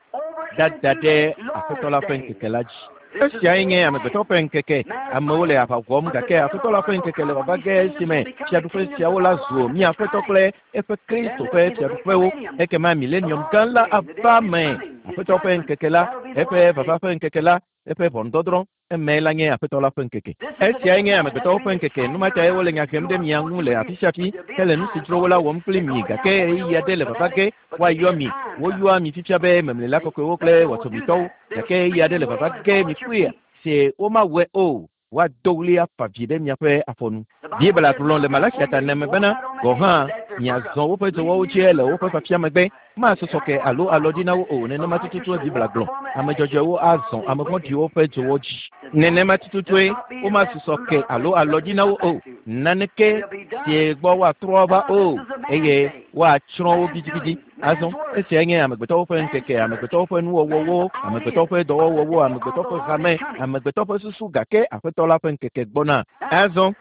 dada ɖe Aƒetɔ la ƒe ŋkeke la dzi. Esiae nye amegbetɔ ƒe ŋkeke. Amewo le aʋa wɔm gake Aƒetɔ la ƒe ŋkeke le vava ge esime fiaɖuƒe siawo la zu mía Aƒetɔ kple eƒe Kristo ƒe fiaɖuƒewo. Ekema milenium gã la ava me. Aƒetɔ ƒe ŋkeke la, eƒe vava ƒe ŋkeke la, eƒe ʋɔnudɔdrɔ̃ eme la nye Aƒetɔ la ƒe ŋkeke. Esiae nye amegbetɔwo ƒe ŋkeke. Nu ma tae wole nya hem ɖe mia ŋu le afi sia afi hele nu si dzro wo la wɔm kpli mi gake ɣeyiɣi aɖe le vava ge woayɔ mi. Woyɔa mi fifia be memlela kɔkɔewo kple wɔtɔmitɔwo gake ɣeyiɣi aɖe le vava ge mi kpuie si womawɔe o. Woado ɣli afa vi ɖe miaƒe afɔnu. Biblia gblɔ le Malakia ta ene me bena gɔ̃ hã miazɔ woƒe dzɔwɔwo dzi le woƒe fafia megbe. Masɔsɔ ke alo alɔ ɖi na wo o. Nenema tututue Biblia gblɔ. Ame dzɔdzɔewo azɔ ame vɔ̃ɖiwo ƒe dzowɔ dzi. Nenema tututue womasusɔ ke alo alɔ ɖi na wo o. Naneke si gbɔ woatrɔ va o eye woatsrɔ̃ wo gidigidi. Azɔ esiae nye amegbetɔwo ƒe ŋkeke, amegbetɔwo ƒe nuwɔwɔwo, amegbetɔwo ƒe dɔwɔwɔwo, amegbetɔwo ƒe hame, amegbetɔwo ƒe susu gake Aƒetɔ la ƒe ŋkeke gbɔna. Azɔ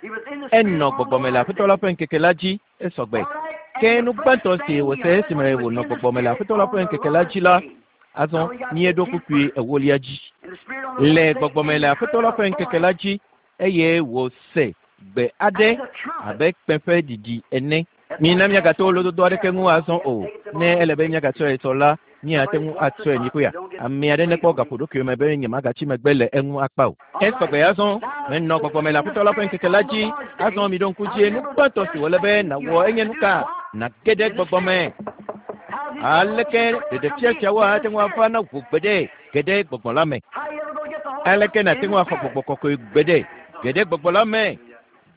enɔ gbɔgbɔme le Aƒetɔ la ƒe ŋkeke la dzi esɔgbe. Ke nu gbãtɔ si wòse esime wònɔ gbɔgbɔme le Aƒetɔ la ƒe ŋkeke la dzi la, azɔ míeɖo kpukpui ewolia dzi. Le gbɔgbɔme le Aƒetɔ la ƒe ŋkeke la dzi eye wòse gbe aɖe abe kpẽ ƒe ɖiɖi ene. Mina míagato lododo aɖeke ŋu azɔ o. Ne ele be míagatsɔe sɔ la, míate ŋu atsɔe nyikoya. Ame aɖe nekpɔ gaƒoɖokui me be nyemagatsi megbe le eŋu akpa o. Esɔgbe azɔ menɔ gbɔgbɔme le Aƒetɔ la ƒe ŋkeke la dzi. Azɔ miɖo ŋku dzi nu gbãtɔ si wòle be nàwɔ enye nu ka? Nàge ɖe gbɔgbɔme. Aleke ɖeɖefia siawo ate ŋu ava na wò gbeɖe ge ɖe gbɔgbɔ la me? Aleke nàte ŋu axɔ gbɔgbɔ kɔkɔe gbeɖe ge ɖe gbɔgbɔ la me?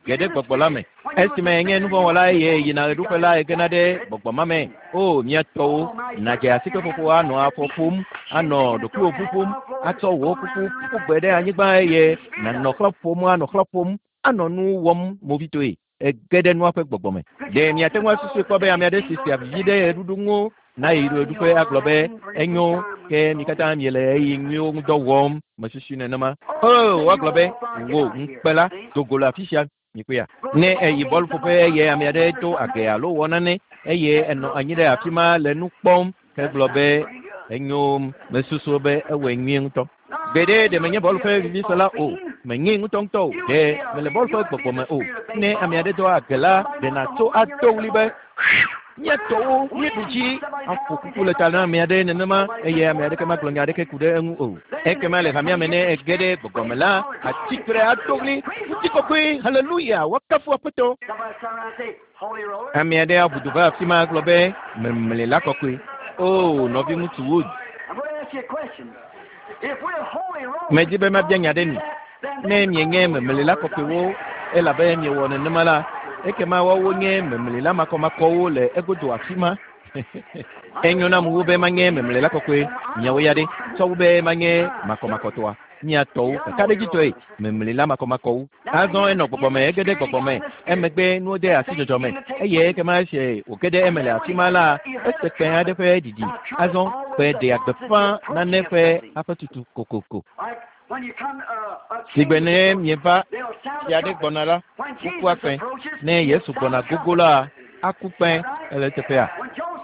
Ge ɖe gbɔgbɔ la me. Esime nye nuvɔ̃wɔla eye yina ɣeɖuƒe la egena ɖe gbɔgbɔ ma me. O mía tɔwo, nàdze asikeƒoƒo anɔ afɔ ƒom, anɔ ɖokuiwò ƒuƒom, atsɔ wò kuku ƒu gbe ɖe anyigba eye nànɔ xlã ƒom, anɔ xlã ƒom, anɔ nu wɔm movitoe. Ege ɖe nua ƒe gbɔgbɔ me. Ɖe miate ŋu asusui kpɔ be ame aɖe si sea vivi ɖe ɣeɖuɖu ŋu nayi ɣeɖuƒe agblɔ be enyo ke mi katã miele ɣeyiɣi nyuiwo ŋu dɔ wɔm mesusui nenema. O woagblɔ be wò ŋukpe la do go le afi sia mikpɔea. Ne eyi bɔluƒoƒe eye ame aɖe do age alo wɔ nane eye enɔ anyi ɖe afi ma le nu kpɔm hegblɔ be enyo mesusu be ewɔe nyuie ŋutɔ. Gbeɖe ɖe menye bɔlu ƒe vivisela o, menye ŋutɔŋutɔ o, ɖe mele bɔlu ƒe gbɔgbɔ me o. Ne ame aɖe do age la, ɖe nàtso ado ɣli be mía tɔwo míeɖu dzi aƒo kuku le ta na ame aɖe nenema eye ame aɖeke magblɔ nya aɖeke ku ɖe eŋu o. Ekema le hamea me ne ege ɖe gbɔgbɔ me la, atsitre ado ɣli ŋutikɔkɔe haleluya woakafu Aƒetɔ. Ame aɖe aʋu du va afi ma agblɔ be memle la kɔkɔe. O nɔviŋutsu Wood, medi be mabia nya ɖe mi. Ne mienye memlela kɔkɔewo elabe miewɔ nenema la, ekema woawo nye memlela makɔmakɔwo le egodo afi ma. Enyo nam wu be manye memlela kɔkɔe miawo ya ɖe tsɔ wu be manye makɔmakɔtɔa. Mia tɔwo kakaɖedzitɔe memlela makɔmakɔwo. Azɔ enɔ gbɔgbɔme ege ɖe gbɔgbɔme emegbe nuwo de asi dzɔdzɔ me eye ekema esi wòge ɖe eme le afi ma la, ese kpẽ aɖe ƒe ɖiɖi. Azɔ kpẽ ɖea gbeƒã nane ƒe aƒetutu kokoko. Sigbe ne mieva fia ɖe gbɔna la, wokua kpẽ. Ne Yesu gbɔna gogo la, aku kpẽ ele teƒea.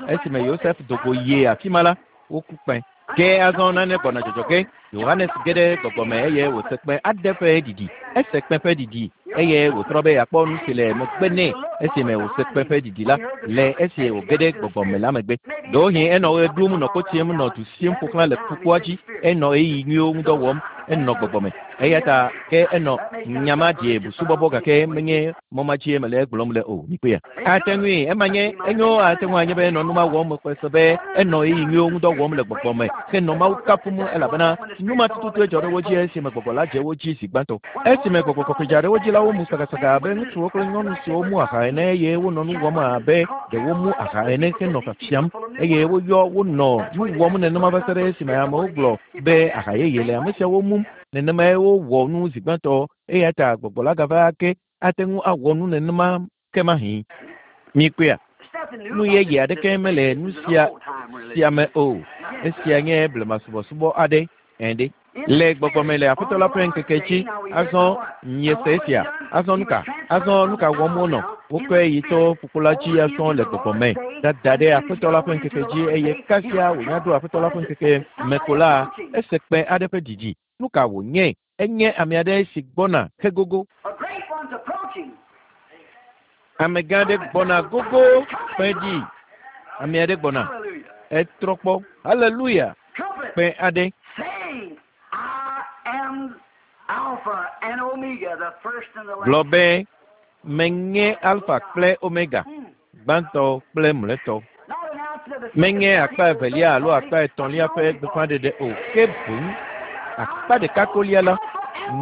Esime Yosef do go yie afi ma la, woku kpẽ. Ke azɔ nane gbɔna dzɔdzɔ ge. Yohanes ge ɖe gbɔgbɔme eye wòse kpẽ aɖe ƒe ɖiɖi. Ese kpẽ ƒe ɖiɖi eye wòtrɔ be yeakpɔ nu si le megbe nɛ esime wòse kpẽ ƒe ɖiɖi la le esi wòge ɖe gbɔgbɔme la megbe. Ɖewohĩ enɔ ɣe ɖum nɔ kotsim nɔ du sim ƒo xlã le ƒukpoa dzi. Enɔ ɣeyiɣi nyuiwo ŋu dɔ wɔm. Enɔ gbɔgbɔme. Eya ta ke enɔ nyama die busubɔbɔ gake menye mɔ ma dzie mele egblɔm le o. Mikpɔea. Ate ŋui ema nye enyo ate ŋu anye be enɔ nu ma wɔm mexɔe se be enɔ ɣeyiɣi nyuiwo ŋu dɔ wɔm le gbɔgbɔme henɔ Mawu kafum elabena nu ma tututue dzɔ ɖe wo dzi esime gbɔgbɔ la dze wo dzi zi gbãtɔ. Esime gbɔgbɔ kɔkɔe dza ɖe wo dzi la, womu sagasaga abe ŋutsuwo kple nyɔnu siwo mu aha ene eye wonɔ nu wɔm abe ɖe womu aha ene henɔ fiafiam eye woyɔ wonɔ nu wɔm nenema va se ɖe esime amewo gblɔ be aha yeye le ame siawo mum. Nenemae wowɔ nu zi gbãtɔ eya ta gbɔgbɔ la gava ake ate ŋu awɔ nu nenema ke mahĩ. Mikpɔea, nu yeye aɖeke mele nu sia sia me o. Esia nye blemasubɔsubɔ aɖe ene. Le gbɔgbɔme le Aƒetɔ la ƒe ŋkeke dzi, azɔ miese esia. Azɔ nu ka? Azɔ nu ka wɔm wonɔ? Wokɔe yi to ƒukpo la dzi azɔ le gbɔgbɔme dada ɖe Aƒetɔ la ƒe ŋkeke dzi eye kasia wònya ɖo Aƒetɔ la ƒe ŋkeke me ko la, ese kpẽ aɖe ƒe ɖiɖi. Nu ka wònye? Enye ame aɖe si gbɔna hegogo. Amegã aɖe gbɔna gogo kpẽ dzi. Ame aɖe gbɔna. Etrɔ kpɔ. Haleluya. Kpẽ aɖe. Gblɔ be menye Alfa kple Omega, gbãtɔ kple mlɔetɔ. Menye akpa evelia alo akpa etɔ̃lia ƒe gbeƒãɖeɖe o, ke boŋ akpa ɖeka kolia la,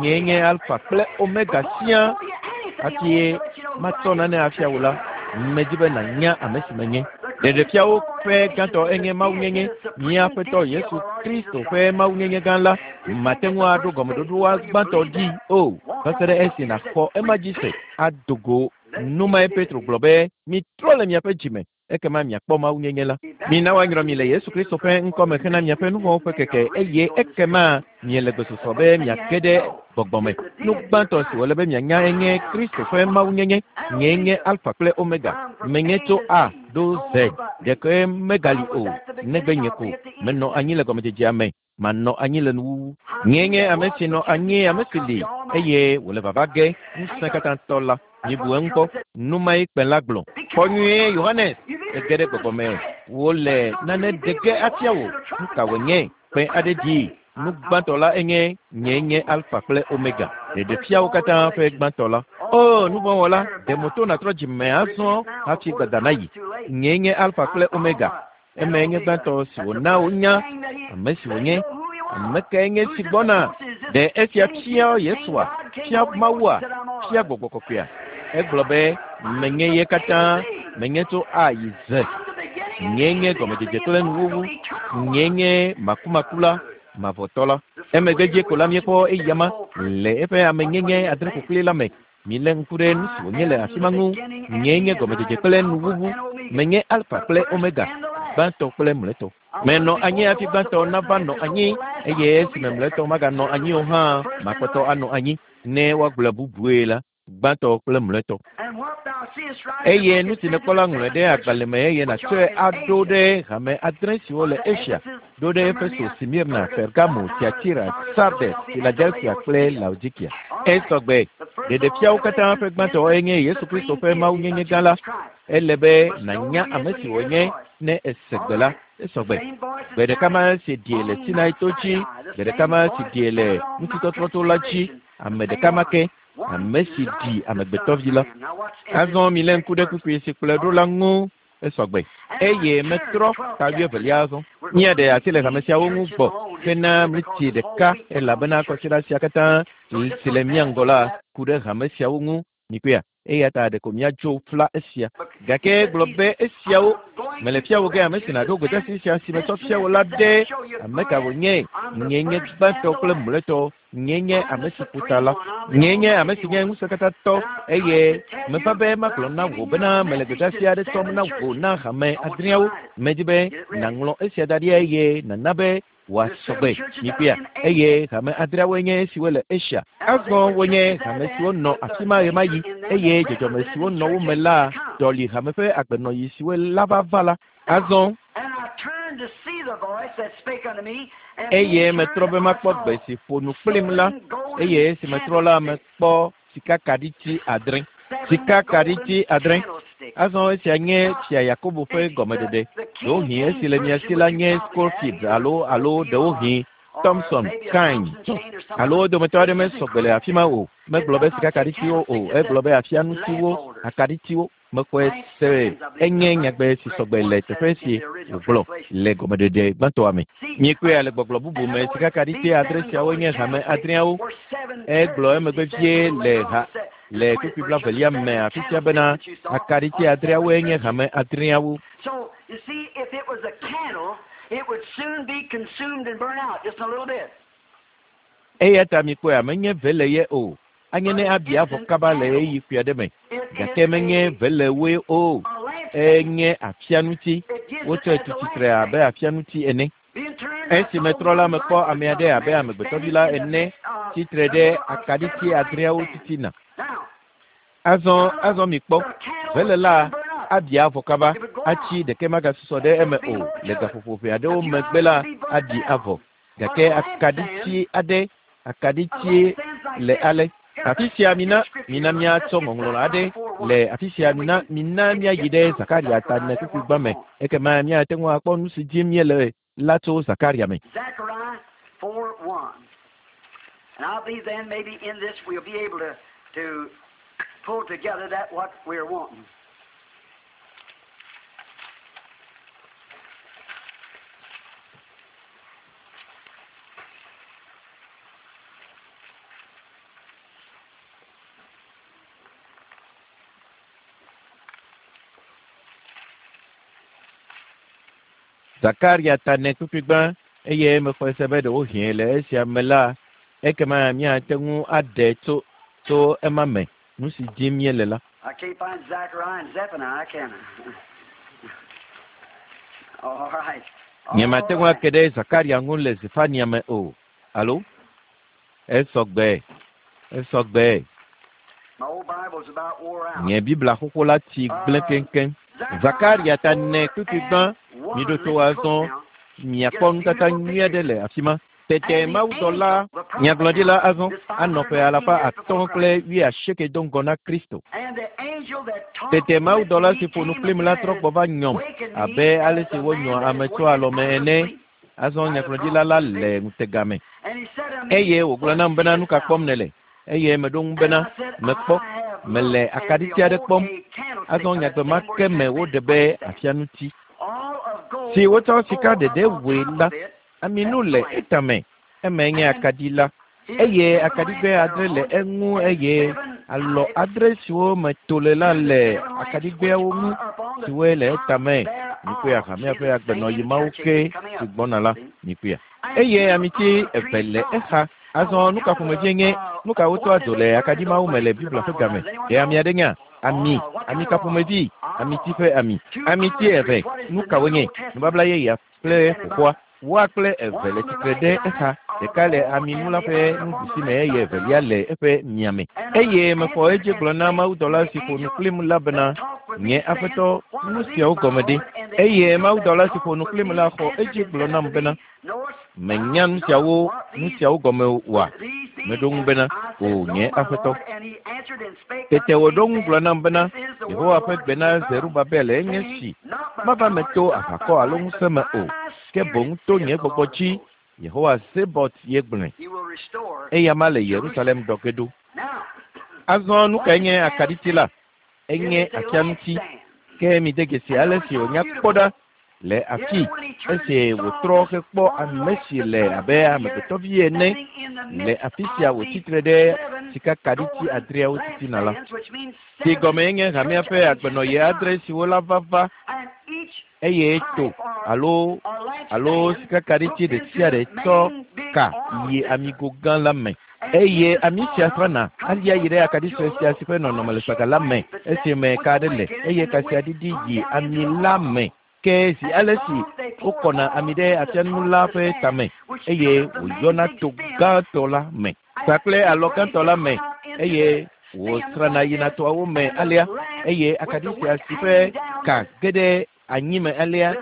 nyee nye Alfa kple Omega siaa. Hafi matsɔ nane afia wò la, medi be nànya ame si menye. Ɖeɖefiawo ƒe gãtɔ enye mawunyenye, mía Aƒetɔ Yesu Kristo ƒe mawunyenye gã la. Mate ŋu aɖo gɔmeɖoɖoa gbãtɔ dzi o, va se ɖe esi nàxɔ ema dzi se ado go. Nu mae Petro gblɔ be mitrɔ le miaƒe dzime Ekema miakpɔ mawunyenye la. Mina woanyrɔ mi le Yesu Kristo ƒe ŋkɔme hena miaƒe nu vɔ̃wo ƒe keke eye ekema miele gbesɔsɔ be miake ɖe gbɔgbɔ me. Nu gbãtɔ si wòle be mianya enye Kristo ƒe mawunyenye. Nyee nye Alfa kple Omega. Menye tso A ɖo Z. Ɖeke megali o, negbe nye ko. Menɔ anyi le gɔmedzedzea me. Manɔ anyi le nuwuwu. Nyee nye ame si nɔ anyi, ame si li eye wòle vava ge ŋusẽ katã tɔ la. Mibu eŋu nu mae kpẽ la gblɔ. Kpɔ nyuie Yohanes, ege ɖe gbɔgbɔ me. Wole nane ɖe ge afia wò. Nu ka wònye? Kpẽ aɖe ɖi. Nu gbãtɔ la enye nyee nye Alfa kple Omega. Ɖeɖefiawo katã ƒe gbãtɔ la. O nuvɔ̃wɔla, ɖe moto nàtrɔ dzime azɔ hafi gbada nayi. Nyee nye Alfa kple Omega. Eme nye gbãtɔ si wòna wonya ame si wònye. Ame kae nye si gbɔna? Ɖe esia fia Yesua, fia Mawua, fia Gbɔgbɔ Kɔkɔea. Egblɔ be menye ye katã, menye tso A yi Z. Nyee nye gɔmedzedze kple nuwuwu. Nyee nye makumakula, mavɔtɔ la. Emegbe dzi ko la míekpɔ eyama le eƒe amenyenye adre ƒoƒli la me. Milé ŋku ɖe nu si wònye le afi ma ŋu. Nyee nye gɔmedzedze kple nuwuwu. Menye Alfa kple Omega, gbãtɔ kple mlɔetɔ. Menɔ anyi hafi gbãtɔ nava nɔ anyi eye esime mlɔetɔ maganɔ anyi o hã, makpɔtɔ anɔ anyi. Ne woagblɔe bubue la, gbãtɔ kple mlɔetɔ. Eye nu si nèkpɔ la ŋlɔe ɖe agbalẽ me eye nàtsɔe aɖo ɖe hame adre siwo le Asia, ɖo ɖe Efeso, Smirna, Pergamo, Tiatira, Sardes, Filadelfia kple Laodikia. Esɔgbe. Ɖeɖefiawo katã ƒe gbãtɔ enye Yesu Kristo ƒe mawunyenye gã la. Ele be nànya ame si wònye ne ese gbe la. Esɔgbe. Gbe ɖeka ma si ɖie le Sinai to dzi, gbe ɖeka ma si ɖie le ŋutitɔtrɔto la dzi, ame ɖeka ma ke, ame si ɖi amegbetɔvi la. Azɔ milé ŋku ɖe kpukpui si kplɔe ɖo la ŋu. Esɔgbe. Eye metrɔ ta wuievelia azɔ. Míaɖe asi le hame siawo ŋu gbɔ hena mliti ɖeka elabena kɔsiɖa sia katã si le mía ŋgɔ la ku ɖe hame siawo ŋu. Mikpɔea? Eya ta ɖeko míadzo fla esia. Gake gblɔ be esiawo mele fia wò ge ame si nàɖo gbedeasi sia si metsɔ fia wò la ɖe ame ka wònye. Nyee nye gbãtɔ kple mlɔetɔ. Nyee nye ame si ƒo ta la. Nyee nye ame si nye ŋusẽkatãtɔ eye meva be magblɔ na wò bena mele gbedeasi aɖe tsɔm na wò na hame adreawo. Medi be nàŋlɔ esia da ɖi eye nàna be wòasɔgbe. Mikpɔea? Eye hame adreawoe nye esiwo le Asia. Azɔ wonye hame siwo nɔ afi ma ɣemaɣi eye dzɔdzɔme siwo nɔ wo me la ɖɔli hame ƒe agbenɔɣi siwo la va va la. Azɔ eye metrɔ be makpɔ gbe si ƒo nu kplim la eye esi metrɔ la mekpɔ sikakaɖiti adre. Sikakaɖiti adre. Azɔ esia nye fia Yakobo ƒe gɔmeɖeɖe. Ɖewohĩ esi le mia si la nye Scofield alo alo ɖewohĩ Thompson, Kine tɔ. Alo wo dometɔ aɖe mesɔgbe le afi ma o. Megblɔ be sikakaɖitiwo o. Egblɔ be afianutsiwo, akaɖitiwo. Mexɔe se enye nyagbe si sɔgbe le teƒe si wògblɔ le gɔmeɖeɖe gbãtɔa me. Míekpɔe le gbɔgblɔ bubu me sikakaɖiti adre siawo nye hame adreawo. Egblɔ emegbe vie le ha le kpukpui blaevelia me afi sia bena akaɖiti adreawoe nye hame adreawo. So, you see, if it was a candle, it would soon be consumed and burn out just a little bit. Eya ta mikpɔe menye vele ye o. Anye ne abi avɔ kaba le ɣeyiɣi kpui aɖe me. Gake menye velewoe o. Enye afianuti. Wotsɔe tu tsitre abe afianuti ene. Esi metrɔ la mekpɔ ame aɖe abe amegbetɔvi la ene tsitre ɖe akaɖiti adreawo titina. Azɔ azɔ mikpɔ vele la abi avɔ kaba atsi ɖeke magasusɔ ɖe eme o. Le gaƒoƒo ʋɛ aɖewo megbe la aɖi avɔ. Gake akaɖiti aɖe akaɖiti le ale. Afi sia mina mina míatsɔ ŋɔŋlɔ aɖe le afi sia mina mina míayi ɖe Zakaria ta ene kpukpui gbã me. Ekema míate ŋu akpɔ nu si dim míele la tso Zakaria me. Zechariah four one. And I believe then maybe in this we'll be able to, to pull together that what we're wanting. Zakaria ta ene kpukpui gbã eye mexɔe se be ɖewohĩ le esia me la ekema míate ŋu aɖe tso tso ema me nu si dim míele la. I can't find Zechariah and Zephaniah, can I? Nyemate ŋu ake ɖe Zakaria ŋu le Zefania me o. Alo? Esɔgbe. Esɔgbe. Nye Biblia xoxo la tsi gblẽ keŋkeŋ. Zakaria ta ne kpukpui gbã, miɖo to azɔ miakpɔ nutata nyui aɖe le afi ma. Tete mawudɔla nyagblɔɖila azɔ anɔ ƒe alafa atɔ̃ kple wuiasieke do ŋgɔ na Kristo. Tete mawudɔla si ƒo nu kplim la trɔ gbɔ va nyɔm abe ale si wonyɔa ame tso alɔme ene. Azɔ nyagblɔɖila la le ŋutega me. Eye wògblɔ nam bena nu ka kpɔm nèle? Eye meɖo ŋu bena mekpɔ mele akaɖiti aɖe kpɔm. Azɔ nyagbe ma ke me woɖe be afianuti si wotsɔ sika ɖeɖe wɔe la, aminu le etame. Eme nye akaɖi la. Eye akaɖigbe adre le eŋu eye alɔ adre siwo me to le la le akaɖigbeawo ŋu siwoe le etame. Mikpɔe hamea ƒe agbenɔyi mawo ke si gbɔna la, mikpɔea. Eye amiti eve le exa. Azɔ nu ka ƒomevie nye nu ka wotsɔa dzo le akaɖi mawo me le Biblia ƒe game? Ɖe ame aɖe nya? Ami, ami ka ƒomevi? Amiti ƒe ami. Amiti eve, nu ka wonye? Nubabla yeyea kple xoxoa. Woa kple eve le tsitre ɖe exa. Ɖeka le aminu la ƒe nuɖusi me eye evelia le eƒe miame. Eye mexɔ edzi gblɔ na mawudɔla si ƒo nu kplim la bena, nye aƒetɔ, nu siawo gɔme ɖe? Eye mawudɔla si ƒo nu kplim la xɔ edzi gblɔ nam bena, menya nu siawo nu siawo gɔme oa? Meɖo ŋu bena, o nye aƒetɔ. Tete wòɖo ŋu gblɔ nam bena, Yehowa ƒe gbe na Zerubabel enye si, mava me to aʋakɔ alo ŋusẽ me o, ke boŋ to nye gbɔgbɔ dzi, Yehowa Zebaot ye gblɔe. Eya ma le Yerusalem ɖɔ ge ɖo. Azɔ nu kae nye akaɖiti la? Enye afianuti. Ke mide dzesi ale si wònya kpɔ ɖa le afi esi wòtrɔ hekpɔ ame si le abe amegbetɔvi ene le afi sia wòtsitre ɖe sikakaɖiti adreawo titina la. Si gɔme nye hamea ƒe agbenɔyi adre siwo la va va eye to alo alo sikakaɖiti ɖe sia ɖe tsɔ ka yi amigo gã la me. Eye ami sia trɔna alia yi ɖe akaɖi sue sia si ƒe nɔnɔme le saga la me esime ka aɖe le eye ka sia ɖiɖi yi ami la me. Ke zi ale si wokɔna ami ɖe afianu la ƒe tame eye wòyɔna to gãtɔ la me kpakple alɔ gãtɔ la me eye wòsrana yina toawo me alea eye akaɖi sia si ƒe ka ge ɖe anyi me alea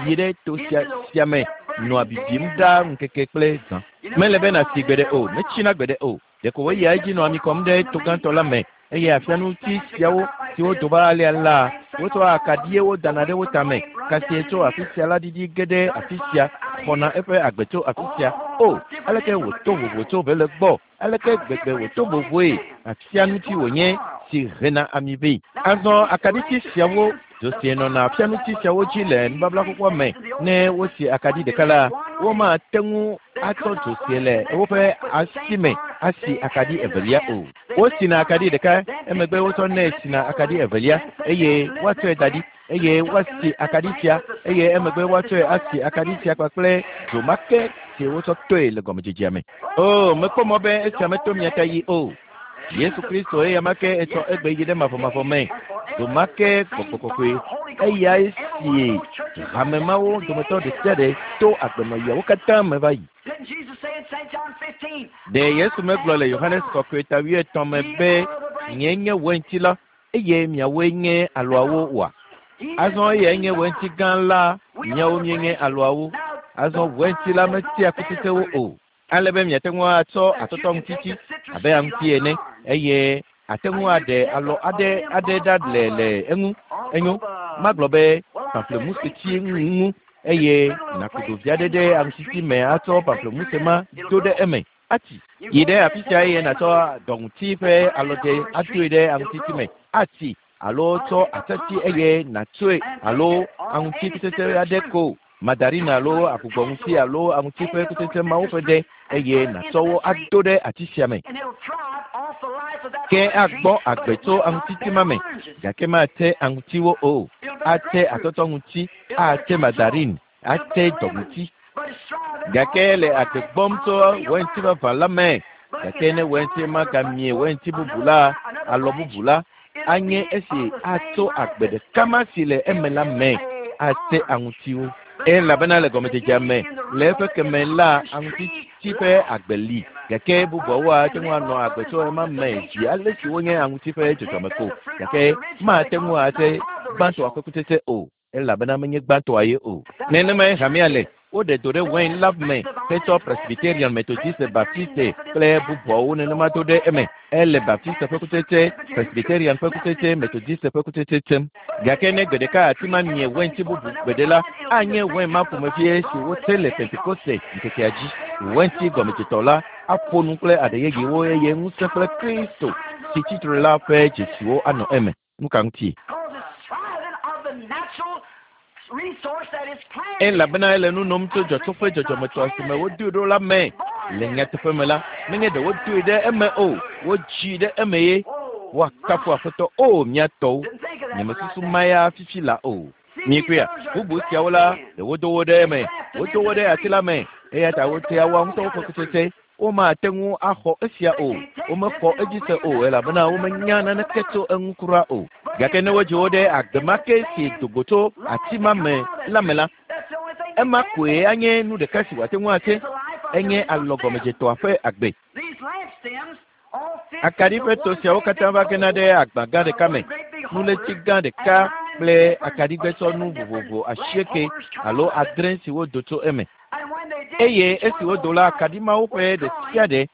yi ɖe to sia sia me nɔa bibim ɖaa ŋkeke kple zã. Mele be nàsi gbeɖe o, metsina gbeɖe o. Ɖeko wòyia edzi nɔ ami kɔm ɖe to gãtɔ la me eye afianuti siawo siwo do va alea la, wotsɔa akaɖiwo dana ɖe wo tame. Kasie tso afi sia la ɖiɖi ge ɖe afi sia, xɔna eƒe agbe tso afi sia. O, aleke wòto vovo tso vele gbɔ? Aleke gbegbe wòto vovoe? Afianuti wònye si hena ami vɛ. Azɔ akaɖiti siawo dzo si nɔna afianuti siawo dzi le nubabla xoxoa me. Ne wosi akaɖi ɖeka la, womate ŋu atsɔ dzo si le woƒe asi me asi akaɖi evelia o. Wosina akaɖi ɖeka, emegbe wotsɔnɛ sina akaɖi evelia eye woatsɔe da ɖi eye woasi akaɖi sia eye emegbe woatsɔe asi akaɖi sia kpakple dzo ma ke si wotsɔ toe le gɔmedzedzea me. O, mekpɔ mɔ be esia meto mia ta yi o. Yesu Kristo eya ma ke etsɔ egbe yi ɖe mavɔmavɔ me. Dzo ma ke gbɔgbɔ kɔkɔe eyae si hame mawo dometɔ ɖe sia ɖe to agbenɔyiawo katã me va yi. Ɖe Yesu megblɔ le Yohanes kɔkɔe ta wuietɔ̃ me be nye nye weinti la eye miawoe nye alɔawo oa? Azɔ eyae nye weinti gã la, miawo mienye alɔawo. Azɔ weinti la metia kutsetsewo o. Ale be miate ŋu atsɔ atɔtɔŋutiti abe aŋuti ene eye ate ŋu aɖe alɔ aɖe aɖe ɖa le le eŋu. Enyo, magblɔ be pamplemuseti ŋu eye nàku ɖovi aɖe ɖe aŋutiti me atsɔ pamplemuse ma do ɖe eme. Ati yi ɖe afi sia eye nàtsɔ dɔŋuti ƒe alɔdze adoe ɖe aŋutiti me. Ati alo tsɔ atati eye nàtsɔe alo aŋuti kutsetse aɖe ko mandarina alo agbugbɔŋuti alo aŋuti ƒe kutsetse mawo ƒe ɖe eye nàtsɔ wo ado ɖe ati sia me. Ke agbɔ agbe tso aŋutiti ma me gake mate aŋutiwo o. Ate atɔtɔŋuti, ate mandarin, ate dɔŋuti. Gake le agbe gbɔm tso weinti vavã la me. Gake ne weinti ma gamie weinti bubu la, alɔ bubu la, anye esi atso agbe ɖeka ma si le eme la me ate aŋutiwo. Elabena le gɔmedzedzea me le eƒe keme la aŋutiti ƒe agbe li gake bubuawo ate ŋu anɔ agbe tso ema me zi ale si wonye aŋuti ƒe dzɔdzɔme ko gake mate ŋu ate gbãtɔa ƒe kutsetse o elabena menye gbãtɔa ye o. Nenemae hamea le. Woɖe do ɖe wain la me hetsɔ Presbyterian, Methodiste, Baptiste kple bubuawo nenema do ɖe eme. Ele Baptiste ƒe kutsetse, Presbyterian ƒe kutsetse, Methodiste ƒe kutsetse tsem. Gake ne gbe ɖeka ati ma mie wain-ti bubu gbeɖe la, anye wain ma ƒomevie si wotse le Pentekoste ŋkekea dzi. Wain-ti gɔmedzetɔ la aƒo nu kple aɖe yeyewo eye ŋusẽ kple Kristo si tsitre la ƒe dzesiwo anɔ eme. Nu ka ŋuti? Elabena ele nu nom tso dzɔtsoƒe dzɔdzɔmetɔ si me wodoe ɖo la me. Le nyateƒe me la, menye ɖe wodoe ɖe eme o, wodzii ɖe eme ye. Woakafu Aƒetɔ o mía tɔwo. Nyemesusu ma ya fifi la o. Miekpɔea, bubu siawo la, ɖe wodo wo ɖe eme, wodo wo ɖe ati la me, eya ta wotea woa ŋutɔwo ƒe kutsetse. Womate ŋu axɔ esia o, womexɔ edzi se o, elabena womenya naneke tso eŋu kura o. Gake ne wodzi wo ɖe agbe ma ke si do go tso ati ma me la me la, ema koe anye nu ɖeka si wòate ŋu ate, enye alɔgɔmedzetɔa ƒe agbe. Akaɖi ƒe to siawo katã va gena ɖe agba gã ɖeka me, nulétsi gã ɖeka kple akaɖigbetsɔnu vovovo asieke alo adre siwo do tso eme. Eye esi wodo la, akaɖi mawo ƒe ɖe sia ɖe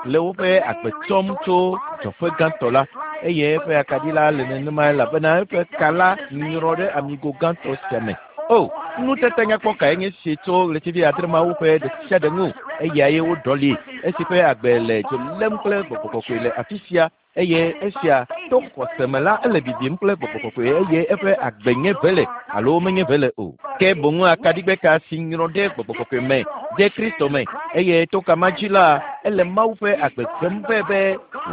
le woƒe agbe tsɔm tso dzɔƒe gãtɔ la, eye eƒe akaɖi la le nenema elabena eƒe ka la nyrɔ ɖe amigo gãtɔ sia me. O, nutete nyakpɔ kae nye si tso ɣletivi adre mawo ƒe ɖe sia ɖe ŋu, eyae woɖɔli esi ƒe agbe le dzo lém kple gbɔgbɔ kɔkɔe le afi sia eye esia to xɔse me la ele bibim kple gbɔgbɔ kɔkɔe eye eƒe agbe nye vele alo menye vele o. Ke boŋu akaɖigbe ka si nyrɔ ɖe gbɔgbɔ kɔkɔe me ɖe Kristo me eye to kama dzi la ele Mawu ƒe agbe gbem vɛ be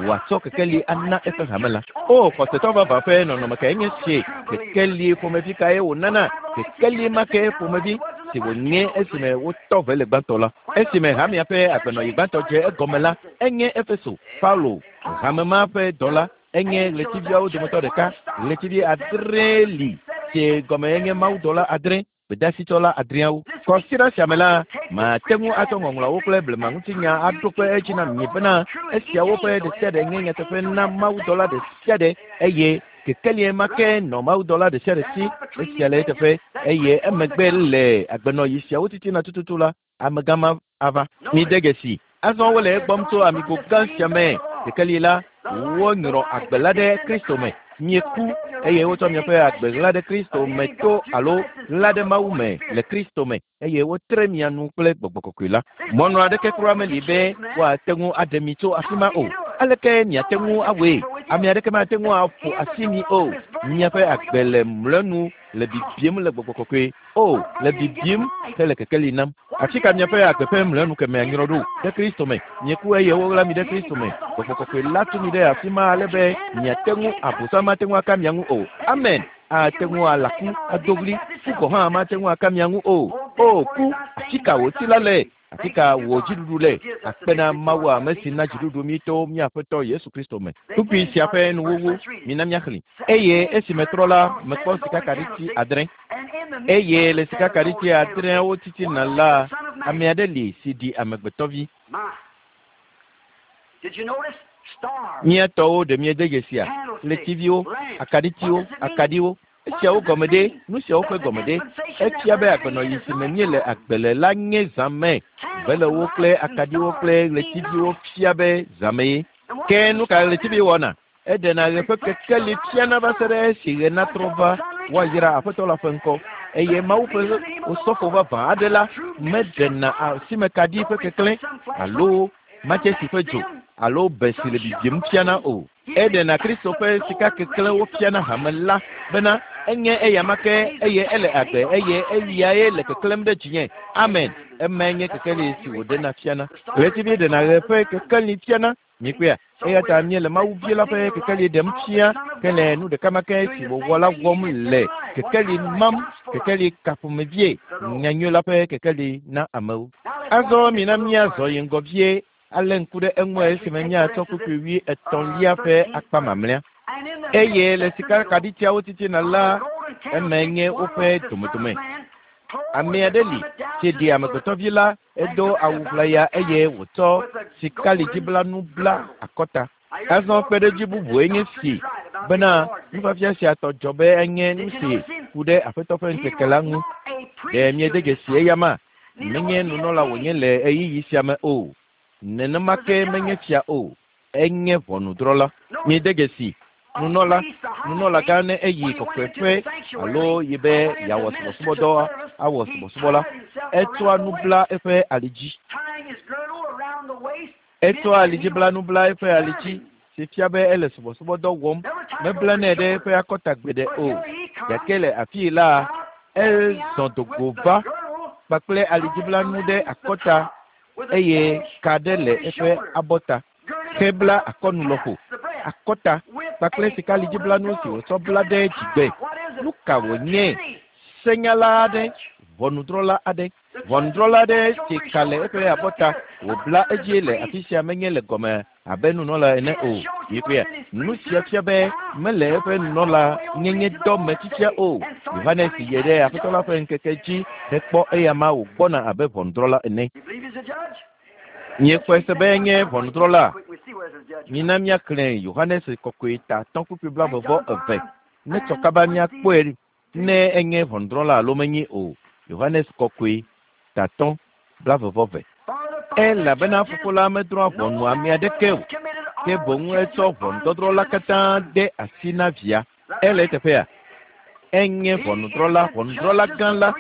wòatsɔ kekeli ana eƒe hame la. O xɔsetɔ vavã ƒe nɔnɔme kae nye si? Kekeli ƒomevi kae wònana? Kekeli ma ke ƒomevi si wònye esime wotɔ vele gbãtɔ la. Esime hamea ƒe agbenɔyi gbãtɔ dze egɔme la, enye Efeso, Paulo, hame ma ƒe dɔla, enye ɣletiviawo dometɔ ɖeka. Ɣletivi adre li si gɔme enye mawudɔla adre, gbedasitsɔla adreawo. Kɔsiɖa sia me la, mate ŋu atsɔ ŋɔŋlɔawo kple blemaŋutinya aɖo kpe edzi na mi bena esiawo ƒe ɖe sia ɖe nye nyateƒe na mawudɔla ɖe sia ɖe eye kekelie ma ke nɔ mawudɔla ɖe sia ɖe si. Esia le eteƒe eye emegbe le agbenɔyi siawo titina tututu la, amegã ma ava. Mide dzesi. Azɔ wole egbɔm tso amigo gã sia me. Kekeli la, wonyrɔ agbe la ɖe Kristo me. Mieku eye wotsɔ miaƒe agbe ɣla ɖe Kristo me to alo ɣla ɖe Mawu me le Kristo me eye wotre mia nu kple gbɔgbɔ kɔkɔe la. Mɔnu aɖeke kura meli be woate ŋu aɖe mi tso afi ma o. Aleke miate ŋu awɔe? Ame aɖeke mate ŋu aƒo asi mi o. Miaƒe agbe le mlɔenu le bibim le gbɔgbɔ kɔkɔe o, le bibim hele kekeli nam. Afi ka miaƒe agbe ƒe mlɔenu kemea nyrɔ ɖo? Ɖe Kristo me. Mieku eye woɣla mi ɖe Kristo me. Gbɔgbɔ kɔkɔe la tu mi ɖe afi ma ale be miate ŋu Abosam mate ŋu aka mia ŋu o. Amen. Ate ŋu alaku, ado ɣli, ku gɔ̃ hã mate ŋu aka mia ŋu o. O ku, afi ka wò ti la le? Afi ka wò dziɖuɖu le? Akpe na Mawu ame si na dziɖuɖu mi to mía Aƒetɔ Yesu Kristo me. Kpukpui sia ƒe nuwuwu mina míaxlẽ. Eye esi metrɔ la, mekpɔ sikakaɖiti adre. Eye le sikakaɖiti adreawo titina la, ame aɖe li si ɖi amegbetɔvi. Mía tɔwo ɖe miede dzesia? Ɣletiviwo, akaɖitiwo, akaɖiwo. Esiawo gɔme ɖe, nu siawo ƒe gɔme ɖe. Efia be agbenɔyi si me míele agbe le la nye zãme. Velewo kple akaɖiwo kple ɣletiviwo fia be zãme ye. Ke nu ka ɣletivi wɔna? Eɖena ɣe ƒe kekeli fiana va se ɖe esi ɣe natrɔ va woayra Aƒetɔ la ƒe ŋkɔ. Eye Mawu ƒe osɔfo vavã aɖe la meɖena asimekaɖi ƒe keklẽ alo matsesi ƒe dzo alo be si le bibim fiana o. Eɖena Kristo ƒe sikakeklẽwo fiana hame la bena enye eyama ke eye ele agbe eye eyae le keklẽm ɖe dzinye. Amen. Emae nye kekeli si wòɖena fiana. Ɣletivi ɖena ɣe ƒe kekeli fiana. Miekpɔea? Eya ta míele Mawu vi la ƒe kekeli ɖem fia ke le nu ɖeka ma ke si wòwɔ la wɔm le kekeli mam, kekeli ka ƒomevie, nyanyui la ƒe kekeli na amewo. Azɔ mina míazɔ yi ŋgɔ vie alé ŋku ɖe eŋu esime míatsɔ kpukpui wui etɔ̃lia ƒe akpa mamlɛa. Eye le sikakaɖitiawo titina la, eme nye woƒe domedome. Ame aɖe li si ɖi amegbetɔvi la, edo awu ʋlaya eye wòtsɔ sikalidziblanu bla akɔta. Azɔ kpeɖodzi bubue nye si bena nufiafia sia tɔ dzɔ be enye nu si ku ɖe Aƒetɔ ƒe ŋkeke la ŋu. Ɖe miede dzesi eyama? Menye nunɔla wònye le ɣeyiɣi sia me o. Nenema ke menye fia o. Enye ʋɔnudrɔ̃la. Miede dzesi nunɔla, nunɔlagã ne eyi kɔkɔeƒe alo yi be yeawɔ subɔsubɔdɔ awɔ subɔsubɔ la, etsɔa nu bla eƒe ali dzi. Etsɔa alidziblanu bla eƒe ali dzi si fia be ele subɔsubɔdɔ wɔm. Meblanɛ ɖe eƒe akɔta gbeɖe o. Gake le afii la, ezɔ do go va kpakple alidziblanu ɖe akɔta eye ka ɖe le eƒe abɔta. Hebla akɔnu lɔƒo, akɔta kpakple sikalidziblanu si wòtsɔ bla ɖe dzigbe. Nu ka wònye? Senyala aɖe, ʋɔnudrɔ̃la aɖe. Ʋɔnudrɔ̃la aɖe si ka le eƒe abɔta wòbla edzi le afi sia menye le gɔme abe nunɔla ene o. Mikpɔe, nu sia fia be mele eƒe nunɔla nyenye dɔ me fifia o. Yohanes yi ɖe Aƒetɔ la ƒe ŋkeke dzi hekpɔ eyama wògbɔna abe ʋɔnudrɔ̃la ene. Miexɔe se be enye ʋɔnudrɔ̃la. Mina míaxlẽ Yohanes kɔkɔe ta atɔ̃ kpukpui blaeve vɔ eve. Ne tsɔ kaba míakpɔe ne enye ʋɔnudrɔ̃la alo menye o. Yohanes kɔkɔe ta atɔ̃ blaeve vɔ eve. Elabena Fofo la medrɔ̃a ʋɔnu ame aɖeke o, ke boŋ etsɔ ʋɔnudɔdrɔ̃ la katã de asi na via. Ele eteƒea? Enye ʋɔnudrɔ̃la, ʋɔnudrɔ̃la gã la,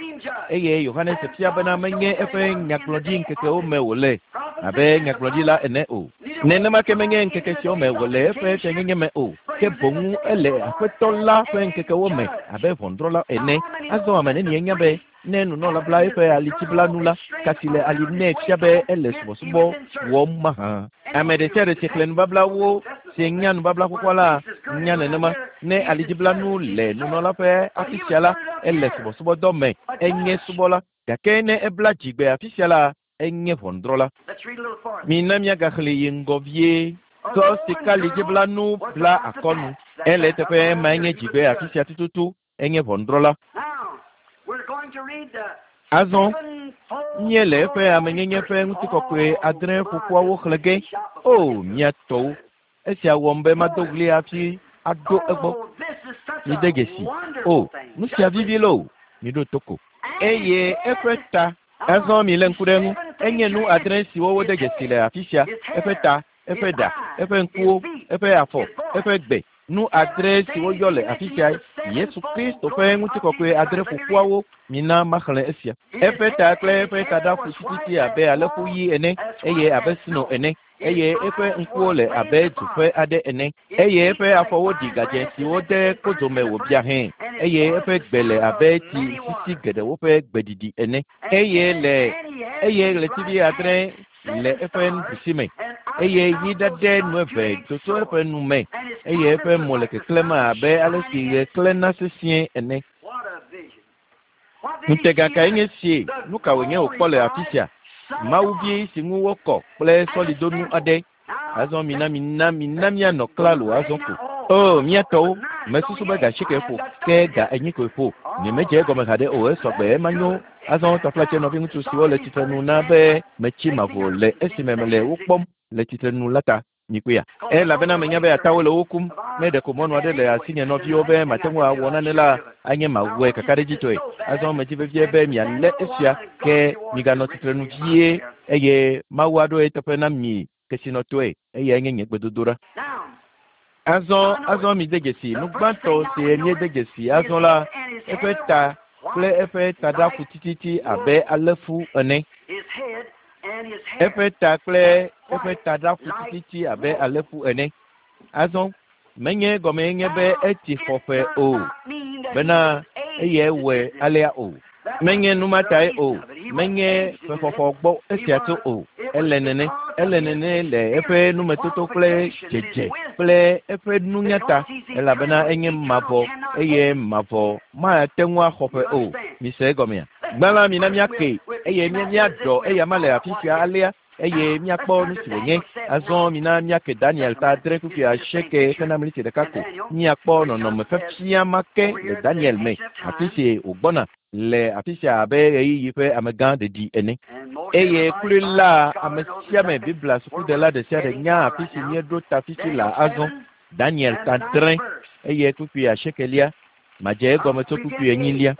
eye Yohanes fia bena menye eƒe nyagblɔɖi ŋkekewo me wòle abe nyagblɔɖila ene o. Nenema ke menye ŋkeke siawo me wòle eƒe fianyenye me o, ke boŋ ele Aƒetɔ la ƒe ŋkekewo me abe ʋɔnudrɔ̃la ene. Azɔ ame nenie nya be ne nunɔla bla eƒe alidziblanu la, ka si le ali nɛ fia be ele subɔsubɔ wɔm mahã. Ame ɖe sia ɖe si xlẽ nubablawo si nya nubabla xoxoa la nya nenema. Ne alidziblanu le nunɔla ƒe afi sia la, ele subɔsubɔdɔ me, enye subɔla. Gake ne ebla dzigbe afi sia la, enye ʋɔnudrɔ̃la. Mina míagaxlẽ yi ŋgɔ vie. Tsɔ sikalidziblanu bla akɔnu. Ele eteƒe ema enye dzigbe afi sia tututu, enye ʋɔnudrɔ̃la. Azɔ míele eƒe amenyenye ƒe ŋutikɔkɔe adre ƒoƒoawo xlẽ ge. O, mía tɔwo, esia wɔm be mado ɣli hafi aɖo egbɔ. Mide dzesi. O, nu sia vivi loo. Miɖo to ko. Eye eƒe ta. Azɔ milé ŋku ɖe eŋu. Enye nu adre siwo wode dzesi le afi sia. Eƒe ta, eƒe ɖa, eƒe ŋkuwo, eƒe afɔ, eƒe gbe. Nu adre siwo yɔ le afi sia. Yesu Kristo ƒe ŋutikɔkɔe adre ƒoƒoawo. Mina maxlẽ esia. Eƒe ta kple eƒe taɖa ƒu tititi abe alẽƒu ɣi ene eye abe sno ene. Eye eƒe ŋkuwo le abe dzoƒe aɖe ene. Eye eƒe afɔwo ɖi gadzẽ siwo de kodzome wòbia hẽ. Eye eƒe gbe le abe tsi sisi geɖewo ƒe gbeɖiɖi ene. Eye le eye ɣletivi adre le eƒe nuɖusi me. Eye yi ɖaɖɛ nu eve do tso eƒe nu me. Eye eƒe mo le keklẽm abe ale si ɣe klẽna sesĩe ene. Ŋutega kae nye sie? Nu ka wònye wòkpɔ le afi sia? Mawuvi si ŋu wokɔ kple sɔlidonu aɖe. Azɔ mina mina mina míanɔ klalo azɔ ko. O, mía tɔwo, mesusu be ga asieke ƒo, ke ga enyi koe ƒo. Nyemedze egɔme haɖe o, esɔgbe ema nyo. Azɔ taflatse nɔviŋutsu siwo le tsitrenu na be metsi mavo le esime mele wo kpɔm le tsitrenu la ta. Mikpɔea? Elabena menya be atawo le wo kum. Ne ɖeko mɔnu aɖe le asinye nɔviwo be mate ŋu awɔ nane la, anye mawɔe kakaɖedzitɔe. Azɔ medzi vevie be mialé esia ke miganɔ tsitrenu vie eye Mawu aɖo eteƒe na mi kesinɔtɔe eye enye nye gbedodoɖa. Azɔ azɔ mide dzesi nu gbãtɔ si míede dzesi azɔ la, eƒe ta kple eƒe taɖa ƒu tititi abe alẽfu ene. Eƒe ta kple eƒe taɖa ƒu tititi abe alẽfu ene. Azɔ menye gɔme nye be etsi xɔƒe o, bena eyae wɔe alea o. Menye nu ma tae o. Menye ƒexɔxɔ gbɔ esia tso o. Ele nene, ele nene le eƒe numetoto kple dzedze kple eƒe nunya ta, elabena enye mavɔ eye mavɔ mate ŋu axɔ ƒe o. Mise egɔmea? Gbã la mina míake eye mía míaɖɔ eyama le afi sia alea eye míakpɔ nu si wònye. Azɔ mina míake Daniel ta adre kpukpui asieke hena miniti ɖeka ko. Míakpɔ nɔnɔme fefia ma ke le Daniel me, afi si wògbɔna Le afi sia abe ɣeyiɣi ƒe amegã ɖeɖi ene. Eye kloe la, ame sia ame Biblia sukudela ɖe sia ɖe nya afi si míeɖo ta fifi la azɔ. Daniel ta adre eye kpukpui asiekelia. Madze egɔme tso kpukpui enyilia.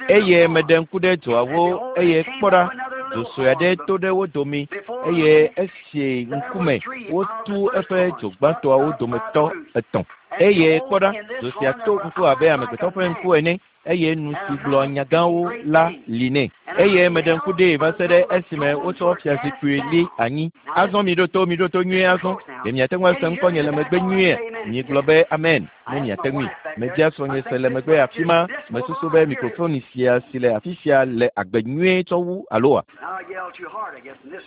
Eye meɖe ŋku ɖe dzoawo eye kpɔ ɖa, dzo sue aɖe to ɖe wo dome eye esi ŋkume wotu eƒe dzo gbãtɔawo dometɔ etɔ̃. Eye kpɔ ɖa, dzo sia to ŋku abe amegbetɔ ƒe ŋku ene eye nu si gblɔ nyagãwo la li nɛ. Eye meɖe ŋku ɖee va se ɖe esime wotsɔ fiazikpui li anyi. Azɔ miɖo to, miɖo to nyuie azɔ. Ɖe miate ŋu ase ŋkɔnye le megbe nyuie? Migblɔ be amen ne miate ŋui. Mebia srɔ̃nye se le megbe afi ma. Mesusu be mikrofoni sia si le afi sia le agbe nyuie tsɔ wu aloa? Now I yell too hard, I guess, in this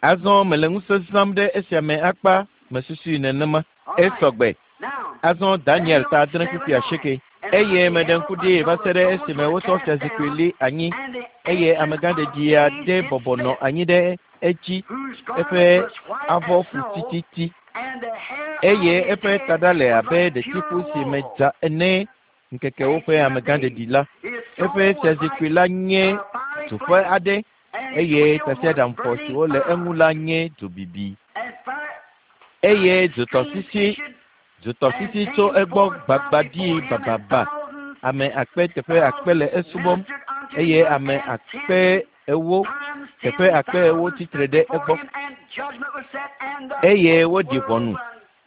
one. Azɔ mele ŋusẽ zãm ɖe esia me akpa mesusui nenema. Esɔgbe. Now, Azɔ Daniel ta adre kpukpui asieke. Eye meɖe ŋku ɖee va se ɖe esime wotsɔ fiazikpui li anyi and the eye amegã ɖeɖi aɖe bɔbɔ nɔ anyi ɖe edzi whose eƒe garment was white avɔ as fu snow, tititi and the hair eye of his eƒe head taɖa le was abe like ɖetifu pure si me wool. dza ene ŋkekewo ƒe amegã ɖeɖi la. His Eƒe throne was fiazikpui like la nye a fiery dzoƒe flame, aɖe and his eye wheels were tasiaɖamfɔ burning siwo le fire. eŋu la nye dzobibi And fire eye streams dzotɔsisi issued dzotɔsisi and tso came egbɔ forth from gbagba before ɖii him, and bababa. thousands Ame akpe teƒe akpe le thousands esubɔm ministered unto eye him, ame and akpe ten ewo times teƒe ten akpe ewo thousand tsitre stood ɖe before egbɔ him, and judgment was set, and the eye books woɖi were ʋɔnu opened.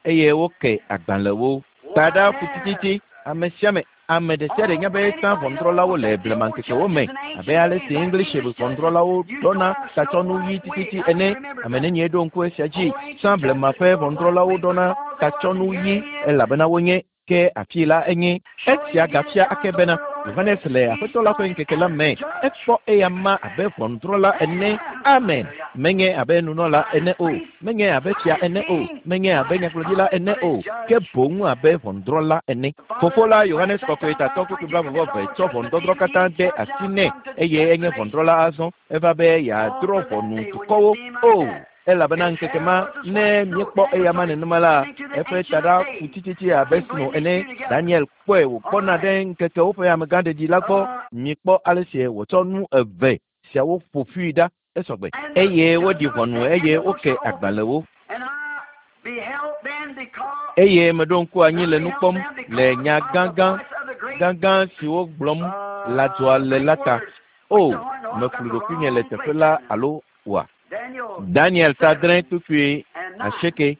eye woke agbalẽwo. Taɖa ƒu tititi ame sia ame ame ɖe sia ɖe nya be tsã ʋɔnudrɔ̃lawo le blemaŋkekewo me abe ale si English ʋɔnudrɔ̃lawo ɖɔna tatsɔnu ɣi tititi ene. Ame nenie ɖo ŋku esia dzi? Tsã blema ƒe ʋɔnudrɔ̃lawo ɖɔna tatsɔnu ɣi elabena wonye ke afi la enye. Esia gafia ake bena Yohanes le Aƒetɔ la ƒe ŋkeke la me ekpɔ eya ma abe ʋɔnudrɔ̃la ene. Amen. Menye abe nunɔla ene o, menye abe fia ene o, menye abe nyagblɔɖila ene o, ke boŋ abe ʋɔnudrɔ̃la ene. Fofo la Yohanes kɔkɔe tatɔ kpukpui blaeve vɔ eve tsɔ ʋɔnudɔdrɔ̃ katã de asi nɛ eye enye ʋɔnudrɔ̃la azɔ. Eva be yeadrɔ̃ ʋɔnu dukɔwo. O, elabena ŋkeke ma ne míekpɔ eya ma nenema la, eƒe taɖa fu tititi abe sno ene. Daniel kpɔe wòkpɔna ɖe ŋkekewo ƒe amegã ɖeɖi la gbɔ. Mikpɔ ale si wòtsɔ nu eve siawo ƒo ƒui ɖa esɔgbe. Eye woɖi ʋɔnu eye woke agbalẽwo. And I beheld then because Eye meɖo ŋku anyi le nu kpɔm le nya gãgã gãgã siwo gblɔm lãdzoa le la ta. O, meflu ɖokuinye le teƒe la alo oa? Daniel Daniel ta adre kpukpui and nine. asieke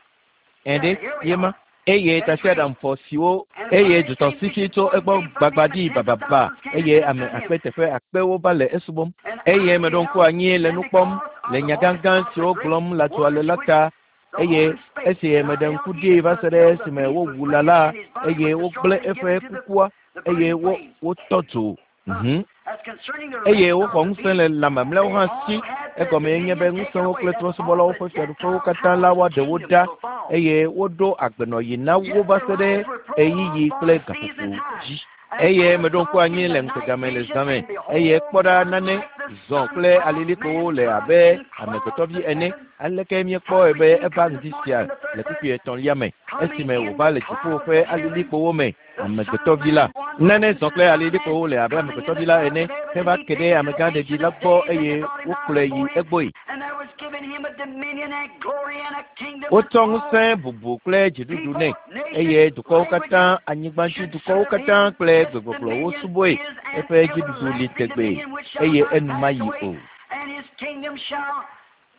ɛɖe ye ma. Eye tasiaɖamfɔ siwo eye dzotɔsisi tso egbɔ gbagba ɖi bababa eye ame akpe teƒe akpewo va le esubɔm. And Eye I meɖo ŋku beheld anyi le then nu kpɔm because le of the nya voice gãgã of the siwo great gblɔm lãdzoa le words la which ta the eye horn spake. esi And I meɖe beheld ŋku even ɖee va se ɖe until the esime beast was wowu lã slain la and his body eye was wogblẽ destroyed and eƒe given to the, kukua the eye burning wo flames. wotɔ dzo. Mhm. As concerning the Eye rest woxɔ of the ŋusẽ beasts, le lã mamlɛawo they hã all si. had their Egɔmee nye be dominion taken ŋusẽwo away. kple That's all trɔ̃subɔlawo the ƒe fiaɖuƒewo Gentile katã la powers woaɖe and wo kingdoms ɖa will fall. eye woɖo agbenɔɣi na wo Yet va their se ɖe lives were ɣeyiɣi prolonged for kple a season gaƒoƒo and time. dzi. And Eye I meɖo ŋku saw anyi in le the night ŋutega me le vision, zã me and eye behold, kpɔ ɖa one nane like the zɔ Son kple of alilikpowo Man le come abe in clouds amegbetɔvi of ene. heaven. Aleke míekpɔe How be did he eva come ŋdi this sia morning in the third le verse? kpukpui etɔ̃lia me Coming esime in wòva the le dziƒo clouds ƒe of heaven, alilikpowo me the Son of amegbetɔvi la. Man, one Nane like zɔ the kple Son of Man, alilikpowo le abe coming in amegbetɔvi the la clouds ene of heaven, heva and he ke ɖe came to amegã the ɖeɖi Ancient la of gbɔ Days, and eye they brought him out wokplɔe yi before him. egbɔe. And there was given him a dominion and glory and a kingdom that Wotsɔ all ŋusẽ bubu kple dziɖuɖu nɛ people, eye nations, dukɔwo katã, languages anyigbadzi should dukɔwo serve katã him. kple This gbegbɔgblɔwo dominion subɔe. is an Eƒe dziɖuɖu li everlasting tegbee dominion which shall eye not enu pass mayi away, o. and his kingdom shall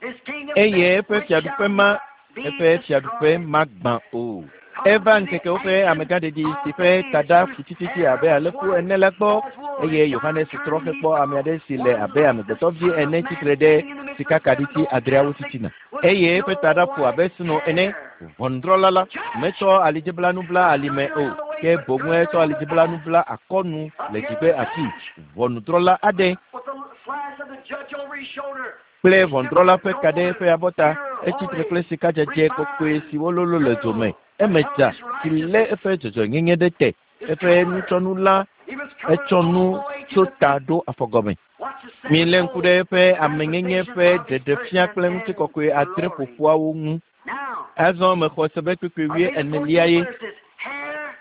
his kingdom Eye that eƒe which fiaɖuƒe shall ma not be eƒe fiaɖuƒe destroyed. magbã o. Come Eva to the ŋkekewo ƒe Ancient amegã ɖeɖi of si ƒe Days, taɖa whose fu tititi hair abe was alẽfu white ene la gbɔ as wool, eye and Yohanes John trɔ turned and he hekpɔ ame saw aɖe si le one abe like the amegbetɔvi Son of ene Man tsitre ɖe standing in the midst of seven sikakaɖiti gold adreawo candlesticks titina with eye eƒe snow taɖa fu white abe sno ene. hair. Ʋɔnudrɔ̃la la Judge, metsɔ alidziblanu bla not alime girt o around the waist, ke but boŋue girt tsɔ around the alidziblanu thigh. bla akɔnu Up le here dzigbe the afi. judge Ʋɔnudrɔ̃la aɖe with the slash of the judge over his shoulder. kple He stood ʋɔnudrɔ̃la with ƒe ka ɖe gold eƒe abɔta pure, etsitre holy, kple sikadzedze kɔkɔe refined siwo lolo le dzo me. girdle that Eme held dza his si lé righteousness, eƒe dzɔdzɔenyenye ɖe te. his Eƒe color. nutsɔnu la He was covered etsɔ all nu the way to tso the ta feet. ɖo afɔgɔme. Watch the Milé ŋku sevenfold ɖe eƒe amenyenye manifestation ƒe of his ɖeɖefia person kple and ŋutikɔkɔe adre glory. ƒoƒuawo ŋu. Now, Azɔ mexɔ se be kpukpui I'll wuie be the enelia fourteenth ye. verse. His hair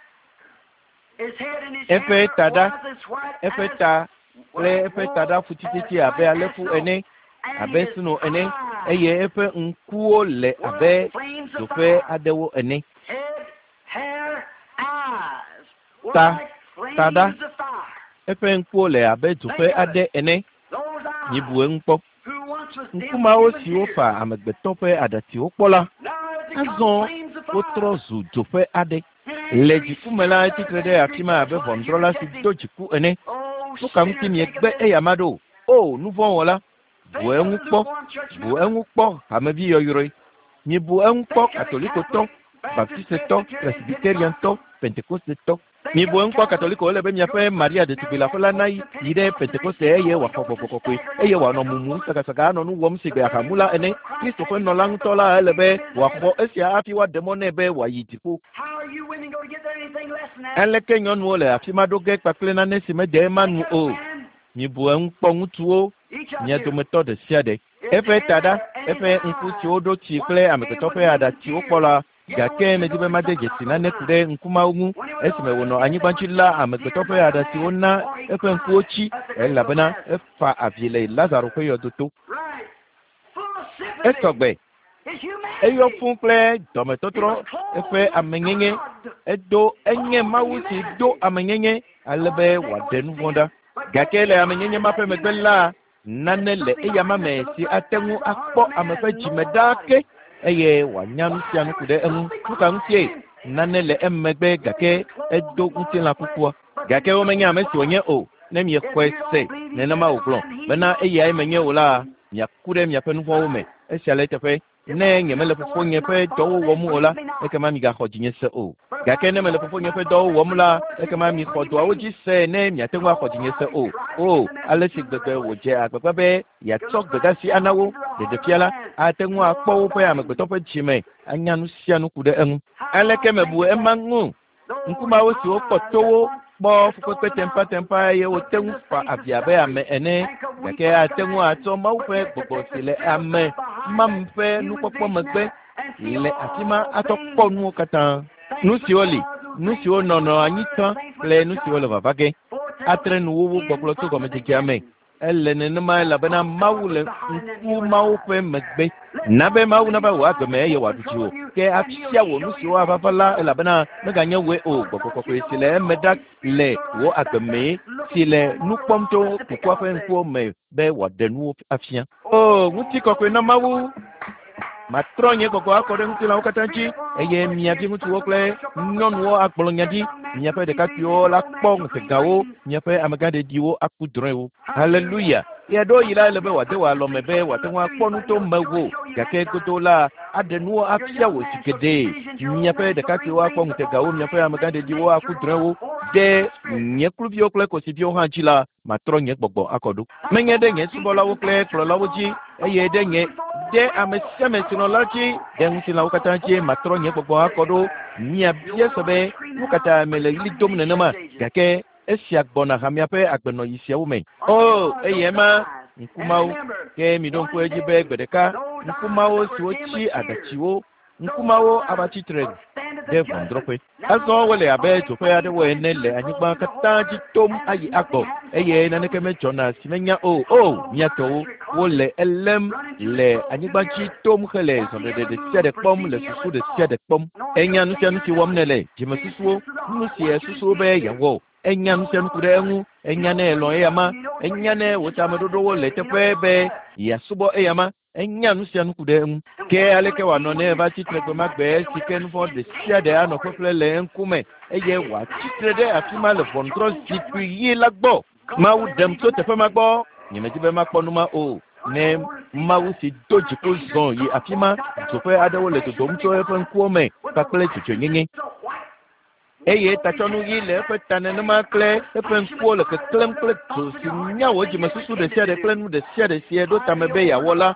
Eƒe taɖa, eƒe ta kple eƒe taɖa ƒu abe alẽfu ene, abe sno ene, eye eƒe ŋkuwo le abe dzoƒe aɖewo ene. Ta, taɖa, eƒe ŋkuwo le abe dzoƒe aɖe ene. Mibu eŋu kpɔ. Ŋku mawo siwo fa amegbetɔ ƒe aɖatsiwo kpɔ la, azɔ wotrɔ zu dzoƒe aɖe. Le dziku me la, etsitre ɖe afi ma abe ʋɔnudrɔ̃la si do dziku ene. Nu ka ŋuti miegbe eyama ɖo? O, nuvɔ̃wɔla, bu eŋu kpɔ, bu eŋu kpɔ hamevi yɔyrɔe. Mibu eŋu kpɔ katolikotɔ, baptistetɔ, presbyteriantɔ, pentekostetɔ. Mibu eŋu kpɔ katoliko ele be miaƒe Maria ɖetugbi leaƒe la nayi yi ɖe Pentekoste eye wòaxɔ gbɔgbɔ kɔkɔe eye wòanɔ mumum sagasaga anɔ nu wɔm sigbe ahamula ene. Kristo ƒe nɔla ŋutɔ la ele be wòaxɔ esia hafi woaɖe mɔ nɛ be wòayi dziƒo. Aleke nyɔnuwo le afi ma ɖo ge kpakple nane si mede ema nu o? Mibu eŋu kpɔ ŋutsuwo, mia dometɔ ɖe sia ɖe. Eƒe taɖa, eƒe ŋku siwo ɖo tsi kple amegbetɔ ƒe aɖatsiwo kpɔ la, gake medi be made dzesi nane ku ɖe ŋku mawo ŋu. Esime wònɔ anyigba dzi la, amegbetɔ ƒe aɖatsiwo na eƒe ŋkuwo tsi elabena efa avi le Lazaro ƒe yɔdoto. Esɔgbe. Eyɔ fũu kple dɔmetɔtrɔ, eƒe amenyenye. Edo enye Mawu si do amenyenye ale be wòaɖe nu vɔ̃ ɖa. Gake le amenyenye ma ƒe megbe la, nane le eyama me si ate ŋu akpɔ ame ƒe dzime ɖaa ke eye wòanya nu sia nu ku ɖe eŋu. Nu ka ŋutie? Nane le emegbe gake edo ŋutilã kukua. Gake womenya ame si wònye o. Ne miexɔe se nenema wògblɔ bena eyae menye o la, miaku ɖe miaƒe nu vɔ̃wo me. Esia le eteƒe. Ne nyemele fofonye ƒe dɔwo wɔm o la, ekema migaxɔ dzinye se o. Gake ne mele fofonye ƒe dɔwo wɔm la, ekema mixɔ dɔawo dzi se ne miate ŋu axɔ dzinye se o. O, ale si gbegbe wòdze agbagba be yeatsɔ gbedeasi ana wo ɖeɖefia la, ate ŋu akpɔ woƒe amegbetɔ ƒe dzime anya nu sia nu ku ɖe eŋu. Aleke mebu ema ŋu? Ŋku mawo siwo kpɔ towo, kpɔ fukpekpe tempatempa eye wote ŋu fa avi abe ame ene, gake ate ŋu atsɔ Mawu ƒe gbɔgbɔ si le ame mam ƒe nukpɔkpɔ megbe le afi ma atsɔ kpɔ nuwo katã. Nu siwo li, nu siwo nɔnɔ anyi tsã kple nu siwo le vava ge. Atre nuwuwu gbɔgblɔ tso gɔmedzedzea me. Ele nenema elabena Mawu le ŋku mawo ƒe megbe. Na be Mawu nava wò agbe me eye wòaɖu dziwò. Ke afia wò nu siwo ava va la elabena meganye wòe o. Gbɔgbɔ kɔkɔe si le eme ɖa le wò agbe me si le nu kpɔm tso kukua ƒe ŋkuwo me be wòaɖe nuwo afia. O, ŋutikɔkɔe na Mawu! Matrɔ nye gbɔgbɔ akɔ ɖe ŋutilãwo katã dzi eye mia viŋutsuwo kple nyɔnuwo agblɔ nya ɖi. Miaƒe ɖekakpuiwo la kpɔ ŋutegawo, miaƒe amegãɖeɖiwo aku drɔ̃ewo. Haleluya! Ɣeaɖewo yi la ele be wòade wò alɔme be wòate ŋu akpɔ nu to mewò, gake godo la aɖe nuwo afia wò zi geɖe. Miaƒe ɖekakpuiwo akpɔ ŋutegawo, miaƒe amegãɖeɖiwo aku drɔ̃ewo. Ɖe nye kluviwo kple kosiviwo hã dzi la, matrɔ nye gbɔgbɔ akɔ ɖo. Menye ɖe nye subɔlawo kple kplɔlawo dzi eye ɖe nye ɖe ame sia ame si nɔ la dzi, ɖe ŋutilãwo katã dzi matrɔ nye gbɔgbɔ akɔ ɖo. Miabia se be nu ka ta mele ɣli dom nenema, gake esia gbɔna hamea ƒe agbenɔɣi siawo me. O, eye ema ŋku mawo. Ke miɖo ŋku edzi be gbe ɖeka ŋku mawo siwo tsi aɖatsiwo, ŋku mawo ava tsitre ɖe ʋɔnudrɔ̃ƒe. Azɔ wole abe dzoƒe aɖewo ene le anyigba katã dzi tom ayi agbɔ eye naneke medzɔna si menya o. O, mia tɔwo, wole elém le anyigba dzi tom hele zɔɖeɖe ɖe sia ɖe kpɔm le susu ɖe sia ɖe kpɔm. Enya nu sia nu si wɔm nèle, dzimesusuwo, nu si esusu be yeawɔ. Enya nu sia nu ku ɖe eŋu. Enya ne elɔ̃ eyama. Enya ne wò tameɖoɖowo le teƒe be yeasubɔ eyama. Enya nu sia nu ku ɖe eŋu. Ke aleke wòanɔ ne eva tsitre gbe ma gbe si ke nu vɔ̃ ɖe sia ɖe anɔ ƒeƒle le eŋkume eye wòatsitre ɖe afi ma le ʋɔnudrɔ̃zikpui ɣi la gbɔ. Mawu ɖem tso teƒe ma gbɔ. Nyemedi be makpɔ nu ma o. Ne Mawu si do dziku zɔ yi afi ma, dzoƒe aɖewo le dodom tso eƒe ŋkuwo me kpakple dzɔdzɔenyenye. Eye tatsɔnu ɣi le eƒe ta nenema kple eƒe ŋkuwo le keklẽm kple dzo si nya wò dzimesusu ɖe sia ɖe kple nu ɖe sia ɖe si eɖo tame be yeawɔ la,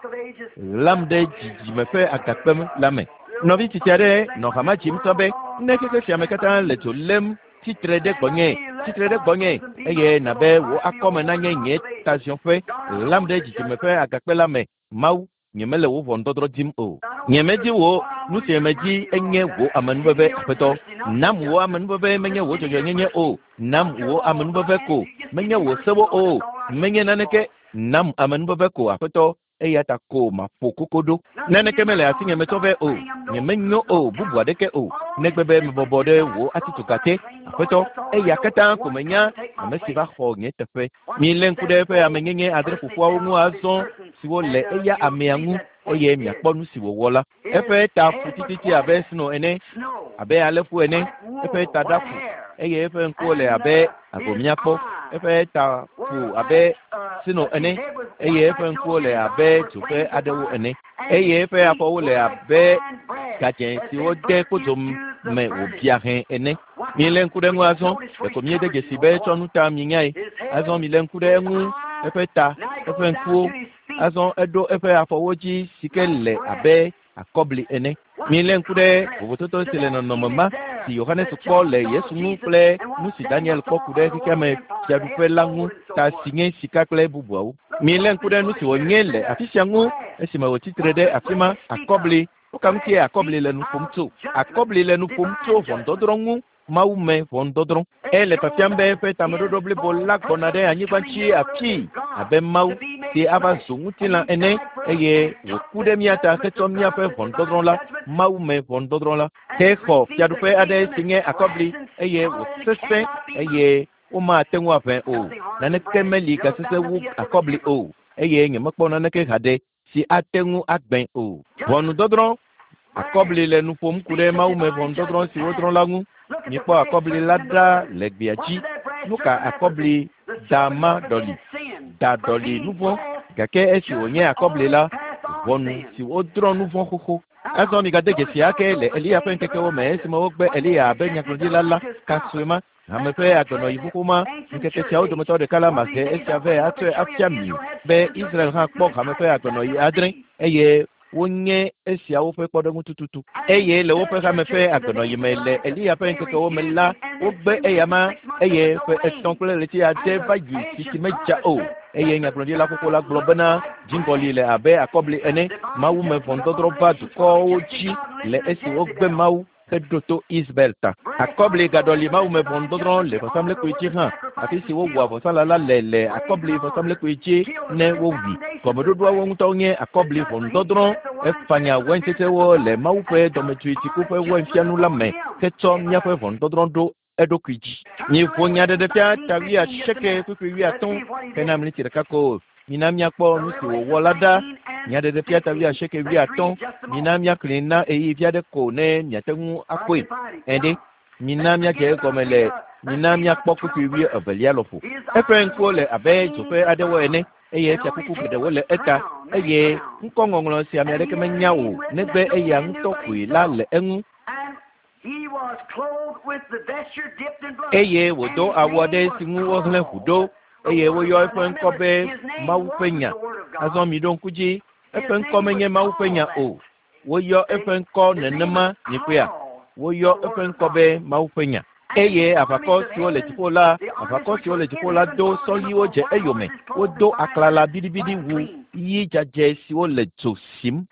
ɣlam ɖe dzidzime ƒe agakpe la me. Nɔvi tsitsi aɖe nɔ hama dzim tsã be ne xexe sia me katã le dzo lém tsitre ɖe gbɔnye, tsitre ɖe gbɔnye eye nabe wò akɔme nanye nye taziɔƒe, ɣlam ɖe dzidzime ƒe agakpe la me. Mawu, nyemele wò ʋɔnudɔdrɔ̃ dim o. Nyemedi wò Nu si medzi enye wò amenuveve Aƒetɔ. Nam wò amenuveve menye wò dzɔdzɔenyenye o. Nam wò amenuveve ko menye wò sewo o. Menye naneke. Nam amenuveve ko Aƒetɔ. Eya ta ko maƒo koko ɖo. Naneke mele asinye metsɔ vɛ o. Nyemenyo o bubu aɖeke o. Negbe be mebɔbɔ ɖe wò atitsoga te. Aƒetɔ, eya katã ko menya ame si va xɔ nye teƒe. Milé ŋku ɖe eƒe amenyenye adre ƒoƒuawo ŋu azɔ siwo le eya amea ŋu eye miakpɔ nu si wòwɔ la. Eƒe ta fu tititi abe sno ene, abe alẽfu ene. Eƒe taɖa fu eye eƒe ŋkuwo le abe agbomiakpɔ. Eƒe ta fu abe sno ene eye eƒe ŋkuwo le abe dzo ƒe aɖewo ene eye eƒe afɔwo le abe gadzẽ si wode kpodzo me wòbia hẽ ene. Milé ŋku ɖe eŋu azɔ. Ɖeko míede dzesi be etsɔ nu ta minyae. Azɔ milé ŋku ɖe eŋu, eƒe ta, eƒe ŋkuwo. Azɔ eɖo eƒe afɔwo dzi si ke le abe akɔbli ene. Milé ŋku ɖe vovototo si le nɔnɔme ma si Yohanes kpɔ le Yesu ŋu kple nu si Daniel kpɔ ku ɖe xexea me fiaɖuƒe la ŋu ta si nye sika kple bubuawo. Milé ŋku ɖe nu si wònye le afi sia ŋu esime wòtsi tre ɖe afi ma akɔbli. Nuka ŋutie akɔbli le nu ƒom tso? Akɔbli le nu ƒom tso ʋɔnudɔdrɔ̃ ŋu. Mawu me ʋɔnudɔdrɔ̃. Ele fiafiam be eƒe tameɖoɖo blibo la gbɔna ɖe anyigba dzi afii abe Mawu si ava zu ŋutilã ene eye wòku ɖe mía ta hetsɔ míaƒe ʋɔnudɔdrɔ̃ la, Mawu me ʋɔnudɔdrɔ̃ la, hexɔ fiaɖuƒe aɖe si nye akɔbli eye wòsesẽ eye womate ŋu aʋẽ o. Naneke meli gasesẽ wu akɔbli o eye nyemekpɔ naneke haɖe si ate ŋu agbẽ o. Ʋɔnudɔdrɔ̃. Akɔbli le nu ƒom ku ɖe Mawu me ʋɔnudɔdrɔ̃ si wodrɔ̃ la ŋu. Mikpɔ akɔbli la ɖa le gbea dzi. Nu ka akɔbli da ma ɖɔli? Da ɖɔli nu vɔ̃. Gake esi wònye akɔbli la, ʋɔnu si wodrɔ̃ nu vɔ̃ xoxo. Azɔ migade dzesi ake le Eliya ƒe ŋkekewo me esime wogbe Eliya abe nyagblɔɖila la kasue ma. Hame ƒe agbenɔyi xoxo ma ŋkeke siawo dometɔ ɖeka la mahe esia vɛ atsɔe afia mi be Israel hã kpɔ hame ƒe agbenɔyi adre eye wonye esiawo ƒe kpɔɖeŋu tututu. Eye le woƒe hame ƒe agbenɔyi me le Eliya ƒe ŋkekewo me la, wogbe eyama eye ƒe etɔ̃ kple ɣleti ade va yi si tsi medza o. Eye nyagblɔɖila xoxo la gblɔ bena dziŋgɔli le abe akɔbli ene. Mawu me ʋɔnudɔdrɔ̃ va dukɔwo dzi le esi wogbe Mawu heɖo to Isabel ta. Akɔbli gaɖɔli Mawu me ʋɔnudɔdrɔ̃ le vɔsamlekpui dzi hã, afi si wowua vɔsalã la le le akɔbli vɔsamlekpui dzi ne wowui. Gɔmeɖoɖoawo ŋutɔ nye akɔbli ʋɔnudɔdrɔ̃. Efanya waintsetsewo le Mawu ƒe dɔmedzoe dziku ƒe wainfianu la me hetsɔ míaƒe ʋɔnudɔdrɔ̃ ɖo eɖokui dzi. Miƒo nyaɖeɖefia ta wuiasieke kpukpui wuiatɔ̃ hena mliti ɖeka ko. Mina míakpɔ nu si wòwɔ la ɖa. Nyaɖeɖefia ta wuiasieke wuiatɔ̃. Mina míaxlẽe na ɣeyiɣi vi aɖe ko ne miate ŋu akpɔe. Ɛɖe. Mina míadze egɔme le mina míakpɔ kpukpui wuievelia lɔƒo. Eƒe ŋkuwo le abe dzo ƒe aɖewo ene eye fiakuku geɖewo le eta eye ŋkɔŋɔŋlɔ si ame aɖeke menya o negbe eya ŋutɔ koe la le eŋu. Eye wòdo awu aɖe si ŋu wohlẽ ʋu ɖo eye woyɔ eƒe ŋkɔ be Mawu ƒe nya. Azɔ miɖo ŋku dzi, eƒe ŋkɔ menye Mawu ƒe nya o. Woyɔ eƒe ŋkɔ nenema nyikpea. Woyɔ eƒe ŋkɔ be Mawu ƒe nya. Eye aʋakɔ siwo le dziƒo la, aʋakɔ siwo le dziƒo la do sɔliwo dze eyome. Wodo aklala biɖibiɖi wu ɣi dzadzɛ siwo le dzo sim.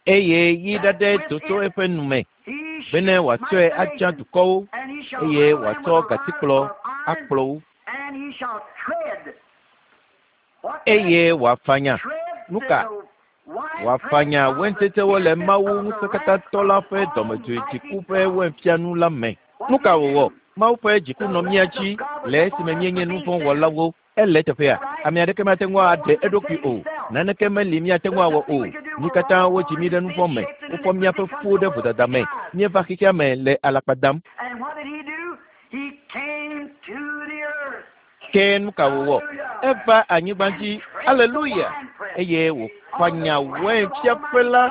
Eye ɣi ɖaɖɛ do tso eƒe nu me bene wòatsɔe atsa dukɔwo eye wòatsɔ gatikplɔ akplɔ wo. Eye wòafanya. Nu ka? Wòafanya waintsetsewo le Mawu ŋusẽkatãtɔ la ƒe dɔmedzoe dziku ƒe wainfianu la me. Nu ka wòwɔ? Mawu ƒe dziku nɔ mía dzi le esime míenye nu vɔ̃ wɔlawo. Ele teƒea. Ame aɖeke mate ŋu aɖe eɖokui o. Naneke meli míate ŋu awɔ o. Mí katã wodzi mí ɖe nu vɔ̃ me. Wofɔ míaƒe fuwo ɖe vodada me. Míeva xexea me le alakpa dam. Ke nu ka wòwɔ? Eva anyigba dzi. Aleluya! Eye wòfanya wainfiaƒe la.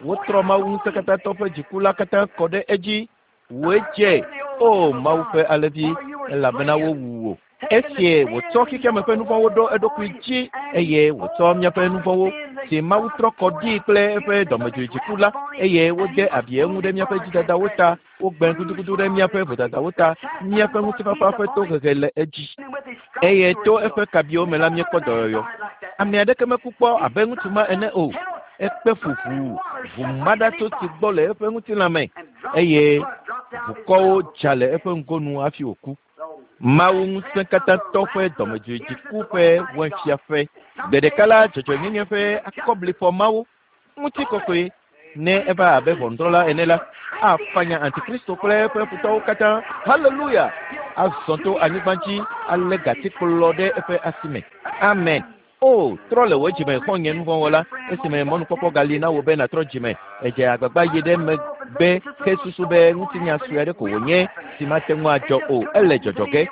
Wotrɔ Mawu ŋusẽkatãtɔ ƒe dziku la katã kɔ ɖe edzi. Wòe dze, o Mawu ƒe alẽvi, elabena wowu wò. Esie wòtsɔ xexeame ƒe nu vɔ̃wo ɖo eɖokui dzi eye wòtsɔ míaƒe nu vɔ̃wo si Mawu trɔ kɔ ɖii kple eƒe dɔmedzoe dziku la eye wode abi eŋu ɖe míaƒe dzidadawo ta, wogbe gudugudu ɖe míaƒe vodadawo ta, míaƒe ŋutifafa ƒe tohehe le edzi. Eye to eƒe kabiwo me la míekpɔ dɔyɔyɔ. Ame aɖeke meku kpɔ abe ŋutsu ma ene o. Ekpe fu ʋuu, ʋumaɖatso si gbɔ le eƒe ŋutilã me eye ʋukɔwo dza le eƒe ŋgonu hafi wòku. Mawu ŋusẽkatãtɔ ƒe dɔmedzoedziku ƒe wɔefiaƒe. Gbe ɖeka la dzɔdzɔenyenye ƒe akɔblifɔ mawo ŋutikɔkɔe ne eva abe ʋɔnudrɔ̃la ene la afanya antikristo kple eƒe futɔwo katã. Haleluya! Azɔ to anyigba dzi alé gatikplɔ ɖe eƒe asi me. Amen. O, trɔ le wò dzime xɔ̃nye nuvɔ̃wɔla esime mɔnukpɔkpɔ gali na wò be nàtrɔ dzime. Edze agbagba yi ɖe megbe hesusu be ŋutinya sue aɖe ko wònye si mate ŋu adzɔ o. Ele dzɔdzɔ ge.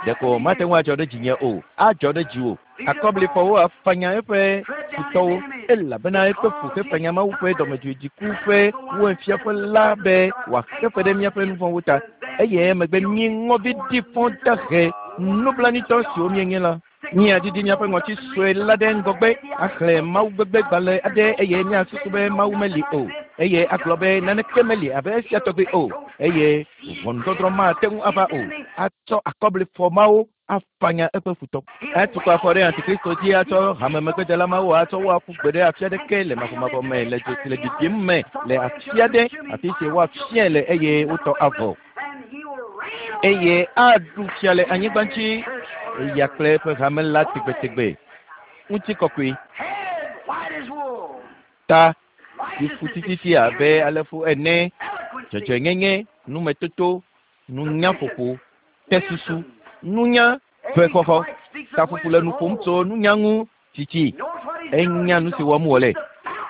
Ɖeko mate ŋu adzɔ ɖe dzinye o. Adzɔ ɖe dziwò. Akɔblifɔwo afanya eƒe futɔwo elabena eƒe fu hefanya Mawu ƒe dɔmedzoedziku ƒe wɔefiaƒe la be wòaxe fe ɖe míaƒe nuvɔ̃wo ta. Eye emegbe mí ŋɔvi ɖi fɔ dahe nublanuitɔ siwo míenye la. Míadidi míaƒe ŋɔti sue la ɖe ŋgɔgbe axlẽ Mawu gbegbe gbalẽ aɖe eye míasusu be Mawu meli o eye agblɔ be naneke meli abe esia tɔgbi o eye ʋɔnudɔdrɔ̃ mate ŋu ava o. Atsɔ akɔblifɔ mawo afanya eƒe futɔ. Etukɔ afɔ ɖe antikristo dzi atsɔ hamemegbedela mawo atsɔ wo aƒu gbe ɖe afi aɖeke le mavɔmavɔ me le dzo si le bibim me le afi aɖe afi si woafiae le eye wotɔ avɔ. Eye aɖu fia le anyigba dzi eya kple eƒe hame la tegbetegbe. Ŋutikɔkɔe. Ta si fu tititi abe alẽfu ene, dzɔdzɔenyenye, numetoto, nunyaƒoƒo, tesusu, nunya ƒe xɔxɔ. Taƒoƒo le nu ƒom tso nunya ŋu tsitsi. Enya nu si wɔm wòle.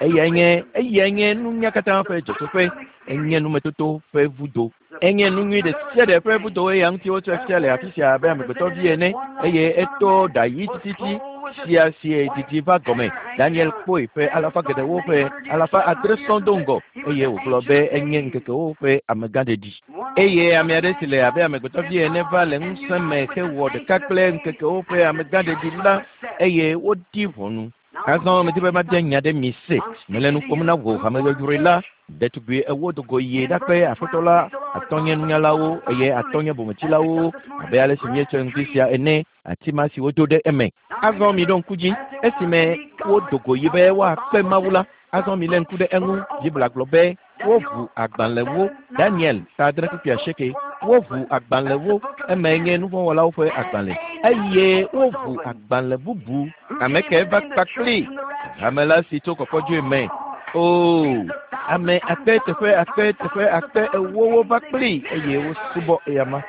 Eyae nye eyae nye nunya katã ƒe dzɔtsoƒe. Enye numetoto ƒe vudo. Enye nu nyui ɖe sia ɖe ƒe vudo eya ŋuti wotsɔe fia le afi sia abe amegbetɔvi ene eye eto ɖa ɣi tititi sia si didi va gɔme. Daniel kpɔe ƒe alafa geɖewo ƒe alafa adre sɔŋ do ŋgɔ eye wògblɔ be enye ŋkekewo ƒe amegãɖeɖi. Eye ame aɖe si le abe amegbetɔvi ene va le ŋusẽ me hewɔ ɖeka kple ŋkekewo ƒe amegãɖeɖi la eye wodi ʋɔnu. Azɔ medi be mabia nya ɖe mi se. Mele nu ƒom na wò hameyɔyɔe la. Ɖetugbi ewo do go yi ɖakpe aƒetɔ la atɔ̃ nye nunyalawo eye atɔ̃ nye bometsilawo abe ale si míetsɔ ŋdi sia ene ati ma si wodo ɖe eme. Azɔ miɖo ŋku dzi esime wodo go yi be woakpe Mawu la. Azɔ milé ŋku ɖe eŋu. Biblia gblɔ be woʋu agbalẽwo. Daniel ta adre kpukpui asieke. Woʋu agbalẽwo eme nye nuvɔ̃wɔlawo ƒe agbalẽ eye woʋu agbalẽ bubu. Ame ke va kpakpli hame la si tso kɔkɔdzoe me. Oo, ame akpe teƒe akpe teƒe akpe ewo wova kpli eye wosubɔ eyama.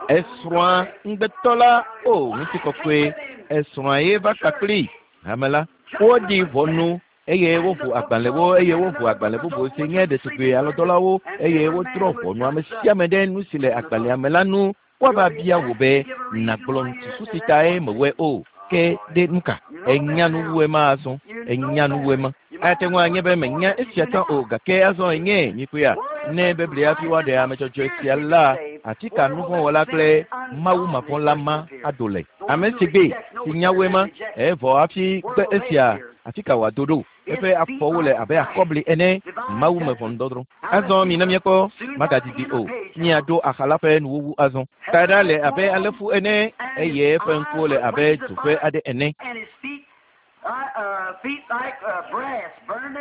Esrɔ̃a ŋugbetɔ la o ŋutikɔkɔe. Esrɔ̃a ye va kpakpli hame la. Woɖi ʋɔnu eye woʋu agbalẽwo eye woʋu agbalẽ bubu si nye ɖetugbui alɔdɔlawo eye wodrɔ̃ ʋɔnu ame sia ame ɖe nu si le agbalẽa me la nu. Woava bia wò be nàgblɔ susu si tae mewɔe o. Ke ɖe nu ka? Enya nu wu ema azɔ. Enya nu wu ema. Ate ŋu anye be menya esia tsã o gake azɔ enye nyikpea. Ne Biblia hafi woaɖe ame dzɔdzɔe sia la, afi ka nuvɔ̃wɔla kple Mawu mavɔ̃la ma ado le? Ame si gbe si nya wu ema evɔ hafi gbe esia afi ka wòado ɖo? Eƒe afɔwo le abe akɔbli ene. Mawu me ʋɔnudɔdrɔ̃. Azɔ mina míakpɔ magadidi o. Míaɖo axa la ƒe nuwuwu azɔ. Taɖa le abe alẽfu ene eye eƒe ŋkuwo le abe dzo ƒe aɖe ene.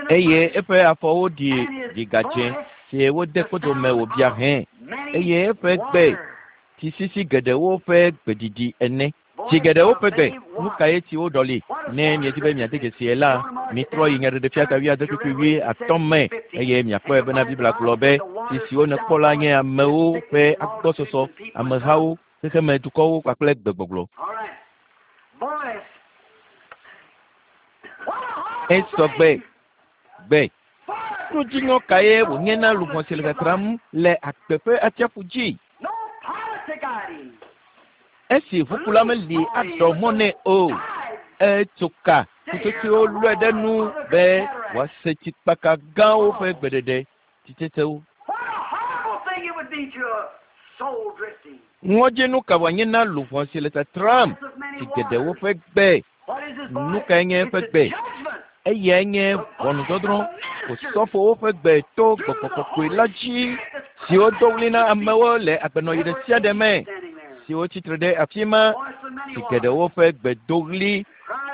Eye eƒe afɔwo ɖi ɖigadze si wode kpodome wòbia hẽ eye eƒe gbe tsisisi geɖewo ƒe gbeɖiɖi ene. Tsi geɖewo ƒe gbe. Nu kae tsiwo ɖɔli? Ne miedi be miade dzesi la, mitrɔ yi Nyaɖeɖefia ta wuiadre kpukpui wuiatɔ̃ me eye miakpɔe bena Biblia gblɔ be tsi siwo nèkpɔ la nye amewo ƒe agbɔsɔsɔ, amehawo, xexeme dukɔwo kpakple gbegbɔgblɔ. Esɔ gbe gbe. Nudziŋɔ kae wònye na luʋɔ si le tatram le agbe ƒe atsiaƒu dzi? Esi ʋukula meli aɖɔ mɔ nɛ o. Etso ka ƒutsotsoewo lɔe ɖe nu be wòase tsikpaka gãwo ƒe gbeɖeɖe tsitsetsewo. Ŋɔdzinu ka wòanye na luʋɔ si le tatram tsi geɖewo ƒe gbe? Nu kae nye eƒe gbe? Eyae nye ʋɔnudɔdrɔ̃. Osɔfowo ƒe gbe to gbɔgbɔ kɔkɔe la dzi siwo do ɣli na amewo le agbenɔɣi ɖe sia ɖe me siwo tsitre ɖe afi ma. Si geɖewo ƒe gbedoɣli,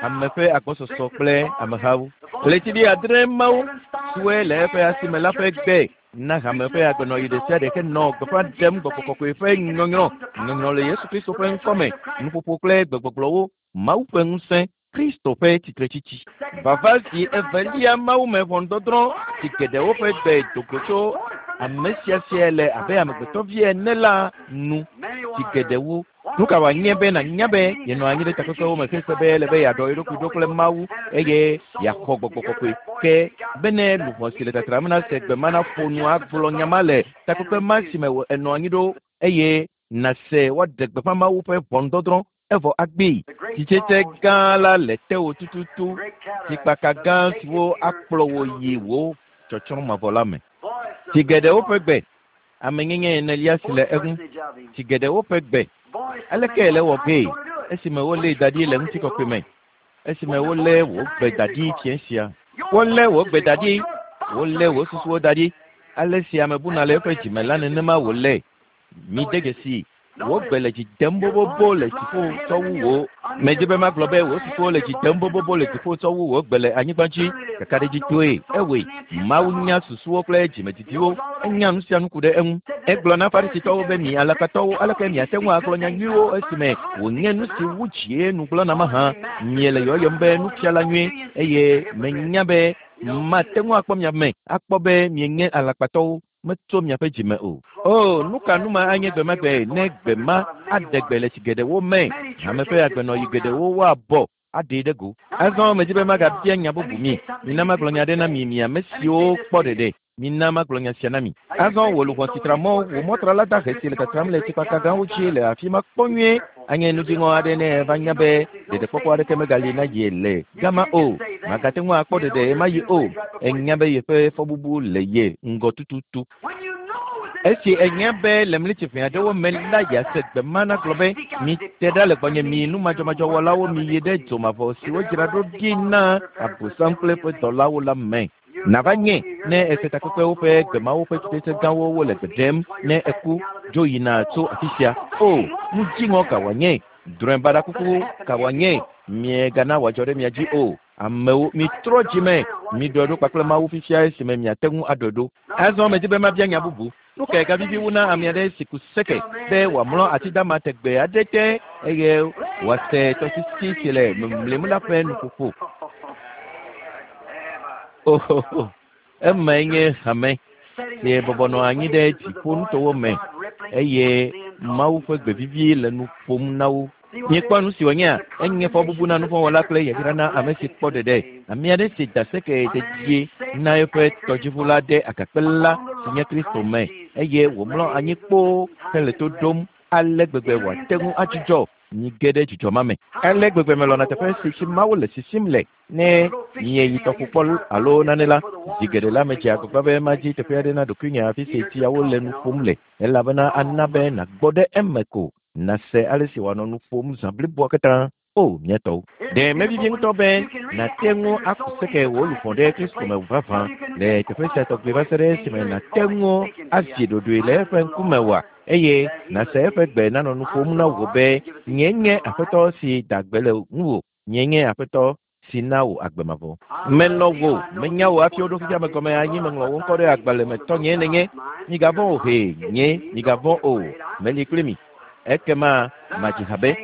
ame ƒe agbɔsɔsɔ kple amehawo. Ɣletivi adre mawo siwoe le eƒe asime la ƒe gbe na hame ƒe agbenɔɣi ɖe sia ɖe henɔ gbeƒã ɖem gbɔgbɔ kɔkɔe ƒe nyɔnyrɔ, nyɔnyrɔ le Yesu Kristo ƒe ŋkɔme, nuƒoƒo kple gbegbɔgblɔwo, Mawu ƒe ŋusẽ, Kristo ƒe tsitretsitsi. Vava zi evelia Mawu me ʋɔnudɔdrɔ̃ si geɖewo ƒe gbe do go tso ame sia sia le abe amegbetɔvi ene la nu si geɖewo. Nu ka wòanye be nànya be yenɔ anyi ɖe takpekpewo me hese be ele be yeaɖɔ ye ɖokui ɖo kple Mawu eye yeaxɔ gbɔgbɔ kɔkɔe ke bene luʋɔ si le tatram nase gbe ma naƒo nu agblɔ nya ma le takpekpe ma si me enɔ anyi ɖo eye nase woaɖe gbeƒã Mawu ƒe ʋɔnudɔdrɔ̃ evɔ agbee. Tsitsetse gã la le tewò tututu, tsikpaka gã siwo akplɔ wò yi wò tsɔtsrɔ̃ mavɔ la me. Tsi geɖewo ƒe gbe, amenyenye enelia si le eŋu. Tsi geɖewo ƒe gbe. Aleke le wɔ gee esime wolée da ɖi le ŋutikɔkɔe me? Esime wolé wò gbe da ɖi fiẽ sia. Wolé wò gbe da ɖi, wolé wò susuwo da ɖi. Ale si ame buna le eƒe dzime la nenema wòle. Mide dzesi. Wò gbe le dzi dem bobobo le dziƒo tsɔ wu wò. Medzi be magblɔ be wò susuwo le dzi dem bobobo le dziƒo tsɔ wu wò gbe le anyigba dzi. Kakaɖedzitɔe ewɔe. Mawu nya susuwo kple dzimedidiwo. Enya nu sia nu ku ɖe eŋu. Egblɔ na Farisitɔwo be mi alakpatɔwo aleke miate ŋu agblɔ nya nyuiwo esime wònye nu si wu dzie nu gblɔna mahã. Miele yɔyɔm be nufiala nyui eye menya be mate ŋu akpɔ mia me akpɔ be mienye alakpatɔwo. Metso miaƒe dzime o. O, nu ka nu ma anye gbe ma gbe ne gbe ma aɖe gbe le tsi geɖewo me. Hame ƒe agbenɔɣi geɖewo woabɔ aɖee ɖe go. Azɔ medzi be magabia nya bubu mi. Mina magblɔ nya ɖe na mi mi ame siwo kpɔ ɖeɖe. Mina magblɔ nya sia na mi. Azɔ wò luʋɔ si tra mɔ, wò mɔtrala dahe si le tatram le tsikpaka gãwo dzi le afi ma kpɔ nyuie. Anye nudziŋɔ aɖe ne eva nya be ɖeɖekpɔkpɔ aɖeke megali na ye le gama o. Magate ŋu akpɔ ɖeɖe ɣemaɣi o. Enya be yeƒe fɔbubu le ye ŋgɔ tututu. Esi enya be le mlitsi ʋɛ aɖewo me la yease gbe ma nagblɔ be mite ɖa le gbɔnye mi numadzɔmadzɔwɔlawo miyi ɖe dzomavɔ si wodzra ɖo ɖi na Abosam kple eƒe dɔlawo la me. Nava nye ne ese takpekpewo ƒe gbemawo ƒe tsitsetse gãwo wole gbe ɖem ne eku dzo yina tso afi sia. O, nu dziŋɔ ka wòanye? Drɔ̃e baɖa kuku ka wòanye? Miegana wòadzɔ ɖe mia dzi o. Amewo mitrɔ dzime, miɖɔe ɖo kpakple Mawu fifia esime miate ŋu aɖɔe ɖo. Azɔ medzi be mabia nya bubu. Nu kae gavivi wu na ame aɖe si ku seke be wòamlɔ ati dama tegbee aɖe te eye wòase tɔsisi si le mimlim la ƒe nuƒoƒo? Ohoho, emae nye hame si bɔbɔ nɔ anyi ɖe dziƒonutowo me eye Mawu ƒe gbe vivi le nu ƒom na wo. Miekpɔ nu si wònyea? Enye fɔbubu na nuvɔ̃wɔla kple yayra na ame si kpɔ ɖeɖe. Ame aɖe si da seke dedie na eƒe tɔdziʋu la ɖe agakpe la si nye Kristo me eye wòmlɔ anyi kpoo hele to ɖom ale gbegbe wòate ŋu adzudzɔ. Mige ɖe dzidzɔ ma me. Ale gbegbe melɔ̃na teƒe si tsi Mawu le sisim le. Ne mieyi tɔƒo kpɔ alo nane la, zi geɖe la medze agbagba be madzi teƒe aɖe na ɖokuinye afi si tsiawo le nu ƒom le elabena ana be nàgbɔ ɖe eme ko nase ale si wòanɔ nu ƒom zã bliboa katã. O, mía tɔwo. Ɖe mevivi ŋutɔ be nàte ŋu aku seke wò luʋɔ ɖe Kristo me vavã le teƒe sia tɔgbi va se ɖe esime nàte ŋu azi ɖoɖoe le eƒe ŋkume oa? Eye nàse eƒe gbe nanɔ nu ƒom na wò be nye nye Aƒetɔ si da gbe le ŋuwò, nye nye Aƒetɔ si na wò agbe mavɔ. Melɔ̃ wò, menya wò hafi woɖo xexea me gɔme anyi meŋlɔ wò ŋkɔ ɖe agbalẽ me tɔnye nenye. Migavɔ̃ o he, nye migavɔ̃ o, meli kpli mi. Ekema madzi ha be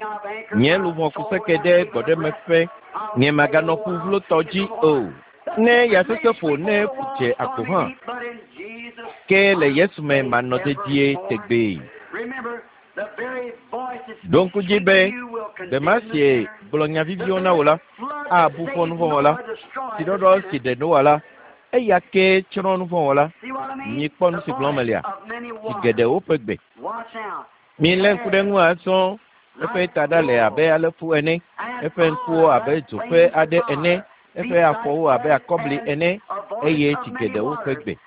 nye luʋɔ ku seke ɖe gbɔɖemeƒe, nye maganɔ ƒu vlotɔ dzi o. Ne ya sesẽ ƒo ne ƒu dze agbo hã, ke le Yesu me manɔ dedie tegbee. Ɖo ŋku dzi be gbe ma si gblɔ nya viviwo na wò la abu fɔ nuvɔ̃wɔla. Tsiɖɔɖɔ si ɖe Noa la, eya kee tsrɔ̃ nuvɔ̃wɔla. Mikpɔ nu si gblɔm melia? Tsi geɖewo ƒe gbe. Milé ŋku ɖe ŋu azɔ. Eƒe taɖa le abe alẽfu ene, eƒe ŋkuwo abe dzo ƒe aɖe ene, eƒe afɔwo abe akɔbli ene eye tsi geɖewo ƒe gbe.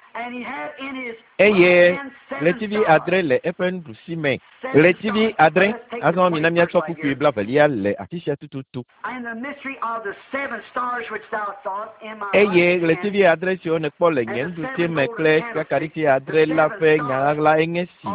Eye ɣletivi adre le eƒe nuɖusi me. Ɣletivi adre. Azɔ mina míatsɔ kpukpui blavelia le afi sia tututu. Eye ɣletivi adre siwo nèkpɔ le nye nuɖusi me kple sikakaɖiti adre la ƒe nya ɣaɣla enye si.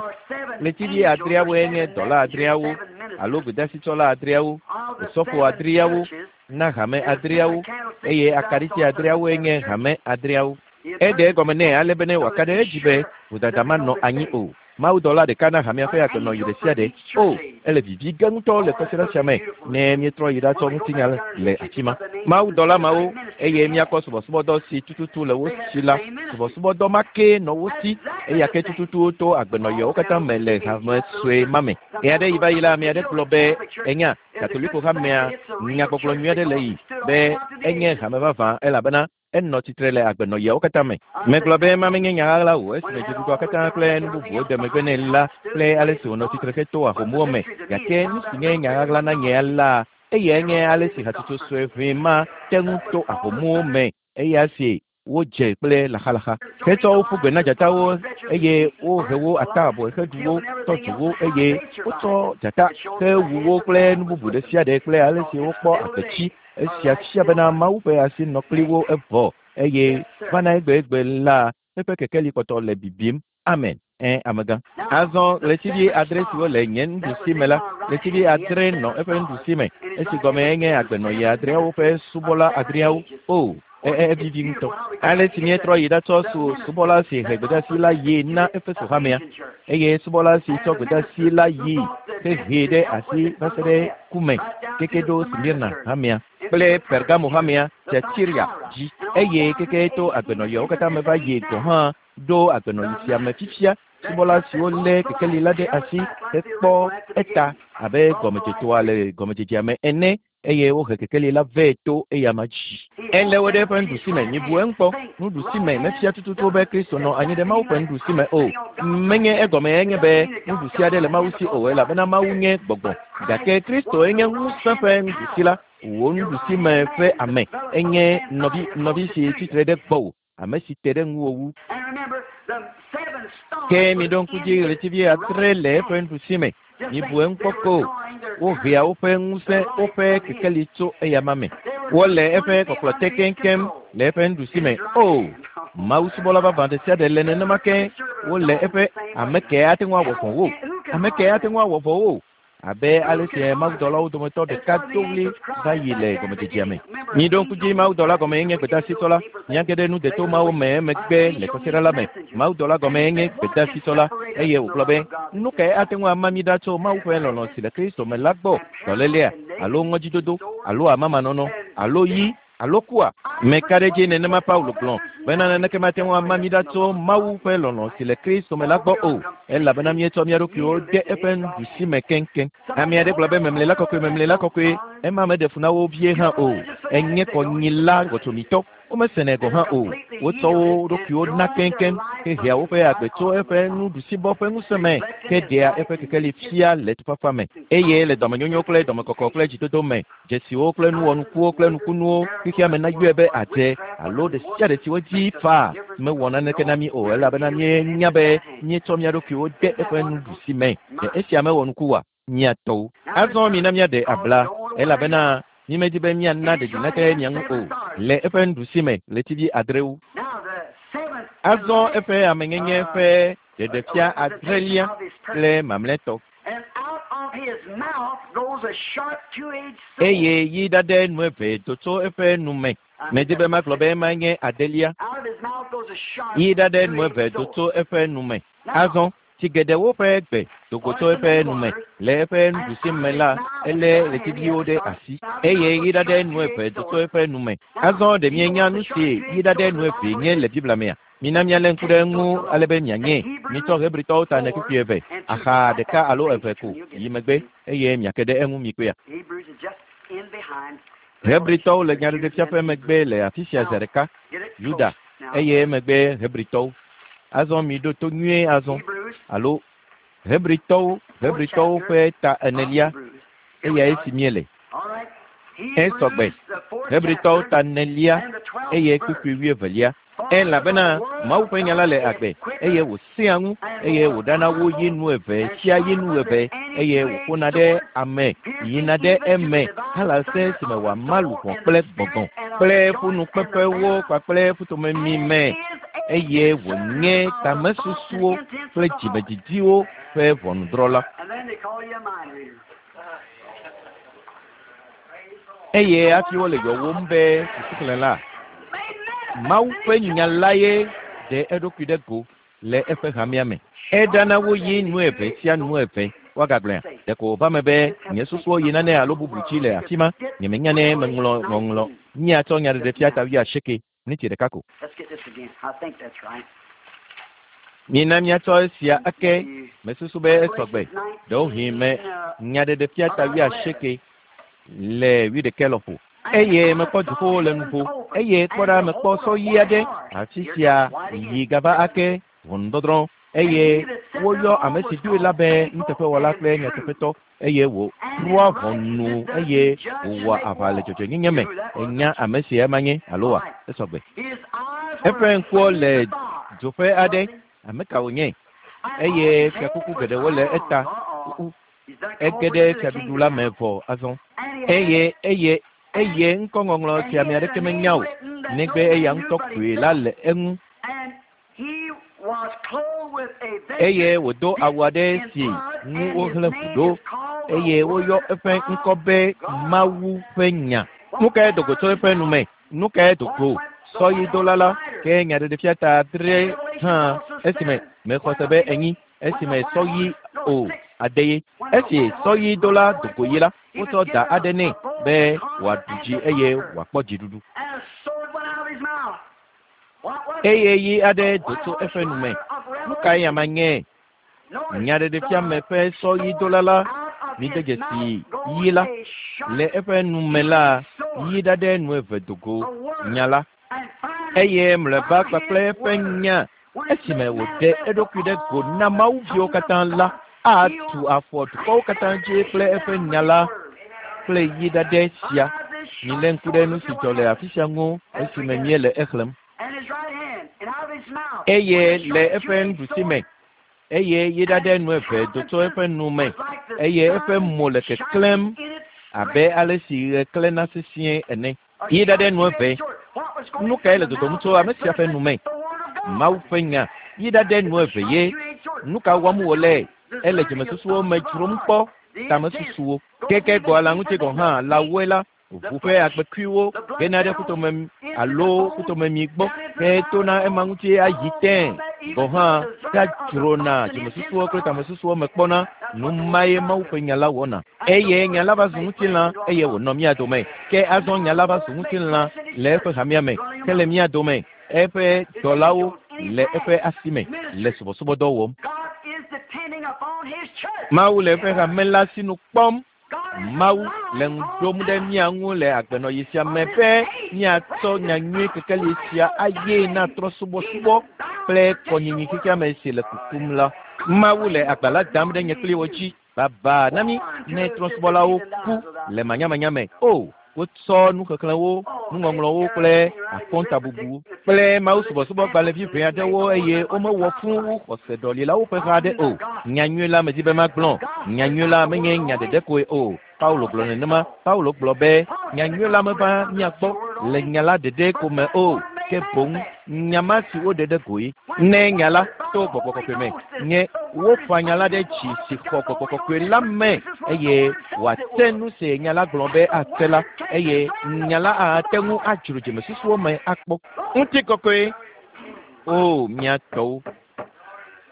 Ɣletivi adreawoe nye dɔla adreawo. alo gbedasitsɔla adreawo, osɔfo adreawo na hame adreawo, eye akaɖiti adreawoe nye hame adreawo. Eɖe egɔme nɛ ale be ne wòaka ɖe edzi be vodada manɔ anyi o. Mawudɔla ɖeka na hamea ƒe agbenɔɣi ɖe sia ɖe. O, ele vivi ge ŋutɔ le kɔsiɖa sia me ne míetrɔ yi ɖatsɔ ŋutinya le afi ma. Mawudɔla mawo eye míakpɔ subɔsubɔdɔ si tututu le wo si la, subɔsubɔdɔ ma ke nɔ wo si eya ke tututu to agbenɔɣiawo katã me le hame sue ma me. Ɣe aɖe yi va yi la, ame aɖe gblɔ be enya Katoliko hamea nyagbɔgblɔ nyui aɖe le yi be enye hame vavã elabena enɔ tsitre le agbenɔɣiawo katã me. Megblɔ be ema menye nya ɣaɣla o esime dziɖuɖua katã kple nu bubuwo de megbe nɛ la kple ale si wònɔ tsitre heto ahomuwo me. Gake nu si nye nya ɣaɣla na nye la, eyae nye ale si hatsotso sue ʋɛ ma te ŋu to ahomuwo me eya si wodze kple laxalaxa. Hetsɔ wo ƒu gbe na dzatawo eye wohe wo ata abɔe heɖu wo, tɔ dzo wo eye wotsɔ dzata hewu wo kple nu bubu ɖe sia ɖe kple ale si wokpɔ agbetsi. Esia fia bena Mawu ƒe asi nɔ kpli wo evɔ eye vana egbegbe la eƒe kekeli kpɔtɔ le bibim. Amen. Ẽ amegã. Azɔ ɣletivi adre siwo le nye nuɖusi me la, ɣletivi adre nɔ eƒe nuɖusi me. Esi gɔme enye agbenɔɣi adreawo ƒe subɔla adreawo. O, evivi ŋutɔ. Ale si míetrɔ yi ɖatsɔ su subɔla si he gbedasi la yi na Efeso hamea eye subɔla si tsɔ gbedasi la yi hehee ɖe asi va se ɖe ku me keke ɖo Smirna hamea kple Pergamo hamea Tiatira dzi eye keke to agbenɔɣiawo katã me va yi gɔ̃ hã ɖo agbenɔɣi sia me fifia. Subɔla siwo lé kekeli la ɖe asi hekpɔ eta abe gɔmedzetoa le gɔmedzedzea me ene eye wohe kekeli la vɛ to eyama dzi. Elé wo ɖe eƒe nuɖusi me. Mibu eŋu kpɔ. Nuɖusi me mefia tututu be Kristo nɔ anyi ɖe Mawu ƒe nuɖusi me o. Menye egɔme enye be nuɖusi aɖe le Mawu si o elabena Mawu nye gbɔgbɔ. Gake Kristo enye ŋusẽ ƒe nuɖusi la. Wò nuɖusi me ƒe ame enye nɔvi nɔvi si tsitre ɖe gbɔwò, ame si te ɖe ŋuwò wu. Ke miɖo ŋku dzi ɣletivi adre le eƒe nuɖusi me. Mibu eŋu kpɔ ko. Wohea woƒe ŋusẽ, woƒe kekeli tso eyama me. Wole eƒe kɔkplɔ te keŋkeŋ le eƒe nuɖusi me. O, Mawu subɔla vavã ɖe sia ɖe le nenema ke wole eƒe ame ke ate ŋu awɔ vɔ̃ wo. Ame ke ate ŋu awɔ vɔ̃ wo. Abe ale si mawudɔlawo dometɔ ɖeka do ɣli va yi le gɔmedzedzea me. Miɖo ŋku dzi mawudɔla gɔme nye gbedasitsɔla. Míage ɖe nu deto mawo me emegbe le kɔsiɖa la me. Mawudɔla gɔme nye gbedasitsɔla eye wògblɔ be nu kae ate ŋu ama mí ɖa tso Mawu ƒe lɔlɔ̃ si le Kristo me la gbɔ? Dɔlélea alo ŋɔdzidodo alo amamanɔnɔ alo yi alo kua? Meka ɖe edzi nenema Paulo gblɔ bena naneke mate ŋu ama mí ɖa tso Mawu ƒe lɔlɔ̃ si le Kristo me la gbɔ o elabena míetsɔ mía ɖokuiwo de eƒe nuɖusi me keŋkeŋ. Ame aɖe gblɔ be memlela kɔkɔe, memlela kɔkɔe, ema meɖe fu na wo vie hã o. Enye kɔnyila wɔtsomitɔ. Womesenɛ gɔ̃ hã o. Wotsɔ wo ɖokuiwo na keŋkeŋ hehea woƒe agbe tso eƒe nuɖusibɔ ƒe ŋusẽ me heɖea eƒe kekeli fia le tufafa me eye le dɔmenyonyo kple dɔmekɔkɔ kple dzidodo me dzesiwo kple nuwɔnukuwo kple nukunuwo xexea me nayɔe be adze alo ɖe sia ɖe si wodzi faa mewɔ naneke na mí o elabena míenya be míetsɔ mía ɖokuiwo de eƒe nuɖusi me. Ɖe esia mewɔ nuku oa? Mía tɔwo. Azɔ mina míaɖe abla elabena mímedi be míana ɖeɖi nate mia ŋu o le eƒe nuɖusi me ɣletivi adrewo. Azɔ eƒe amenyenye ƒe ɖeɖefia adrelia kple mamlɛtɔ. Eye yi ɖaɖɛ nu eve do tso eƒe nu me. Medi be magblɔ be ema nye adelia. Yi ɖaɖɛ nu eve do tso eƒe nu me. Azɔ tsi geɖewo ƒe gbe do go tso eƒe nu me. Le eƒe nuɖusi me la, elé ɣletiviwo ɖe asi eye yi ɖaɖɛ nu eve do tso eƒe nu me. Azɔ ɖe mienya nu si yi ɖaɖɛ nu eve nye le Biblia mea? Mina míalé ŋku ɖe eŋu ale be mianye. Mitsɔ Hebritɔwo ta ene kpukpui eve, axa ɖeka alo eve ko yi megbe eye miake ɖe eŋu mikpɔea. Hebritɔwo le nyaɖeɖefia ƒe megbe le afi sia zi ɖeka, Yuda eye emegbe Hebritɔwo. Azɔ miɖo to nyuie azɔ alo Hebritɔwo, Hebritɔwo ƒe ta enelia eyae si míele. Esɔgbe Hebritɔwo ta enelia eye kpukpui wuievelia. Elabena Mawu ƒe nya la le agbe eye wòsẽa ŋu eye wòɖana wo yi nu eve tsia yi nu eve eye wòƒona ɖe ame yina ɖe eme halase si me wòama luʋɔ kple gbɔgbɔ kple ƒunukpeƒewo kpakple ƒutomemi me eye wònye tamesusuwo kple dzimedidiwo ƒe ʋɔnudrɔ̃la. Eye hafi wole yɔwom be susuxlẽla, Mawu ƒe nya lae ɖe eɖokui ɖe go le eƒe hamea me. Eɖana woyi nu eve sia nu eve. Woagagblɔea, ɖeko wòva me be nye susuwo yi nane alo bubu dzi le afi ma. Nyemenya ne meŋlɔ ŋɔŋlɔ. Míatsɔ nyaɖeɖefia ta wuiasieke miniti ɖeka ko. Let's get this again. I think that's right. Mina míatsɔ esia ake. Mesusu be esɔgbe. Ɖewohĩ me nyaɖeɖefia ta wuiasieke le wuiɖekɛ lɔƒo. Eye mekpɔ dziƒowo le nuƒo. Eye kpɔ ɖa mekpɔ sɔ ɣi aɖe. Afi sia yi gava ake ʋɔnudɔdrɔ̃. Eye woyɔ ame si doe la be nuteƒewɔla kple nyateƒetɔ eye wòtrɔa ʋɔnu eye wòwɔa aʋa le dzɔdzɔenyenye me. Enya ame si ema nye alo wa? Esɔgbe. Eƒe ŋkuwo le dzoƒe aɖe. Ame ka wònye? Eye fiakuku geɖewo le eta. Ege ɖe fiaɖuɖu la me vɔ azɔ. Eye eye eye ŋkɔŋɔŋlɔ si ame aɖeke menya o negbe eya ŋutɔ koe la le eŋu. Eye wòdo awu aɖe si ŋu wohlẽ ʋu ɖo eye woyɔ eƒe ŋkɔ be Mawu ƒe nya. Nu kae do go tso eƒe nu me? Nu kae do go? Sɔyidola la ke nyaɖeɖefia ta adre hã esime mexɔ se be enyi esime sɔyi o ade ye. Esi sɔyidola do go yi la, wotsɔ da aɖe nɛ be wòaɖu dzi eye wòakpɔ dziɖuɖu. And a sword went out of his mouth. What was it? Eye yi aɖe do tso eƒe nu me. Nu kae ama nye? Nyaɖeɖefia me ƒe sɔyidola la mide dzesi yi la le eƒe nu me la yi ɖaɖe nu eve do go nya la. Eye mlɔeba kpakple eƒe nya esime wòɖe eɖokui ɖe go na mawuviwo katã la atu afɔ dukɔwo katã dzi kple eƒe nya la kple yi ɖaɖɛ sia. Milé ŋku ɖe nu si dzɔ le afi sia ŋu esime míele exlẽm. And his right hand, and out of his mouth. Eye le eƒe nuɖusi me eye yi ɖaɖɛ nu eve do tso eƒe nu me eye eƒe mo le keklẽm abe ale si ɣe klẽna sesĩe ene. Yi ɖaɖɛ nu eve. Nu kae le dodom tso ame sia ƒe nu me? Mawu ƒe nya. Yi ɖaɖɛ nu eve ye. Nu ka wɔm wòle? Ele dzimesusuwo me dzrom kpɔ tamesusuwo. Keke gbɔ la ŋuti gɔ̃ hã lãwoe la ʋu ƒe agbekuiwo gena ɖe ƒutomemi alo ƒutomemi gbɔ hetona ema ŋuti ayi tẽ gɔ̃ hã gadzrona dzimesusuwo kple tamesusuwo me kpɔna. Nu mae Mawu ƒe nya la wɔna. Eye nya la va zu ŋutilã eye wònɔ mía dome. Ke azɔ nya la va zu ŋutilã le eƒe hamea me hele mía dome. Eƒe dɔlawo le eƒe asi me le subɔsubɔdɔ wɔm. God is depending upon his church. Mawu le eƒe hame la sinu kpɔm. God is Mawu le ŋu ɖom ɖe mía ŋu le agbenɔɣi sia me be míatsɔ nyanyui kekeli sia aye na trɔ̃subɔsubɔ kple kɔnyinyi xexeame si le kukum la. Mawu le agba la dam ɖe nye kpli wo dzi. Baba na mí ne trɔ̃subɔlawo ku le manyamanya me. O, wotsɔ nuxexlẽwo, nuŋɔŋlɔwo kple akɔntabubu kple Mawu subɔsubɔgbalẽvi ʋɛ aɖewo eye womewɔ fũ wu xɔseɖɔlilawo ƒe ha aɖe o. Nyanyui la medi be magblɔ. Nyanyui la menye nya ɖeɖe koe o. Paulo gblɔ nenema. Paulo gblɔ be nyanyui la meva mía gbɔ le nya la ɖeɖe ko me o. Ke boŋ nya ma si woɖe ɖe goe. Ne nya la to gbɔgbɔ kɔkɔe me nye wofa nya la ɖe dzi si xɔ gbɔgbɔ kɔkɔe la me eye wòate nu si nya la gblɔ be ate la eye nya la ate ŋu adzro dzimesusuwo me akpɔ. Ŋutikɔkɔe. O mía tɔwo.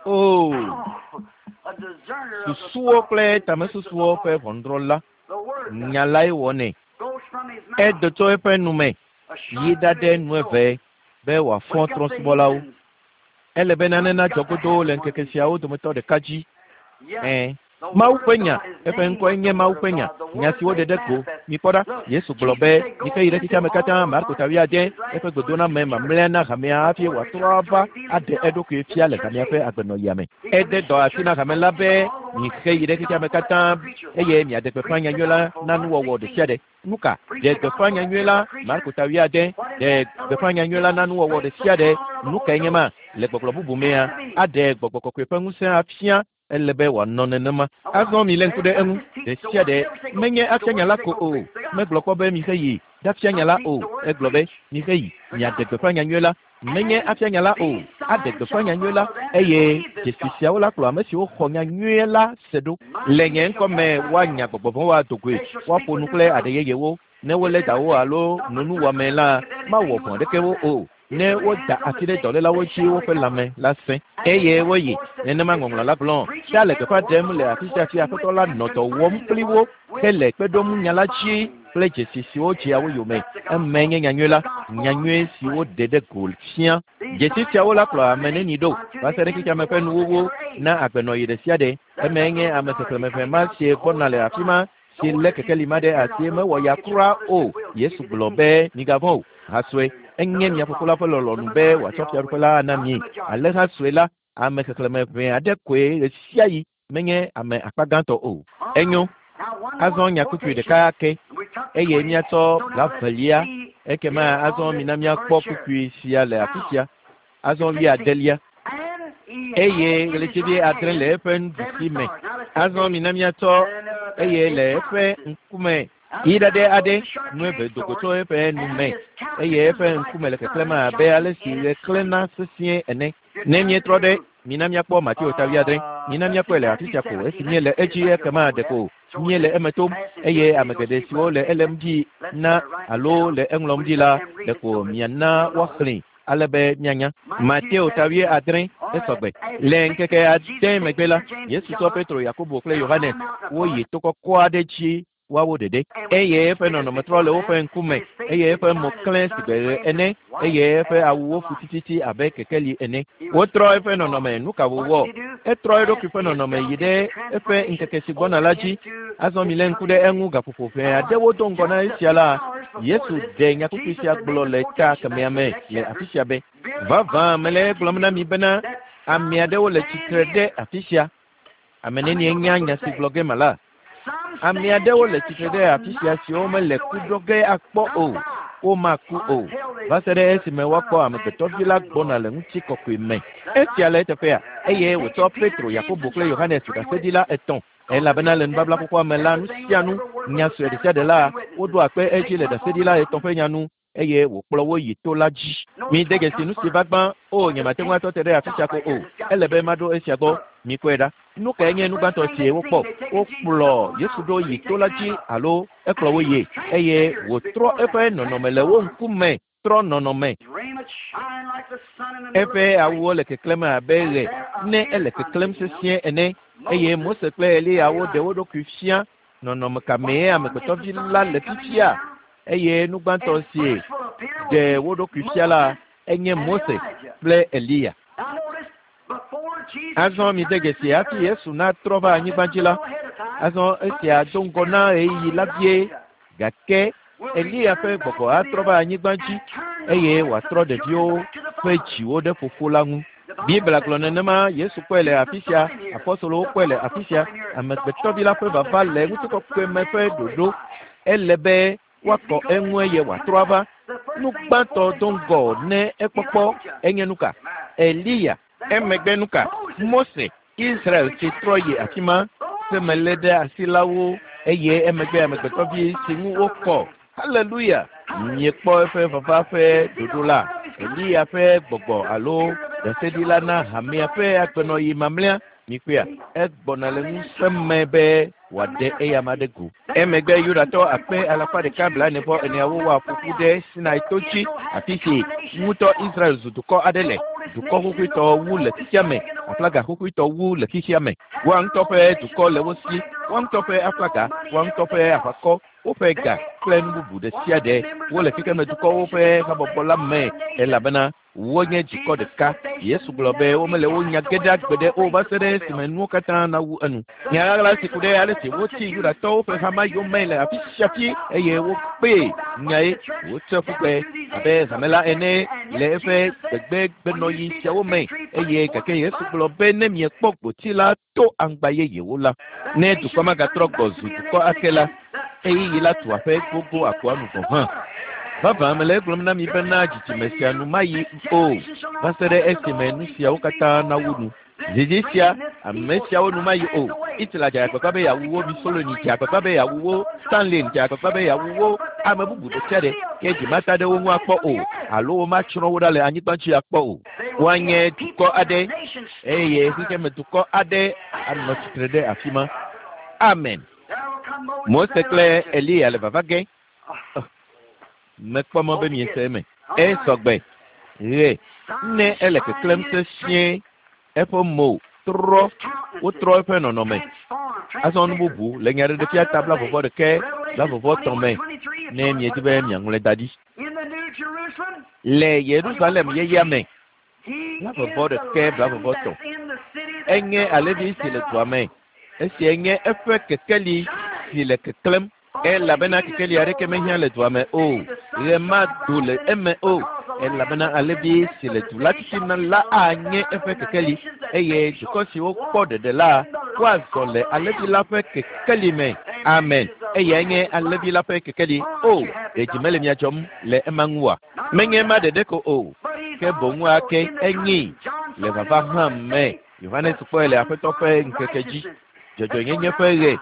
O A discerner of the susuwo kple tamesusuwo ƒe ʋɔnudrɔ̃la. The word Nya lae wɔnɛ. goes from his mouth. Edo tso eƒe nu me A yi sharp ɖaɖɛ nu two-edged sword. eve be wòafɔ Wake up the trɔ̃subɔlawo. heathens. Ele be nane nadzɔ godoo le ŋkeke siawo dometɔ ɖeka dzi. Yes. Ɛ̃. The Mawu word ƒe of nya, God, his eƒe name ŋkɔe was nye the Mawu word ƒe of nya. God. The Nya word si woɖe made ɖe go. manifest. Mikpɔ ɖa. Look, Yesu gblɔ Jesus be said, Go mike yi ɖe into xexeame all katã the Marko world, ta wuiade preach his eƒe last gbedoname mamlɛa na hamea hafi wòatrɔ ava aɖe eɖokui fia le hamea ƒe agbenɔɣia me. Ede dɔ asi na hame la be mixe yi ɖe xexeame katã eye miaɖe gbeƒã nyanyui la na nuwɔwɔ ɖe sia ɖe. Nu ka? Ɖe gbeƒã nyanyui la Marko ta wuiade ɖe gbeƒã nyanyui la na nuwɔwɔ ɖe sia ɖe. Nu kae nye ma? Le gbɔgblɔ bubu mea, aɖe gbɔgbɔ kɔkɔe ƒe ŋusẽ afia ele be wòanɔ nenema. Azɔ milé ŋku ɖe eŋu. Ɖe sia ɖe menye afia nya la ko o. Megblɔ kpɔ be mixe yi ɖafia nya la o. Egblɔ be mixe yi miaɖe gbeƒã nyanyui la. Menye afia nya la o. Aɖe gbeƒã nyanyui la eye dzesi siawo la kplɔ ame siwo xɔ nyanyui la se ɖo. Le nye ŋkɔ me woanya gbɔgbɔ vɔ̃wo ado goe. Woaƒo nu kple aɖe yeyewo. Ne wolé dawo alo no nuwɔame la, mawɔ vɔ̃ ɖeke wo o. Ne woda asi ɖe dɔlélawo dzi woƒe lãme la sẽ eye woyi. Nenema ŋɔŋlɔ la gblɔ. Ta le gbeƒã ɖem le afi sia afi Aƒetɔ la nɔ dɔ wɔm kpli wo hele kpe ɖom nya la dzi kple dzesi siwo dzea wo yome. Eme nye nyanyui la, nyanyui si woɖe ɖe go fia. Dzesi siawo la kplɔ ame neni ɖo va se ɖe xexeame ƒe nuwuwu na agbenɔɣi ɖe sia ɖe. Eme nye ame xexlẽme ʋɛ ma si gbɔna le afi ma si lé kekeli ma ɖe asi mewɔ ya kura o. Yesu gblɔ be migavɔ̃ o. Hasue enye mia fofo la ƒe lɔlɔ̃nu be wòatsɔ fiaɖuƒe la ana mi. Ale hasue la, ame xexlẽme ʋɛ aɖe koe ɣe sia ɣi menye ame akpa gãtɔ o. Enyo. Azɔ nya kpukpui ɖeka ke eye míatsɔ blavelia ekema azɔ mina míakpɔ kpukpui sia le afi sia. Azɔ wuiadelia eye ɣletivi adre le eƒe nuɖusi me. Azɔ mina míatsɔ eye le eƒe ŋkume yi ɖaɖɛ aɖe nu eve do go tso eƒe nu me eye eƒe ŋkume le keklẽm abe ale si ɣe klẽna sesĩe ene. Ne míetrɔ ɖe mina míakpɔ Mateo ta wuiadre. Mina míakpɔe le afi sia ko esi míele edzi ekema ɖeko míele eme tom eye ame geɖe siwo le elém dzi na alo le eŋlɔm dzi la ɖeko miana woaxlẽe ale be míanya. Mateo ta wuiadre esɔgbe. Le ŋkeke ade megbe la, Yesu tsɔ Petro, Yakobo kple Yohanes woyi to kɔkɔ aɖe dzi woawo ɖeɖe eye eƒe nɔnɔme trɔ le woƒe ŋkume eye eƒe mo klẽ sigbe ɣe ene eye eƒe awuwo fu tititi abe kekeli ene. Wotrɔ eƒe nɔnɔme nu ka wòwɔ? Etrɔ eɖokui ƒe nɔnɔme yi ɖe eƒe ŋkeke si gbɔna la dzi. Azɔ milé ŋku ɖe eŋu gaƒoƒo ʋɛ aɖewo do ŋgɔ na esia la, Yesu ɖe nyakpukpui sia gblɔ le ta kemɛa me le afi sia be, vavã mele egblɔm na mi bena ame aɖewo le tsitre ɖe afi sia. Ame nenie nya nya si gblɔ ge mala? Ame aɖewo le tsitre ɖe afi sia siwo mele ku ɖo ge akpɔ o. Womaku o va se ɖe esime woakpɔ amegbetɔvi la gbɔna le ŋutikɔkɔe me. Esia le eteƒea eye wòtsɔ Petro, Yakobo kple Yohanes ɖaseɖila etɔ̃. Elabena le nubabla xoxoa me la, nu sia nu, nya sue ɖe sia ɖe la, woɖo akpe edzi le ɖaseɖila etɔ̃ ƒe nya nu eye wòkplɔ wo yi to la dzi. Mide dzesi nu si va gbã. O, nyemate ŋu atɔ te ɖe afi sia ko o. Ele be maɖo esia gbɔ. Mikpɔe ɖa. Nu kae nye nu gbãtɔ si wokpɔ? Wokplɔ Yesu ɖo yi to la dzi alo ekplɔ wo yie eye wòtrɔ eƒe nɔnɔme le wo ŋkume trɔ nɔnɔme. Eƒe awuwo le keklẽm abe ɣe ne ele keklẽm sesĩe ene eye Mose kple Eliya woɖe wo ɖokui fia nɔnɔme ka mee amegbetɔvi la le fifia eye nu gbãtɔ si ɖe wo ɖokui fia la enye Mose kple Eliya. Azɔ mide dzesi hafi Yesu natrɔ va anyigba dzi la, azɔ esia do ŋgɔ na ɣeyiɣi la vie gake Eliya ƒe gbɔgbɔ atrɔ va anyigba dzi eye wòatrɔ ɖeviwo ƒe dziwo ɖe fofo la ŋu. Biblia gblɔ nenema Yesu kpɔe le afi sia, apɔstolowo kpɔe le afi sia. Amegbetɔvi la ƒe vava le ŋutikɔkɔe me ƒe ɖoɖo. Ele be woakɔ eŋu eye wòatrɔ ava. Nu gbãtɔ do ŋgɔ ne ekpɔkpɔ enye nu ka? Eliya. Emegbe nu ka? Mose, Israel si trɔ yi afi ma semelé ɖe asilawo eye emegbe amegbetɔvi si ŋu wokɔ. Haleluya! Miekpɔ eƒe vava ƒe ɖoɖo la. Eliya ƒe gbɔgbɔ alo ɖaseɖila na hamea ƒe agbenɔɣi mamlɛa. Mikpɔea, egbɔna le ŋusẽ me be wòaɖe eyama ɖe go. Emegbe Yudatɔ akpe alafa ɖeka blaene vɔ eneawo wɔ ƒoƒu ɖe Sinai to dzi afi si ŋutɔ Israel zu dukɔ aɖe le. Dukɔ xoxoetɔ wu le xexea me, aflaga xoxoetɔ wu le xexea me. Woa ŋutɔ ƒe dukɔ le wo si, woa ŋutɔ ƒe aflaga, woa ŋutɔ ƒe aʋakɔ, woƒe ga kple nu bubu ɖe sia ɖe. Wole xexeme dukɔwo ƒe habɔbɔ la me elabena wonye dukɔ ɖeka. Yesu gblɔ be womele wo nya ge ɖe agbe ɖe o va se ɖe esime nuwo katã nawu enu. Nya ɣaɣla si ku ɖe ale si wotsi Yudatɔwo ƒe hama yome le afi sia afi eye wokpee nyae wotsɔe ƒu gbe abe hame la ene le eƒe gbegbegbenɔɣi siawo me eye gake Yesu gblɔ be ne miekpɔ gboti la to aŋgba yeyewo la, ne dukɔ magatrɔ gbɔ zu dukɔ ake la, ɣeyiɣi la tu aƒe gbogbo akɔa nu gɔ̃ hã. Vavã mele egblɔm na mi bena dzidzime sia nu mayi o va se ɖe esime nu siawo katã nawu nu. Dzidzi sia, ame siawo nu mayi o. Hitler dze agbagba be yeawu wo, Mussolini dze agbagba be yeawu wo, Stalin dze agbagba be yeawu wo, ame bubu ɖe sia ɖe ke dzi mata ɖe wo ŋu akpɔ o alo womatsrɔ̃ wo ɖa le anyigba dzi akpɔ o. Woanye dukɔ aɖe eye xexeme dukɔ aɖe anɔ tsitre ɖe afi ma. Amen. Mose kple Eliya le vava ge. Mekpɔ mɔ be miese eme. Esɔgbe. Ɣe ne ele keklẽm sesĩe eƒe mo trɔ wotrɔ eƒe nɔnɔme. Azɔ nu bubu le nyaɖeɖefia ta blavɔvɔ ɖeke blavɔvɔ tɔ̃ me ne miedi be miaŋlɔe da ɖi. Le Yerusalem yeyea me blavɔvɔ ɖeke blavɔvɔ tɔ̃. Enye alẽvi si le dua me. Esia nye eƒe kekeli si le keklẽm elabena kekeli aɖeke mehiã le dua me o. Ɣe mado le eme o. Elabena alẽvi si le du la titina la anye eƒe kekeli eye dukɔ siwo kpɔ ɖeɖe la woazɔ le alẽvi la ƒe kekeli me. Amen. Eyae nye alẽvi la ƒe kekeli. O, ɖe dzi mele mia dzɔm le ema ŋu oa? Menye ema ɖeɖe ko o, ke boŋ ake enyi le vava hã me. Yohanes kpɔe le Aƒetɔ ƒe ŋkeke dzi. Dzɔdzɔenyenye ƒe ɣe.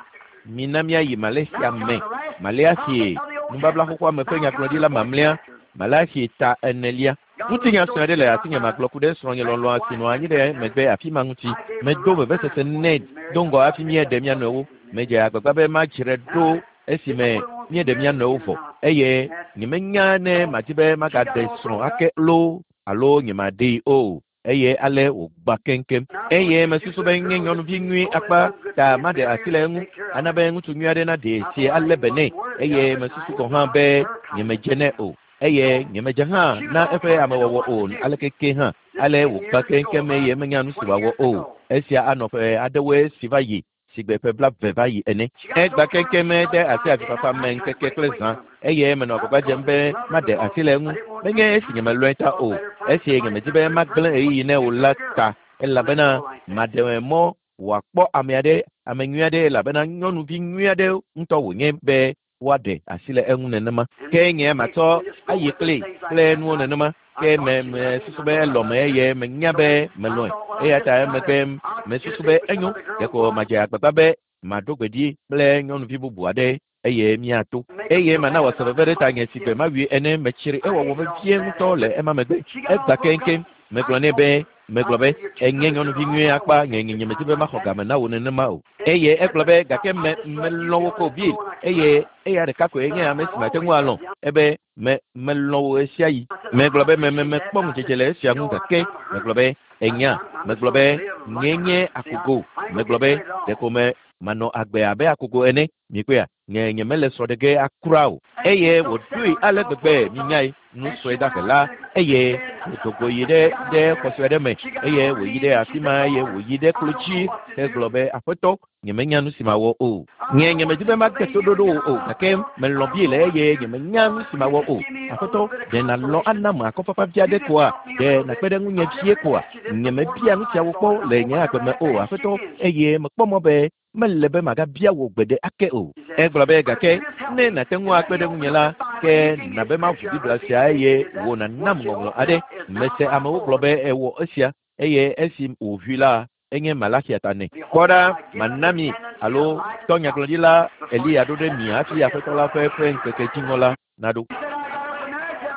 Mina míayi Malaysia me. Maleaxi nubabla xoxoa me ƒe nyagblɔɖila mamlɛa. Malaxi ta enelia. Ŋutinya sue aɖe le asinye magblɔ ku ɖe srɔ̃nye lɔlɔ̃a si nɔ anyi ɖe megbe afi ma ŋuti. Medo vevesese nɛ do ŋgɔ hafi míeɖe mía nɔewo. Medze agbagba be madzre ɖo esime míeɖe mía nɔewo vɔ eye nyemenya ne madi be magaɖe srɔ̃ ake loo alo nyemaɖee o. Eye ale wògbã keŋkeŋ. Eye mesusu be nye nyɔnuvi nyui akpa ta maɖe asi le eŋu ana be ŋutsu nyui aɖe naɖee si alé be nɛ. Eye mesusu gɔ̃ hã be nyemedze nɛ o. Eye nyemedze hã na eƒe amewɔwɔ o aleke ke hã. Ale wògbã keŋkeŋ eye menya nu si wòawɔ o. Esia anɔ ƒe aɖewoe si va yi sigbe ƒe blaeve va yi ene. Egbã keŋkeŋ de asi avifafa me ŋkeke kple zã eye menɔ agbagba dzem be maɖe asi le eŋu. Menye esi nyemelɔ̃e ta o, esi nyemedi be magblẽ ɣeyiɣi nɛ o la ta elabena maɖe mɔ wòakpɔ ame aɖe, ame nyui aɖe elabena nyɔnuvi nyui aɖe ŋutɔ wònye be woaɖe asi le eŋu nenema. Ke nye matsɔ ayi kpli kple nuwo nenema. Ke me mesusu be elɔ̃me eye menya be melɔ̃e. Eya ta emegbe mesusu be enyo ɖeko madze agbagba be maɖo gbe ɖi kple nyɔnuvi bubu aɖe eye míato. Eye mana wòase veve ɖe tanye si gbe mawui ene metsri ewɔwɔ vevie ŋutɔ le ema megbe. Egbã keŋkeŋ. Megblɔ nɛ be megblɔ be enye nyɔnuvi nyui akpa nye nye nyemedi be maxɔ game na wò nenema o. Eye egblɔ be gake me melɔ̃ wò ko Bill eye eya ɖeka koe nye ame si mate ŋu alɔ̃. Ebe me melɔ̃ wò ɣe sia ɣi. Megblɔ be me me mekpɔ ŋudzedze le esia ŋu gake megblɔ be enya megblɔ be nye nye akogo. Megblɔ be ɖeko me manɔ agbe abe akogo ene. Mikpɔea nye nyemele srɔ̃ ɖe ge akura o. Eye wòɖoe ale gbegbe minyae nu sue dahe la eye wòdo go yi ɖe ɖe xɔ sue aɖe me eye wòyi ɖe afi ma eye wòyi ɖe klo dzi hegblɔ be aƒetɔ nyemenya nu si mawɔ o. Nye nyemedi be magbe toɖoɖo wò o gake melɔ̃ Bill eye nyemenya nu si mawɔ o. Aƒetɔ ɖe nàlɔ̃ ana me akɔfafa vi aɖe koa? Ɖe nàkpe ɖe ŋunye vie koa? Nyemebia nu siawo kpɔ le nye agbe me o aƒetɔ eye mekpɔ mɔ be mele be magabia wò gbe ɖe ake o. Egblɔ be gake ne nàte ŋu akpe ɖe ŋunye la ke nabe maʋu Biblia sia eye wò nànam ŋɔŋlɔ aɖe. Mese amewo gblɔ be ewɔ esia eye esi wòʋui la enye Malaxia ta nɛ. Kpɔ ɖa mana mi alo tɔ nyagblɔɖila Eliya ɖo ɖe mi hafi Aƒetɔ la ƒe ƒe ŋkeke dziŋɔ la naɖo.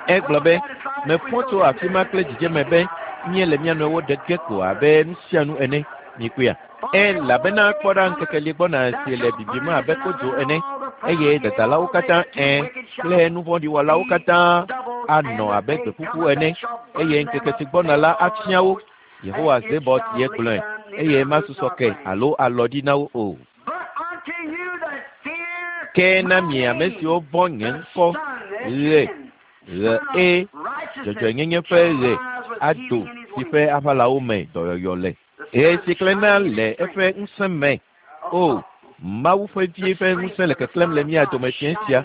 Egblɔ be mefɔ tso afi ma kple dzidzeme be míele mía nɔewo ɖe ge ko abe nu sia nu ene. Mikpɔea? Elabena kpɔ ɖa ŋkeke li gbɔna si le bibim abe kodzo ene eye dadalawo katã ẽ kple nu vɔ̃ɖi wɔlawo katã anɔ abe gbeƒuƒu ene eye ŋkeke si gbɔna la afia wo. Yehowa Zebɔt ye gblɔe eye masusɔ ke alo alɔ ɖi na wo o. Ke na mi ame siwo vɔ̃ nye ŋkɔ ɣe ɣe e dzɔdzɔenyenye ƒe ɣe ado si ƒe aʋalawo me dɔyɔyɔ le. Ɣe si klẽna le eƒe ŋusẽ me. O, Mawu ƒe vie ƒe ŋusẽ le keklẽm le mía dome fiẽ sia.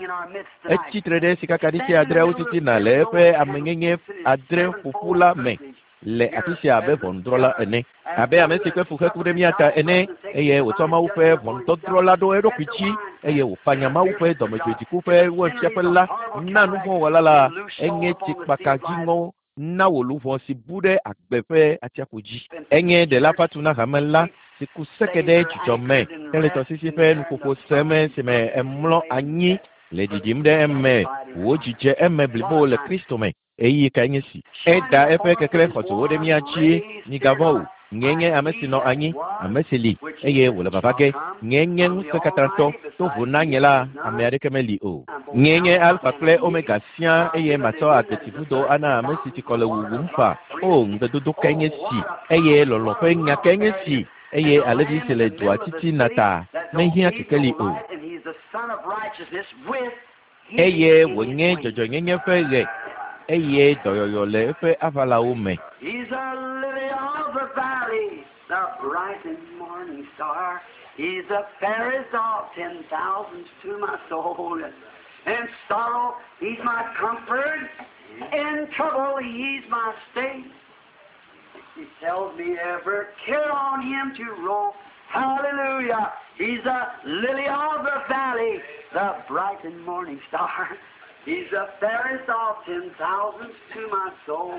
Etsi tre ɖe sikakaɖiti adreawo titina le eƒe amenyenye adre ƒoƒu la me le afi sia abe ʋɔnudrɔ̃la ene. Abe ame si kpe fu heku ɖe mía ta ene eye wòtsɔ Mawu ƒe ʋɔnudɔdrɔ̃ la ɖo eɖokui dzi eye wòfanya Mawu ƒe dɔmedzoedziku ƒe wainfiaƒe la na nu vɔ̃ wɔla la enye tsikpaka dziŋɔ na wò luʋɔ si bu ɖe agbe ƒe atsiaƒu dzi. Enye ɖela fatu na hame la si ku seke ɖe dzidzɔ me hele tɔsisi ƒe nuƒoƒo sem si me emlɔ anyi le ɖiɖim ɖe eme wò dzidze eme blibo le Kristo me. Ɣeyiɣi kae nye si? Eda eƒe keklẽ xɔdzowo ɖe mía dzi. Migavɔ̃ o. Nye nye ame si nɔ anyi, ame si li, eye wòle vava ge. Nye nye ŋusẽkatãtɔ, to vo na nye la, ame aɖeke meli o. Nye nye Alfa kple Omega siaa eye matsɔ agbetivudo ana ame si tsikɔ le wuwum fa. O, ŋugbedodo kae nye si, eye lɔlɔ̃ ƒe nya kae nye si, eye alẽvi si le dua titina ta mehiã kekeli o. Eye wònye dzɔdzɔenyenye ƒe ɣe, eye dɔyɔyɔ le eƒe aʋalawo me. He's a lily of the valley, the bright and morning star. He's the fairest of ten thousands to my soul. In sorrow, he's my comfort. In trouble, he's my stay. He tells me every care on him to roll. Hallelujah. He's a lily of the valley, the bright and morning star. He's the fairest of ten thousands to my soul.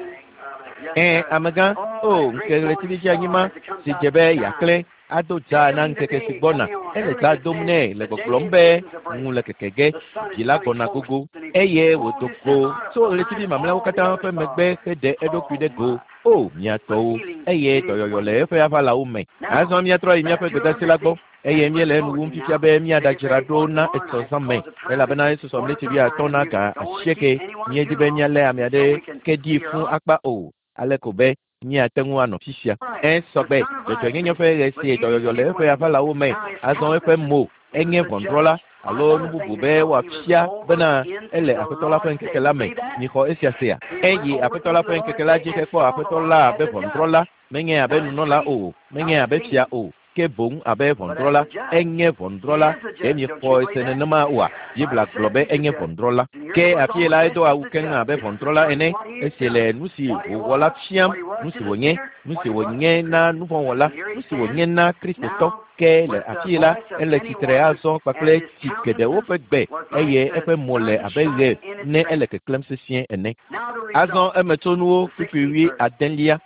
Yes, Ẽ, sir. amegã, o, ŋkeke ɣletivi dzeanyi ma, si dze be yeaklẽ, ado dza na ŋkeke si gbɔna. Ele dza dom nɛ le gbɔgblɔm be ŋu le keke ge, dzi la gbɔna gogo. Eye wòdo go tso ɣletivi mamlɛawo katã ƒe megbe heɖe eɖokui ɖe go. O, mia tɔwo, eye dɔyɔyɔ le eƒe aʋalawo me. Azɔ míatrɔ yi míaƒe gbedeasi la gbɔ. Eye míele enu wum fifia be míaɖadzra ɖo na etsɔ zã me elabena esusɔ ɣleti wuiatɔ̃ na ga asieke. Míedi be míalé ame aɖe ke ɖi fũu akpa o, ale ko be míate ŋu anɔ fifia. Ẽ sɔgbe, dzɔdzɔenyenye ƒe ɣe si dɔyɔyɔ le eƒe aʋalawo me. Azɔ eƒe mo enye ʋɔnudrɔ̃la alo nu bubu be wòafia bena ele Aƒetɔ la ƒe ŋkeke la me. Mixɔ esia sea. Eyi Aƒetɔ la ƒe ŋkeke la dzi hekpɔ Aƒetɔ la abe ʋɔnudrɔ̃la, menye abe nunɔla o, menye abe fia o, ke boŋ abe ʋɔnudrɔ̃la. Enye ʋɔnudrɔ̃la. Ɖe miexɔe se nenema oa? Biblia gblɔ be enye ʋɔnudrɔ̃la. Ke afie la edo awu keŋ abe ʋɔnudrɔ̃la ene. Esi le nu si wòwɔ la fiam, nu si wònye, nu si wònye na nuvɔ̃wɔla, nu si wònye na Kristotɔ. Ke le afie la, ele tsitre azɔ kpakple tsi geɖewo ƒe gbe eye eƒe mo le abe ɣe ne ele keklẽm sesĩe ene. Azɔ emetsonuwo kpukpui wui adelia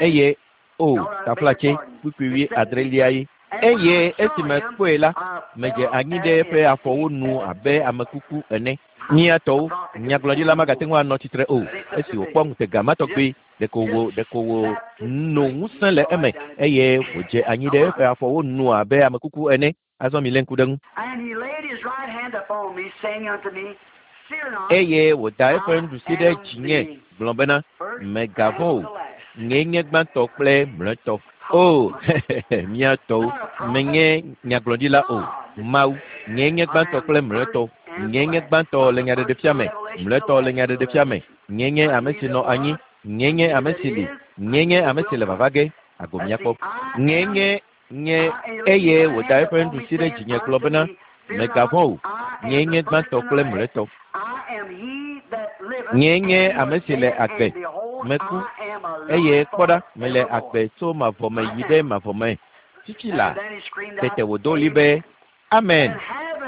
eye o taflatse kpukpui wui adrelia ye. Eye esime kpɔe la, medze anyi ɖe eƒe afɔwo nu abe ame kuku ene. Mía tɔwo, nyagblɔɖila magate ŋu anɔ tsitre o. Esi wòkpɔ ŋutega ma tɔgbi, ɖeko wò ɖeko wò no ŋusẽ le eme eye wòdze anyi ɖe eƒe afɔwo nu abe ame kuku ene. Azɔ milé ŋku ɖe ŋu. And he laid his right hand upon me, saying unto me, Fear not. Eye wòda eƒe nuɖusi ɖe dzinye gblɔ bena, Mègavɔ̃ o. Nyee nye gbãtɔ kple mlɔetɔ. O, mía tɔwo, menye nyagblɔɖila o. Mawu, nyee nye gbãtɔ kple mlɔetɔ. Nyee nye gbãtɔ le nyaɖeɖefia me, mlɔetɔ le nyaɖeɖefia me. Nyee nye ame si nɔ anyi, nyee nye ame si li, nyee nye ame si le vava ge. Ago míakpɔ. Nyee nye nye eye wòda eƒe nuɖusi ɖe dzinye gblɔ bena, Mègavɔ̃ o. Nyee nye gbãtɔ kple mlɔetɔ. Nyee nye ame si le agbe. Meku, eye kpɔ ɖa, mele agbe tso mavɔ me yi ɖe mavɔ me. Fifi la, tete wòdo ɣli be, Amen.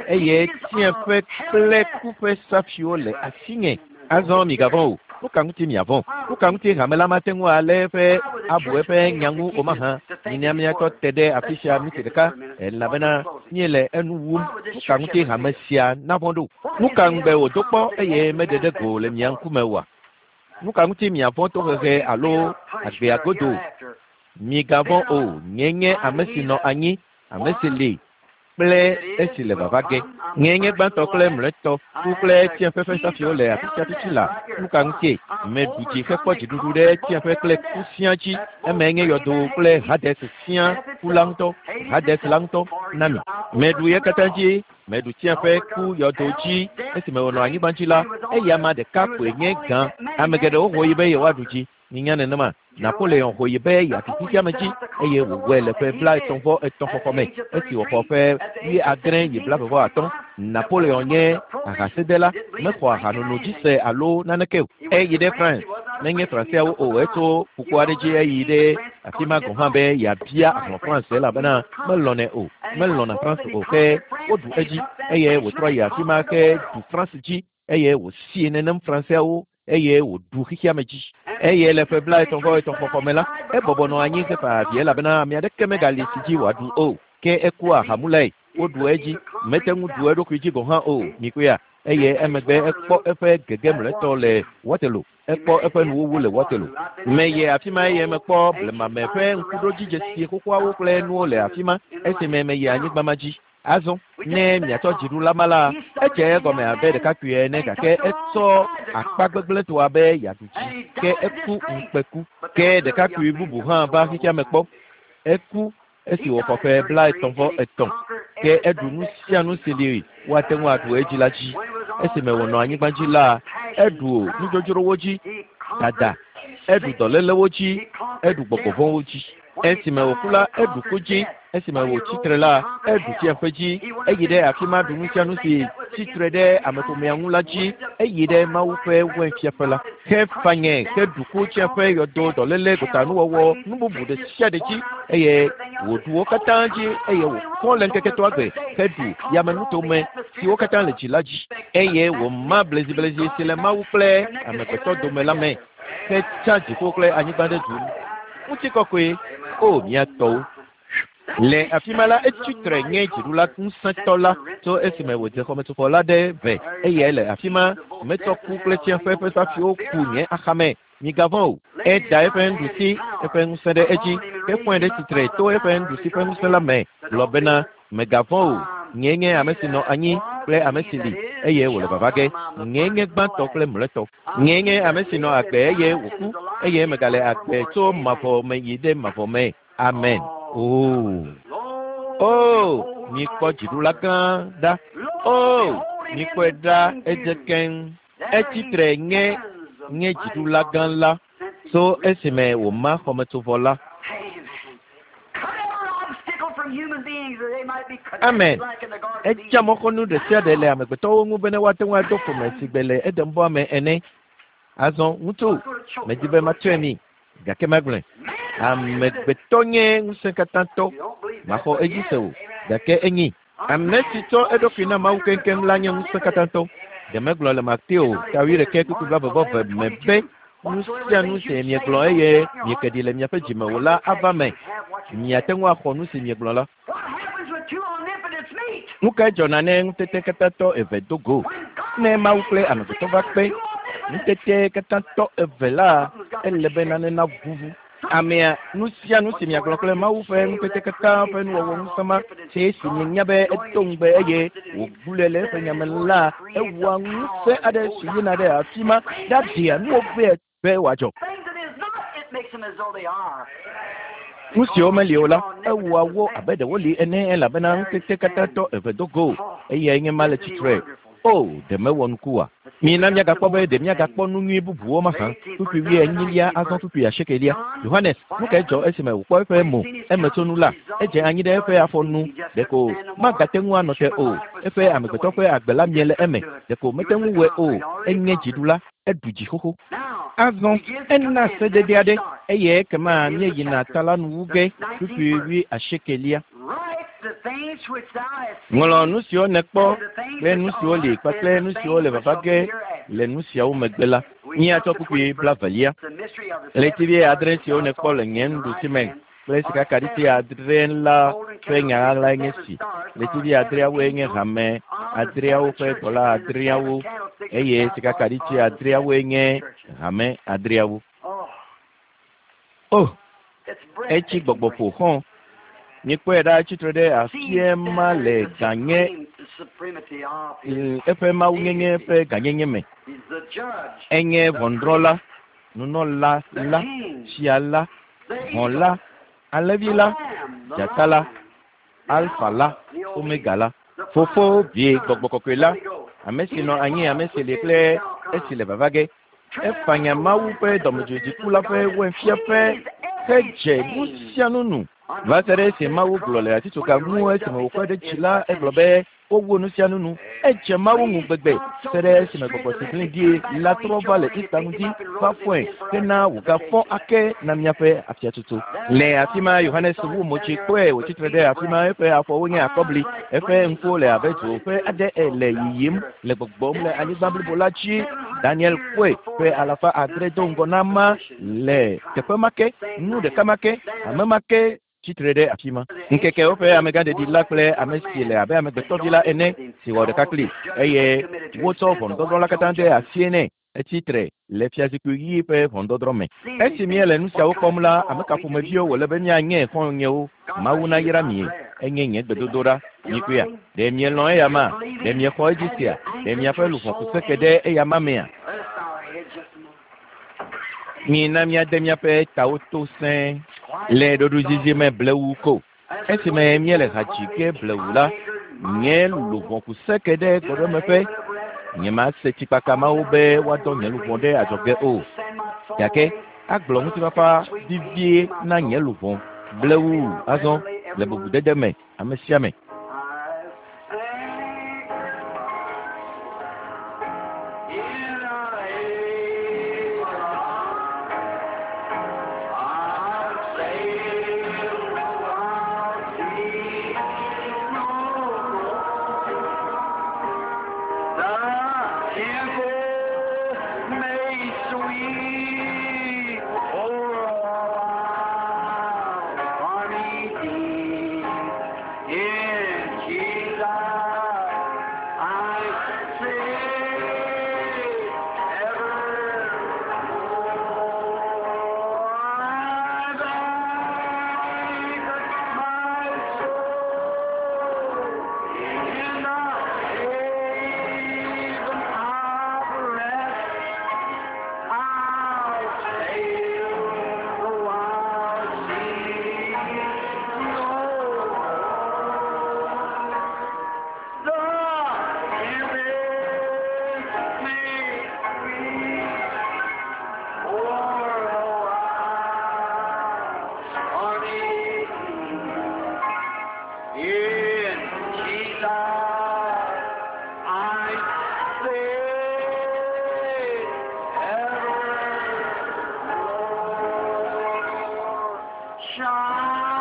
Eye tsiẽƒe kple ku ƒe safiwo le asinye. Azɔ migavɔ̃ o. Nu ka ŋuti miavɔ̃? Nu ka ŋuti hame la mate ŋu alé eƒe abu eƒe nya ŋu o mahã? Mina míatɔ te ɖe afi sia miniti ɖeka elabena míele enu wum. Nu ka ŋuti hame sia navɔ̃ ɖo? Nu ka ŋugbe wòdo kpɔ eye meɖe ɖe go le mia ŋkume oa? Nu ka ŋuti miavɔ̃ tohehe alo agbea godo? Migavɔ̃ o. Nye nye ame si nɔ anyi, ame si li kple esi le vava ge. Nyee nye gbãtɔ kple mlɔetɔ, ku kple tsiẽƒe ƒe safiwo le afi sia fifi la. Nu ka ŋutie? Meɖu dzi hekpɔ dziɖuɖu ɖe tsiẽƒe kple ku siaa dzi. Eme nye yɔdo kple Hades siaa ku la ŋutɔ, Hades la ŋutɔ na mi. Meɖu ye katã dzi, meɖu tsiẽƒe ku yɔdo dzi esime wònɔ anyigba dzi la, eya ame ɖeka koe nye gã. Ame geɖewo ho yi be yewoaɖu dzi. Minya nenema. Napoleon ho yi be yeaɖu xexeame dzi eye wòwɔe le ƒe blaetɔ̃ vɔ etɔ̃ xɔxɔ me esi wòxɔ ƒe wuiadre yi blaeve vɔ atɔ̃. Napoleon nye ahasedela, mexɔ ahanono dzi se alo naneke o. Eyi ɖe France, menye Franseawo o, etso ƒukpo aɖe dzi eyi ɖe afi ma gɔ̃ hã be yeabia ahlɔ̃ France elabena melɔ̃nɛ o, melɔ̃na France o ke woɖu edzi eye wòtrɔ yi afi ma ke ɖu France dzi eye wòsie nenem Franseawo eye wòɖu xexeame dzi. Eye le ƒe blaetɔ̃ vɔ etɔ̃ xɔxɔ me la, ebɔbɔ nɔ anyi hefa avi elabena ame aɖeke megali si dzi wòaɖu o. Ke eku ahamulae, woɖu edzi, mete ŋu ɖu eɖokui dzi gɔ̃ hã o. Mikpɔea? Eye emegbe ekpɔ eƒe gege mlɔetɔ le Waterloo. Ekpɔ eƒe nuwuwu le Waterloo. Meye afi ma eye mekpɔ blemame ƒe ŋkuɖodzidzesi xoxoawo kple nuwo le afi ma esime meyi anyigba ma dzi. Azɔ ne miatsɔ dziɖula ma la, edze egɔme abe ɖekakpui ene gake etsɔ akpa gbegblẽtɔ abe yeaɖu dzi ke eku ŋukpeku. Ke ɖekakpui bubu hã va xexea me kpɔ. Eku esi wòxɔ ƒe blaetɔ̃ vɔ etɔ̃ ke eɖu nu sia nu si li woate ŋu aɖu edzi la dzi. Esime wònɔ anyigba dzi la, eɖu nudzodzrowo dzi, dada, eɖu dɔlélewo dzi, eɖu gbɔgbɔvɔ̃wo dzi. Esime wòku la, eɖu ku dzi. Esime wòtsi tre la, eɖu tsiaƒe dzi. Eyi ɖe afi ma ɖu nu sia nu si tsi tre ɖe ameƒomea ŋu la dzi. Eyi ɖe Mawu ƒe wɛnfiaƒe la. Hefanye, heɖu ku tsiaƒe, yɔdo, dɔléle, gotanuwɔwɔ, nu bubu ɖe sia ɖe dzi eye wòɖu wo katã dzi eye wòfɔ le ŋkeke etɔ̃a gbe heɖu yamenutome siwo katã le dzi la dzi eye wòma bleziblezi si le Mawu kple amegbetɔ dome la me hetsa dziƒo kple anyigba ɖe du. Ŋutikɔkɔe, o mía tɔwo. Le afi ma la, etsi tre nye dziɖula ŋusẽtɔ la tso esime wòdze xɔmetsofɔ la ɖe ve eye le afi ma metsɔ ku kple tsiaƒe ƒe safiwo ku nye axame. Migavɔ̃ o. Eda eƒe nuɖusi, eƒe ŋusẽ ɖe edzi, hefɔe ɖe tsitre to eƒe nuɖusi ƒe ŋusẽ la me gblɔ bena, megavɔ̃ o. Nyee nye ame si nɔ anyi kple ame si li eye wòle vava ge. Nyee nye gbãtɔ kple mlɔetɔ. Nyee nye ame si nɔ agbe eye wòku eye megale agbe tso mavɔ me yi ɖe mavɔ me. Amen. Oo. Oo, mikpɔ dziɖula gã ɖa. Oo, mikpɔe ɖa edze keŋ. Etsi tre nye nye dziɖula gã la tso esime wòma xɔmetsovɔ la. Amen. Etsa mɔxɔnu ɖe sia ɖe le amegbetɔwo ŋu bene woate ŋu ado ƒome si gbe le Edenbɔa me ene. Azɔ ŋutsu, medi be matsɔe mi, gake magblɔe. Amegbetɔ nye ŋusẽkatãtɔ, maxɔ edzi se o, gake enyi. Ame si tsɔ eɖokui na Mawu keŋkeŋ la nye ŋusẽkatãtɔ. Ɖe megblɔ le Mateo ta wuiɖekɛ kpukpui blaeve vɔ eve me be nu sia nu si miegblɔ eye mieke ɖi le miaƒe dzime o la ava me. Miate ŋu axɔ nu si miegblɔ la. Nu kae dzɔna ne ŋutetekatãtɔ eve do go? Ne Mawu kple amegbetɔ va kpe ŋutetekatãtɔ eve la, ele be nane navuvu. Amea, nu sia nu si miagblɔ kple Mawu ƒe ŋutetekatã ƒe nuwɔwɔ ŋusẽ ma, si si mienya be edo ŋugbe eye wògblɔe le eƒe nyame la, ewɔa ŋusẽ aɖe si yina ɖe afi ma ɖaɖea nuwo vɛ be wòadzɔ. Nu siwo meli o la, ewɔa wo abe ɖe woli ene elabena ŋutetekatãtɔ eve do go eyae nye ma le tsitre. O, ɖe mewɔ nuku oa? Mina miagakpɔ be ɖe miagakpɔ nu nyui bubuwo mahã. Kpukpui wuienyilia azɔ kpukpui asiekelia. Yohanes, nu kae dzɔ esime wòkpɔ eƒe mo emetsonu la? Edze anyi ɖe eƒe afɔ nu. Ɖeko magate ŋu anɔ te o. Eƒe amegbetɔ ƒe agbe la mie le eme. Ɖeko mete ŋu wɔe o. Enye dziɖula. Eɖu dzi xoxo. Azɔ ena sedede aɖe eye ekema míeyina ta la nuwu ge kpukpui wuiasiekelia. Ŋlɔ nu siwo nèkpɔ kple nu siwo li kpakple nu siwo le vava ge le nu siawo megbe la. Míatsɔ kpukpui blavelia. Ɣletivi adre siwo nèkpɔ le nye nuɖusi me kple sikakaɖiti adre la ƒe nya ɣaɣlae nye si. Ɣletivi adreawoe nye hame adreawo ƒe dɔla adreawo eye sikakaɖiti adreawoe nye hame adreawo. Oh, etsi gbɔgbɔ ƒo xɔ̃. Mikpɔe ɖa tsitre ɖe afie ma le ganye eƒe mawunyenye ƒe gãnyenye me. Enye ʋɔnudrɔ̃la, nunɔla la, fia la, hɔ̃ la, alẽvi la, dzata la, alfa la, omega la, Fofo, Vi, Gbɔgbɔ Kɔkɔe la, ame si nɔ anyi, ame si li kple esi le vava ge. Efanya Mawu ƒe dɔmedzoedziku la ƒe wɛnfiaƒe hedze nu sia nu nu. Va se ɖe esi Mawu gblɔ le atitsoga ŋu esime wòkɔe ɖe dzi la, egblɔ be wowu nu sia nu nu. Edze Mawu ŋu gbegbe se ɖe esime gbɔgbɔ si gblẽ ɖi la trɔ va le Ista ŋdi va fɔe hena wògafɔ ake na míaƒe afiatsotso. Le afi ma Yohanes wu mo tsi kpɔe wòtsi tre ɖe afi ma eƒe afɔwo nye akɔbli, eƒe ŋkuwo le abe dzo ƒe aɖe le yiyim le gbɔgbɔm le anyigba blibo la dzi. Daniel kpɔe ƒe alafa adre do ŋgɔ na ma le teƒe ma ke, nu ɖeka ma ke, ame ma ke Tsitre ɖe afi ma. Ŋkekewo ƒe amegãɖeɖi la kple ame si le abe amegbetɔvi la ene si wɔ ɖeka kpli eye wotsɔ ʋɔnudɔdrɔ̃ la katã de asie nɛ. Etsitre le fiazikpui ɣi ƒe ʋɔnudɔdrɔ̃ me. Esi míele nu siawo kpɔm la, ame ka ƒomeviwo wòle be míanye xɔ̃nyewo? Mawu nayra mie. Enye nye gbedodoɖa. Mikpɔea? Ɖe mielɔ̃ eya ma? Ɖe miexɔ edzi sia? Ɖe miaƒe luʋɔ ku seke ɖe eya ma mea? Let us bow our heads just a moment. Mina míade míaƒe tawo to sẽe le ɖoɖoezizi me blewu ko. Esime míele ha dzi ge blewu la, nye luʋɔ ku seke ɖe gbɔɖemeƒe. Nyemase tsikpaka mawo be woadɔ nye luʋɔ ɖe adzɔge o. Gake agblɔ ŋutifafa vivie na nye luʋɔ blewu azɔ le bubudede me ame sia ame.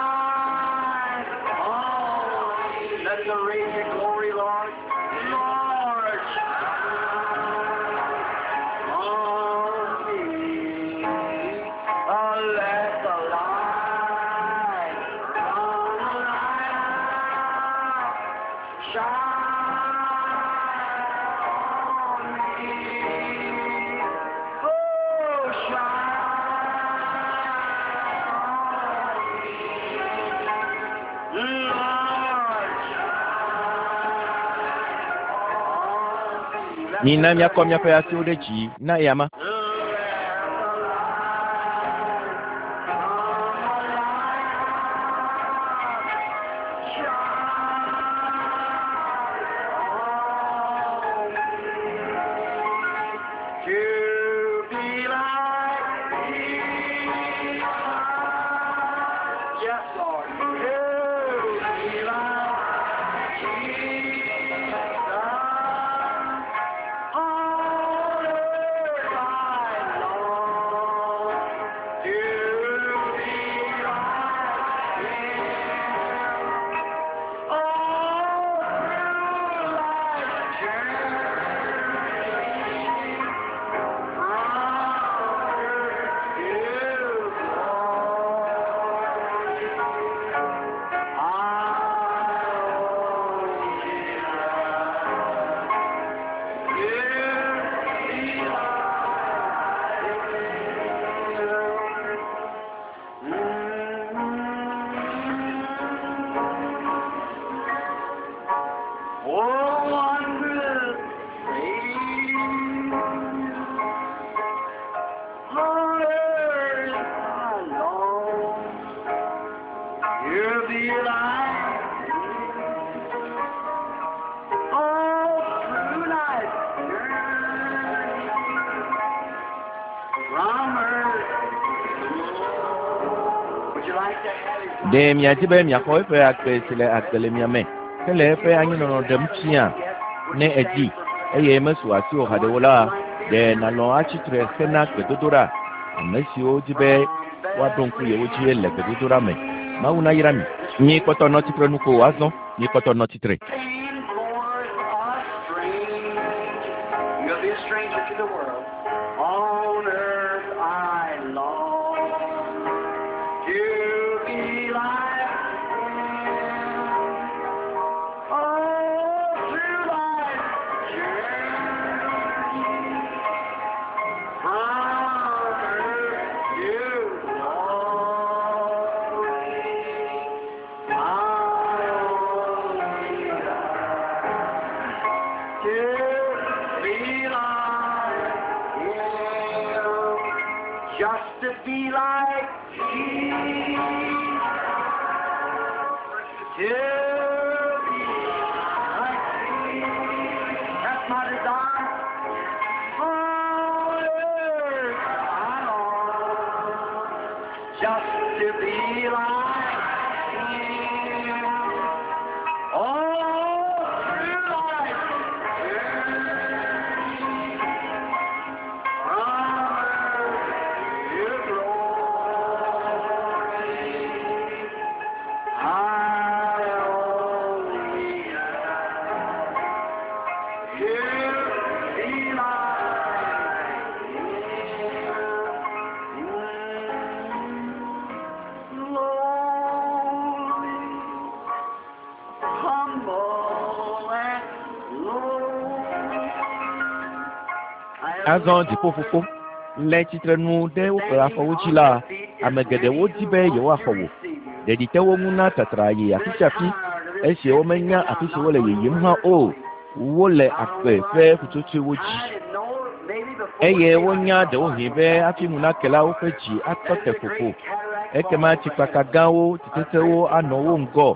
Shine on. Let the radiant glory, Lord, Lord, shine on me. Oh, let the light from the light shine on me. Oh, shine on me. Lord, shine on me. Mina míakɔ míaƒe asiwo ɖe dzi na eya ma. To be like Jesus. Yes, Lord. To be like Jesus. On earth I long to be like Him. All through life's journey, from earth to glory, I owe Be like all through life's journey from earth. Would you like to have his Ɖe miadi be miaxɔ eƒe agbe si le agbe le mia me hele eƒe anyinɔnɔ ɖem fia ne èdi eye mesu asiwò haɖe o la, ɖe nàlɔ̃ atsi tre hena gbedodoɖa? Ame siwo di be woaɖo ŋku yewo dzi le gbedodoɖa me. Mawu nayra mi. Mikpɔtɔ nɔ tsitre nu ko azɔ. Mikpɔtɔ nɔ tsitre. Pain blurs a stranger. You'll be a stranger to the world. On earth I long to be like Just to be like Jesus. To be like Jesus. That's my desire. On earth I long just to be like Him. All through life's journey, from earth to glory, I only long to be like Him. Lowly, humble and low. Azɔ dziƒofofo le tsitrenu ɖe woƒe afɔwo dzi la, ame geɖewo di be yewoaxɔ wò. Ɖeɖi te wo ŋu na tatra yi afi sia afi esi womenya afi si wole yiyim hã o. Wole agbe ƒe ƒutsotsoewo dzi eye wonya ɖewohĩ be hafi ŋu nake la, woƒe dzi atɔ te ƒoƒo. Ekema tsikpaka gãwo, tsitetewo anɔ wo ŋgɔ,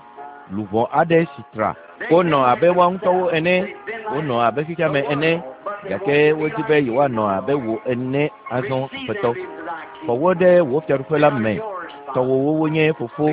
luʋɔ aɖe si tra. Wonɔ abe woa ŋutɔwo ene, wonɔ abe xexeame ene, gake wodi be yewoanɔ abe wò ene azɔ Aƒetɔ. Xɔ wo ɖe wò fiaɖuƒe la me. Tɔwòwo wonye fofo,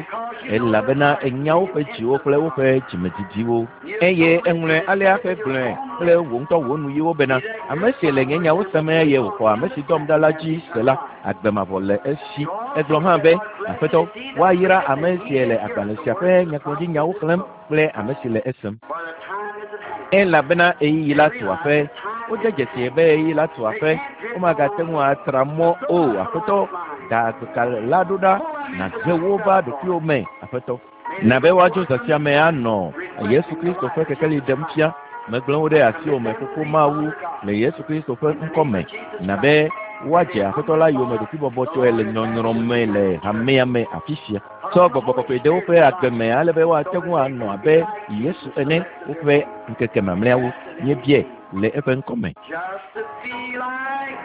elabena ènya woƒe dziwo kple woƒe dzimedidiwo. Eye eŋlɔe alea ƒe gblɔe kple wò ŋutɔ wò nuyiwo bena, ame si le nye nyawo sem eye wòxɔ ame si dɔm ɖa la dzi se la, agbe mavɔ le esi. Egblɔ hã be, Aƒetɔ, woayra ame si le agbalẽ sia ƒe nyagblɔɖinyawo xlẽm kple ame si le esem. For the time is at hand. Elabena ɣeyiɣi la tu aƒe. Wode dzesi be ɣeyiɣi la tu aƒe. Womagate ŋu atra mɔ o. Aƒetɔ, da agbeka la ɖo ɖa, nàhe wo va ɖokuiwò me, Aƒetɔ. Na be woadzo zã sia me anɔ Yesu Kristo ƒe kekeli ɖem fia. Megblẽ wo ɖe asiwò me, Fofo Mawu, le Yesu Kristo ƒe ŋkɔ me. Na be woadze Aƒetɔ la yome ɖokuibɔbɔtɔe le nyɔnyrɔ me le hamea me afi sia. Tsɔ gbɔgbɔ kɔkɔe ɖe woƒe agbe me ale be woate ŋu anɔ abe Yesu ene woƒe ŋkeke mamlɛawo. Míebiae le eƒe ŋkɔ me. Just to be like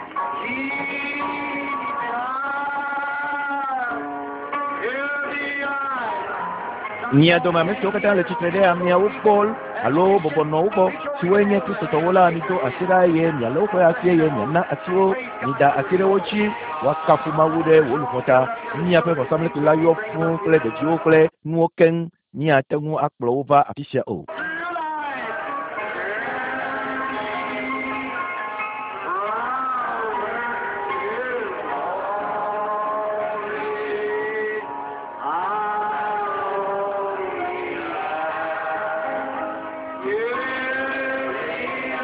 Jesus. To be like Mia dome ame siwo katã le tsitre ɖe ameawo gbɔ alo bɔbɔ nɔ wo gbɔ siwoe nye Kristotɔwo la, mido asi ɖa eye mialé woƒe asi eye miana asi wo. Mida asi ɖe wo dzi woakafu Mawu ɖe wò luʋɔ ta. Miaƒe vɔsamlekpui la yɔ fũu kple ɖeviwo kple nuwo keŋ. Míate ŋu akplɔ wo va afi sia o. through life's journey, from earth to glory, I only long to be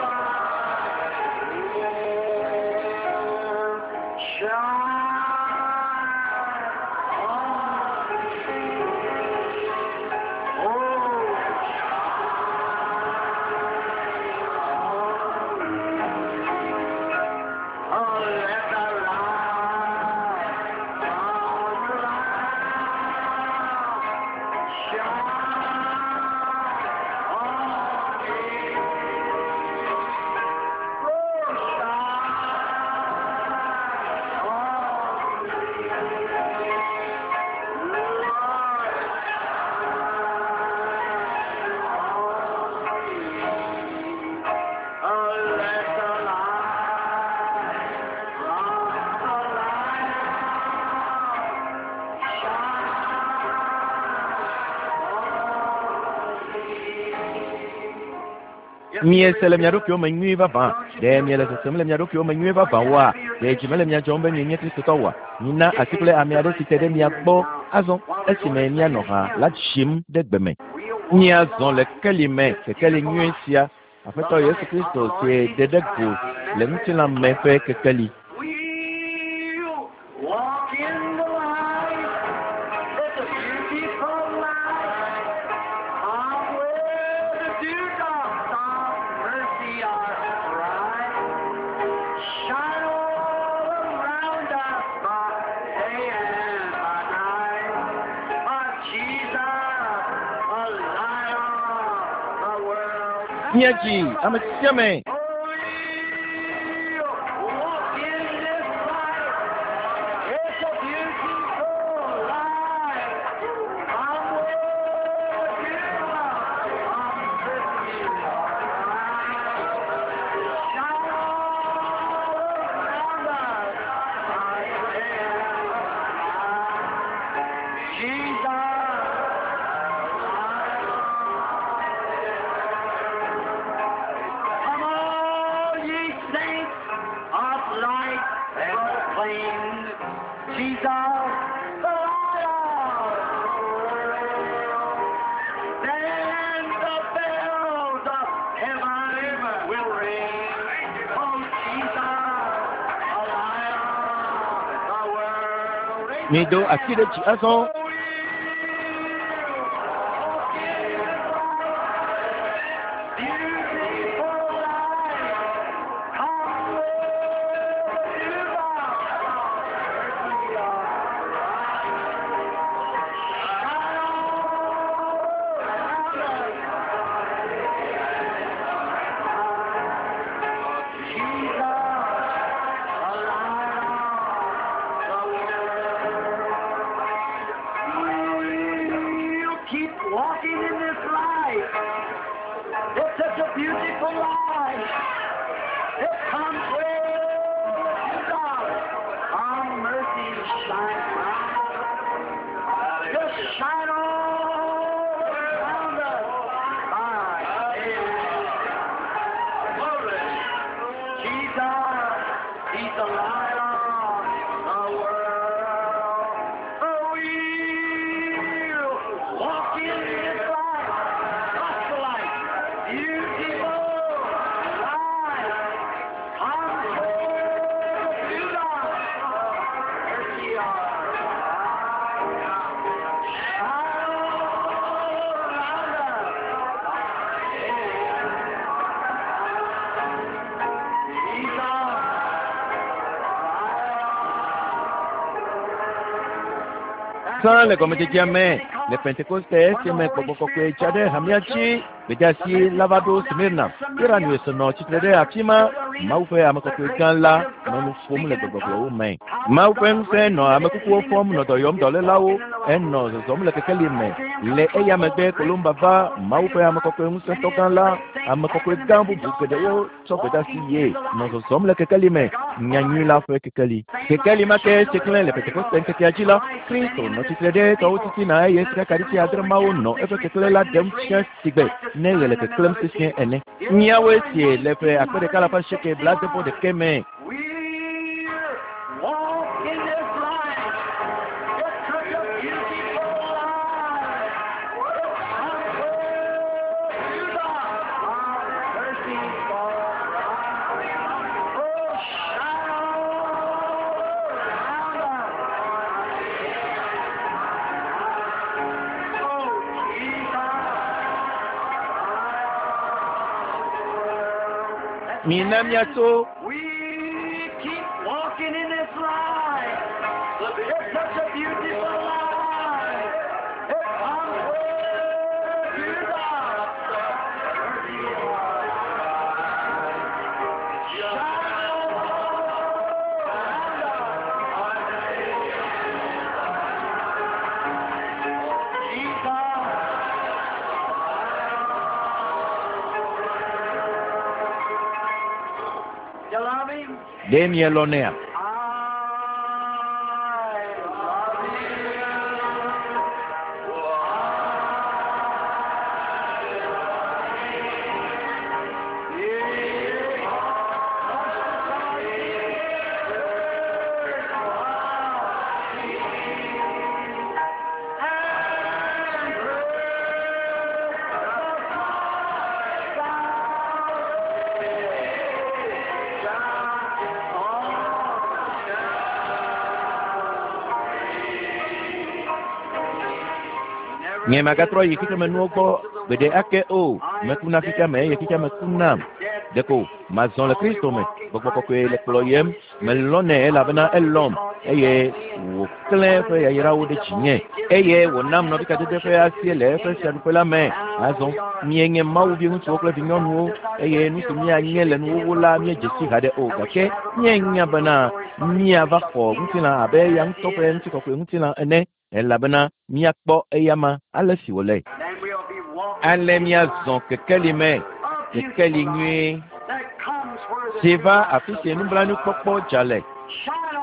like Him. Shine on me. Oh, Oh, let the light from the light shine on me. Oh, shine on me. Lord, shine on me. Oh, let the light from the light shine on me. Miese le mia ɖokuiwo me nyuie vavã. Ɖe miele sesem le mia ɖokuiwo me nyuie vavã oa? Ɖe dzi mele mia dzɔm be mienye Kristotɔ oa? Mina asi kple ame aɖe si te ɖe mia gbɔ azɔ esime mianɔ ha la dzim ɖe gbe me. Miazɔ le keli me, kekeli nyui sia, Aƒetɔ Yesu Kristo si ɖe ɖe go le ŋutilã me ƒe kekeli. We'll walk in the light. It's a beautiful light. Come where the dewdrops of mercy are bright. Shine all around us by day and by night. But Jesus, the light of the world. Míadzi ame sia ame. Oh, we'll walk in this light. the light of the world. Then the bells of heaven will ring. Oh, Jesus, the light of the world. Mido asi ɖe dzi azɔ. We'll keep walking in this light. It's such a beautiful light. It comes with God. Our mercy shines bright. Just shine all around us. By day. Jesus, He's the light of the world. Oh, we'll walk in His light, gospel light, beautiful light. Come to God, mercy shine all around us. Sã le gɔmedzedzea me le Pentekoste esime gbɔgbɔ kɔkɔe tsa ɖe hamea dzi gbedeasi la va ɖo Smirna. Irenaeus nɔ tsitre ɖe afi ma. Mawu ƒe ame kɔkɔe gã la nɔ nu ƒom le gbegbɔgblɔwo me. Mawu ƒe ŋusẽ nɔ ame kukuwo fɔm nɔ dɔ yɔm dɔlélawo enɔ zɔzɔm le kekeli me. Le eya megbe Kolumba va Mawu ƒe ame kɔkɔe ŋusẽtɔ gã la ame kɔkɔe gã bubu geɖewo tsɔ gbedeasi ye nɔ zɔzɔm le kekeli me. Nyanyui la ƒe kekeli. Kekeli ma ke si klẽ le Pentekoste ŋkekea dzi la, Kristo nɔ tsitre ɖe tɔwo titina eye sikakaɖiti adre mawo nɔ eƒe keklẽ la ɖem fia sigbe ne ɣe le keklẽm sesĩe ene. Míawoe sie le ƒe akpe ɖeka alafa asieke blaade-vɔ-ɖekɛ me. We walk in this light. It's such a beautiful light. It comes with God. Our mercy for Oh, shine all around us. Oh, Jesus. Mina míatso We keep walking in this light. It's such a beautiful light. It comes with God. Shine all around us. Jesus. You love him? ɖe mielɔnɛa? I love Nye magatrɔ yi xexemenuwo gbɔ gbeɖe ake o. Mekuna xexeame eye xexeame kunam. Ɖeko mazɔ le Kristo me. Gbɔgbɔ kɔkɔe le kplɔyem. Melɔnɛ elabena elɔm eye wòklẽ eƒe yayrawo ɖe dzinye eye wònam nɔvikadede ƒe asie le eƒe fiaɖuƒe la me. Azɔ míenye Mawu viŋutsuwo kple vinyɔnuwo eye nu si míanye le nuwuwu la míedze si haɖe o gake míenya bena míava xɔ ŋutilã abe eya ŋutɔ ƒe ŋutikɔkɔe ŋutilã ene elabena míakpɔ eyama ale si wòle. Then we'll be walking Ale míazɔ kekeli me, kekeli nyuie that comes where the si va afi si nublanuikpɔkpɔ dza le.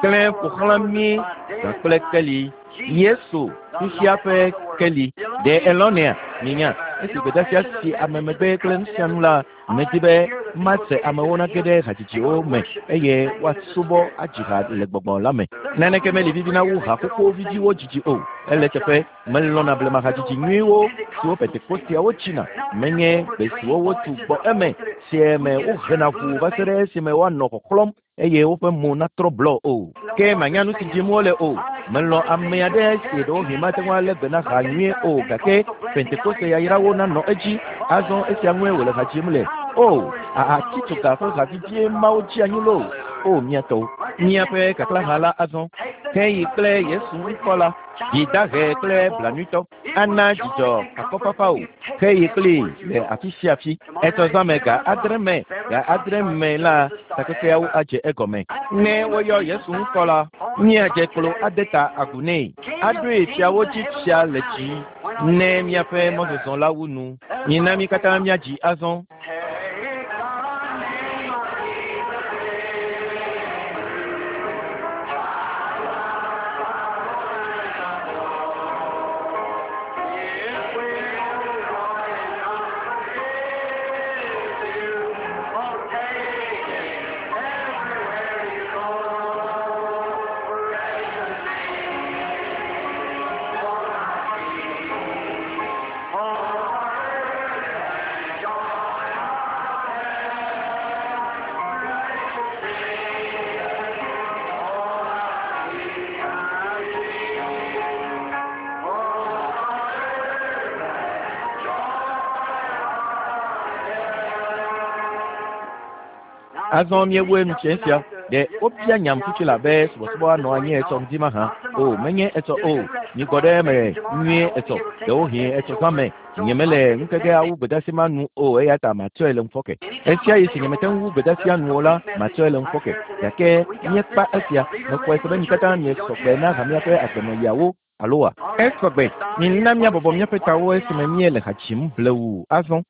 Klẽ ƒo xlã mí zã kple keli. Yesu, xexea ƒe keli. Ɖe elɔnɛa? Minya. Esi gbedeasia si ame megbe kple nu sia nu la, medi be mase amewo nage ɖe hadzidziwo me eye woasubɔ adzi ha le gbɔgbɔ la me. Naneke meli vivina wu haƒoƒo viviwo dzidzi o. Ele teƒe melɔ̃na blema hadzidzi nyuiwo siwo Pentekosteawo tsina. Menye gbe siwo wotu gbɔ eme si me wohena ʋuu va se ɖe esime woanɔ xɔxlɔ̃m eye woƒe mo natrɔ blɔ o. Ke manya nu si dzim wole o. Melɔ̃ ame aɖe si ɖewohĩ mate ŋu alé gbe na ha nyuie o gake Pentekoste yayrawo nanɔ edzi. Azɔ esia ŋue wòle ha dzim le. O, ahatitsoga ƒe ha vivie mawo dzi anyi loo. O, mía tɔwo. Míaƒe kaklaha la azɔ. Heyi kple Yesu ŋkɔ la, dzi dahe kple blanuitɔ. Ana dzidzɔ akɔfafa o. Heyi kplii le afi sia afi. Etsɔ zã me ga adre me, ga adre me la, takpekpeawo adze egɔme. Ne woyɔ Yesu ŋkɔ la, míadze klo ade ta agu nɛ. Aɖoe fiawo dzi fia le dzi ne míaƒe mɔzɔzɔ la wu nu. Mina mí katã míadzi azɔ. Azɔ míewoe nu tse sia. Ɖe wobia nyam tutu la be subɔsubɔ anɔ anyi etsɔ ŋdi mahã. O, menye etsɔ o. Migbɔ ɖe eme nyuie etsɔ. Ɖewohĩ etsɔ zã me. Nyemele ŋkeke awu gbedeasi ma nu o eya ta matsɔe le ŋufɔke. Esia yi si nyemete ŋu wu gbedeasia nu o la, matsɔe le ŋufɔke. Gake míekpa esia. Mexɔe se be mi katã miesɔgbe na hamea ƒe agbenɔɣiawo aloa? Esɔgbe. Mina míabɔbɔ míaƒe tawo esime míele ha dzim blewu azɔ.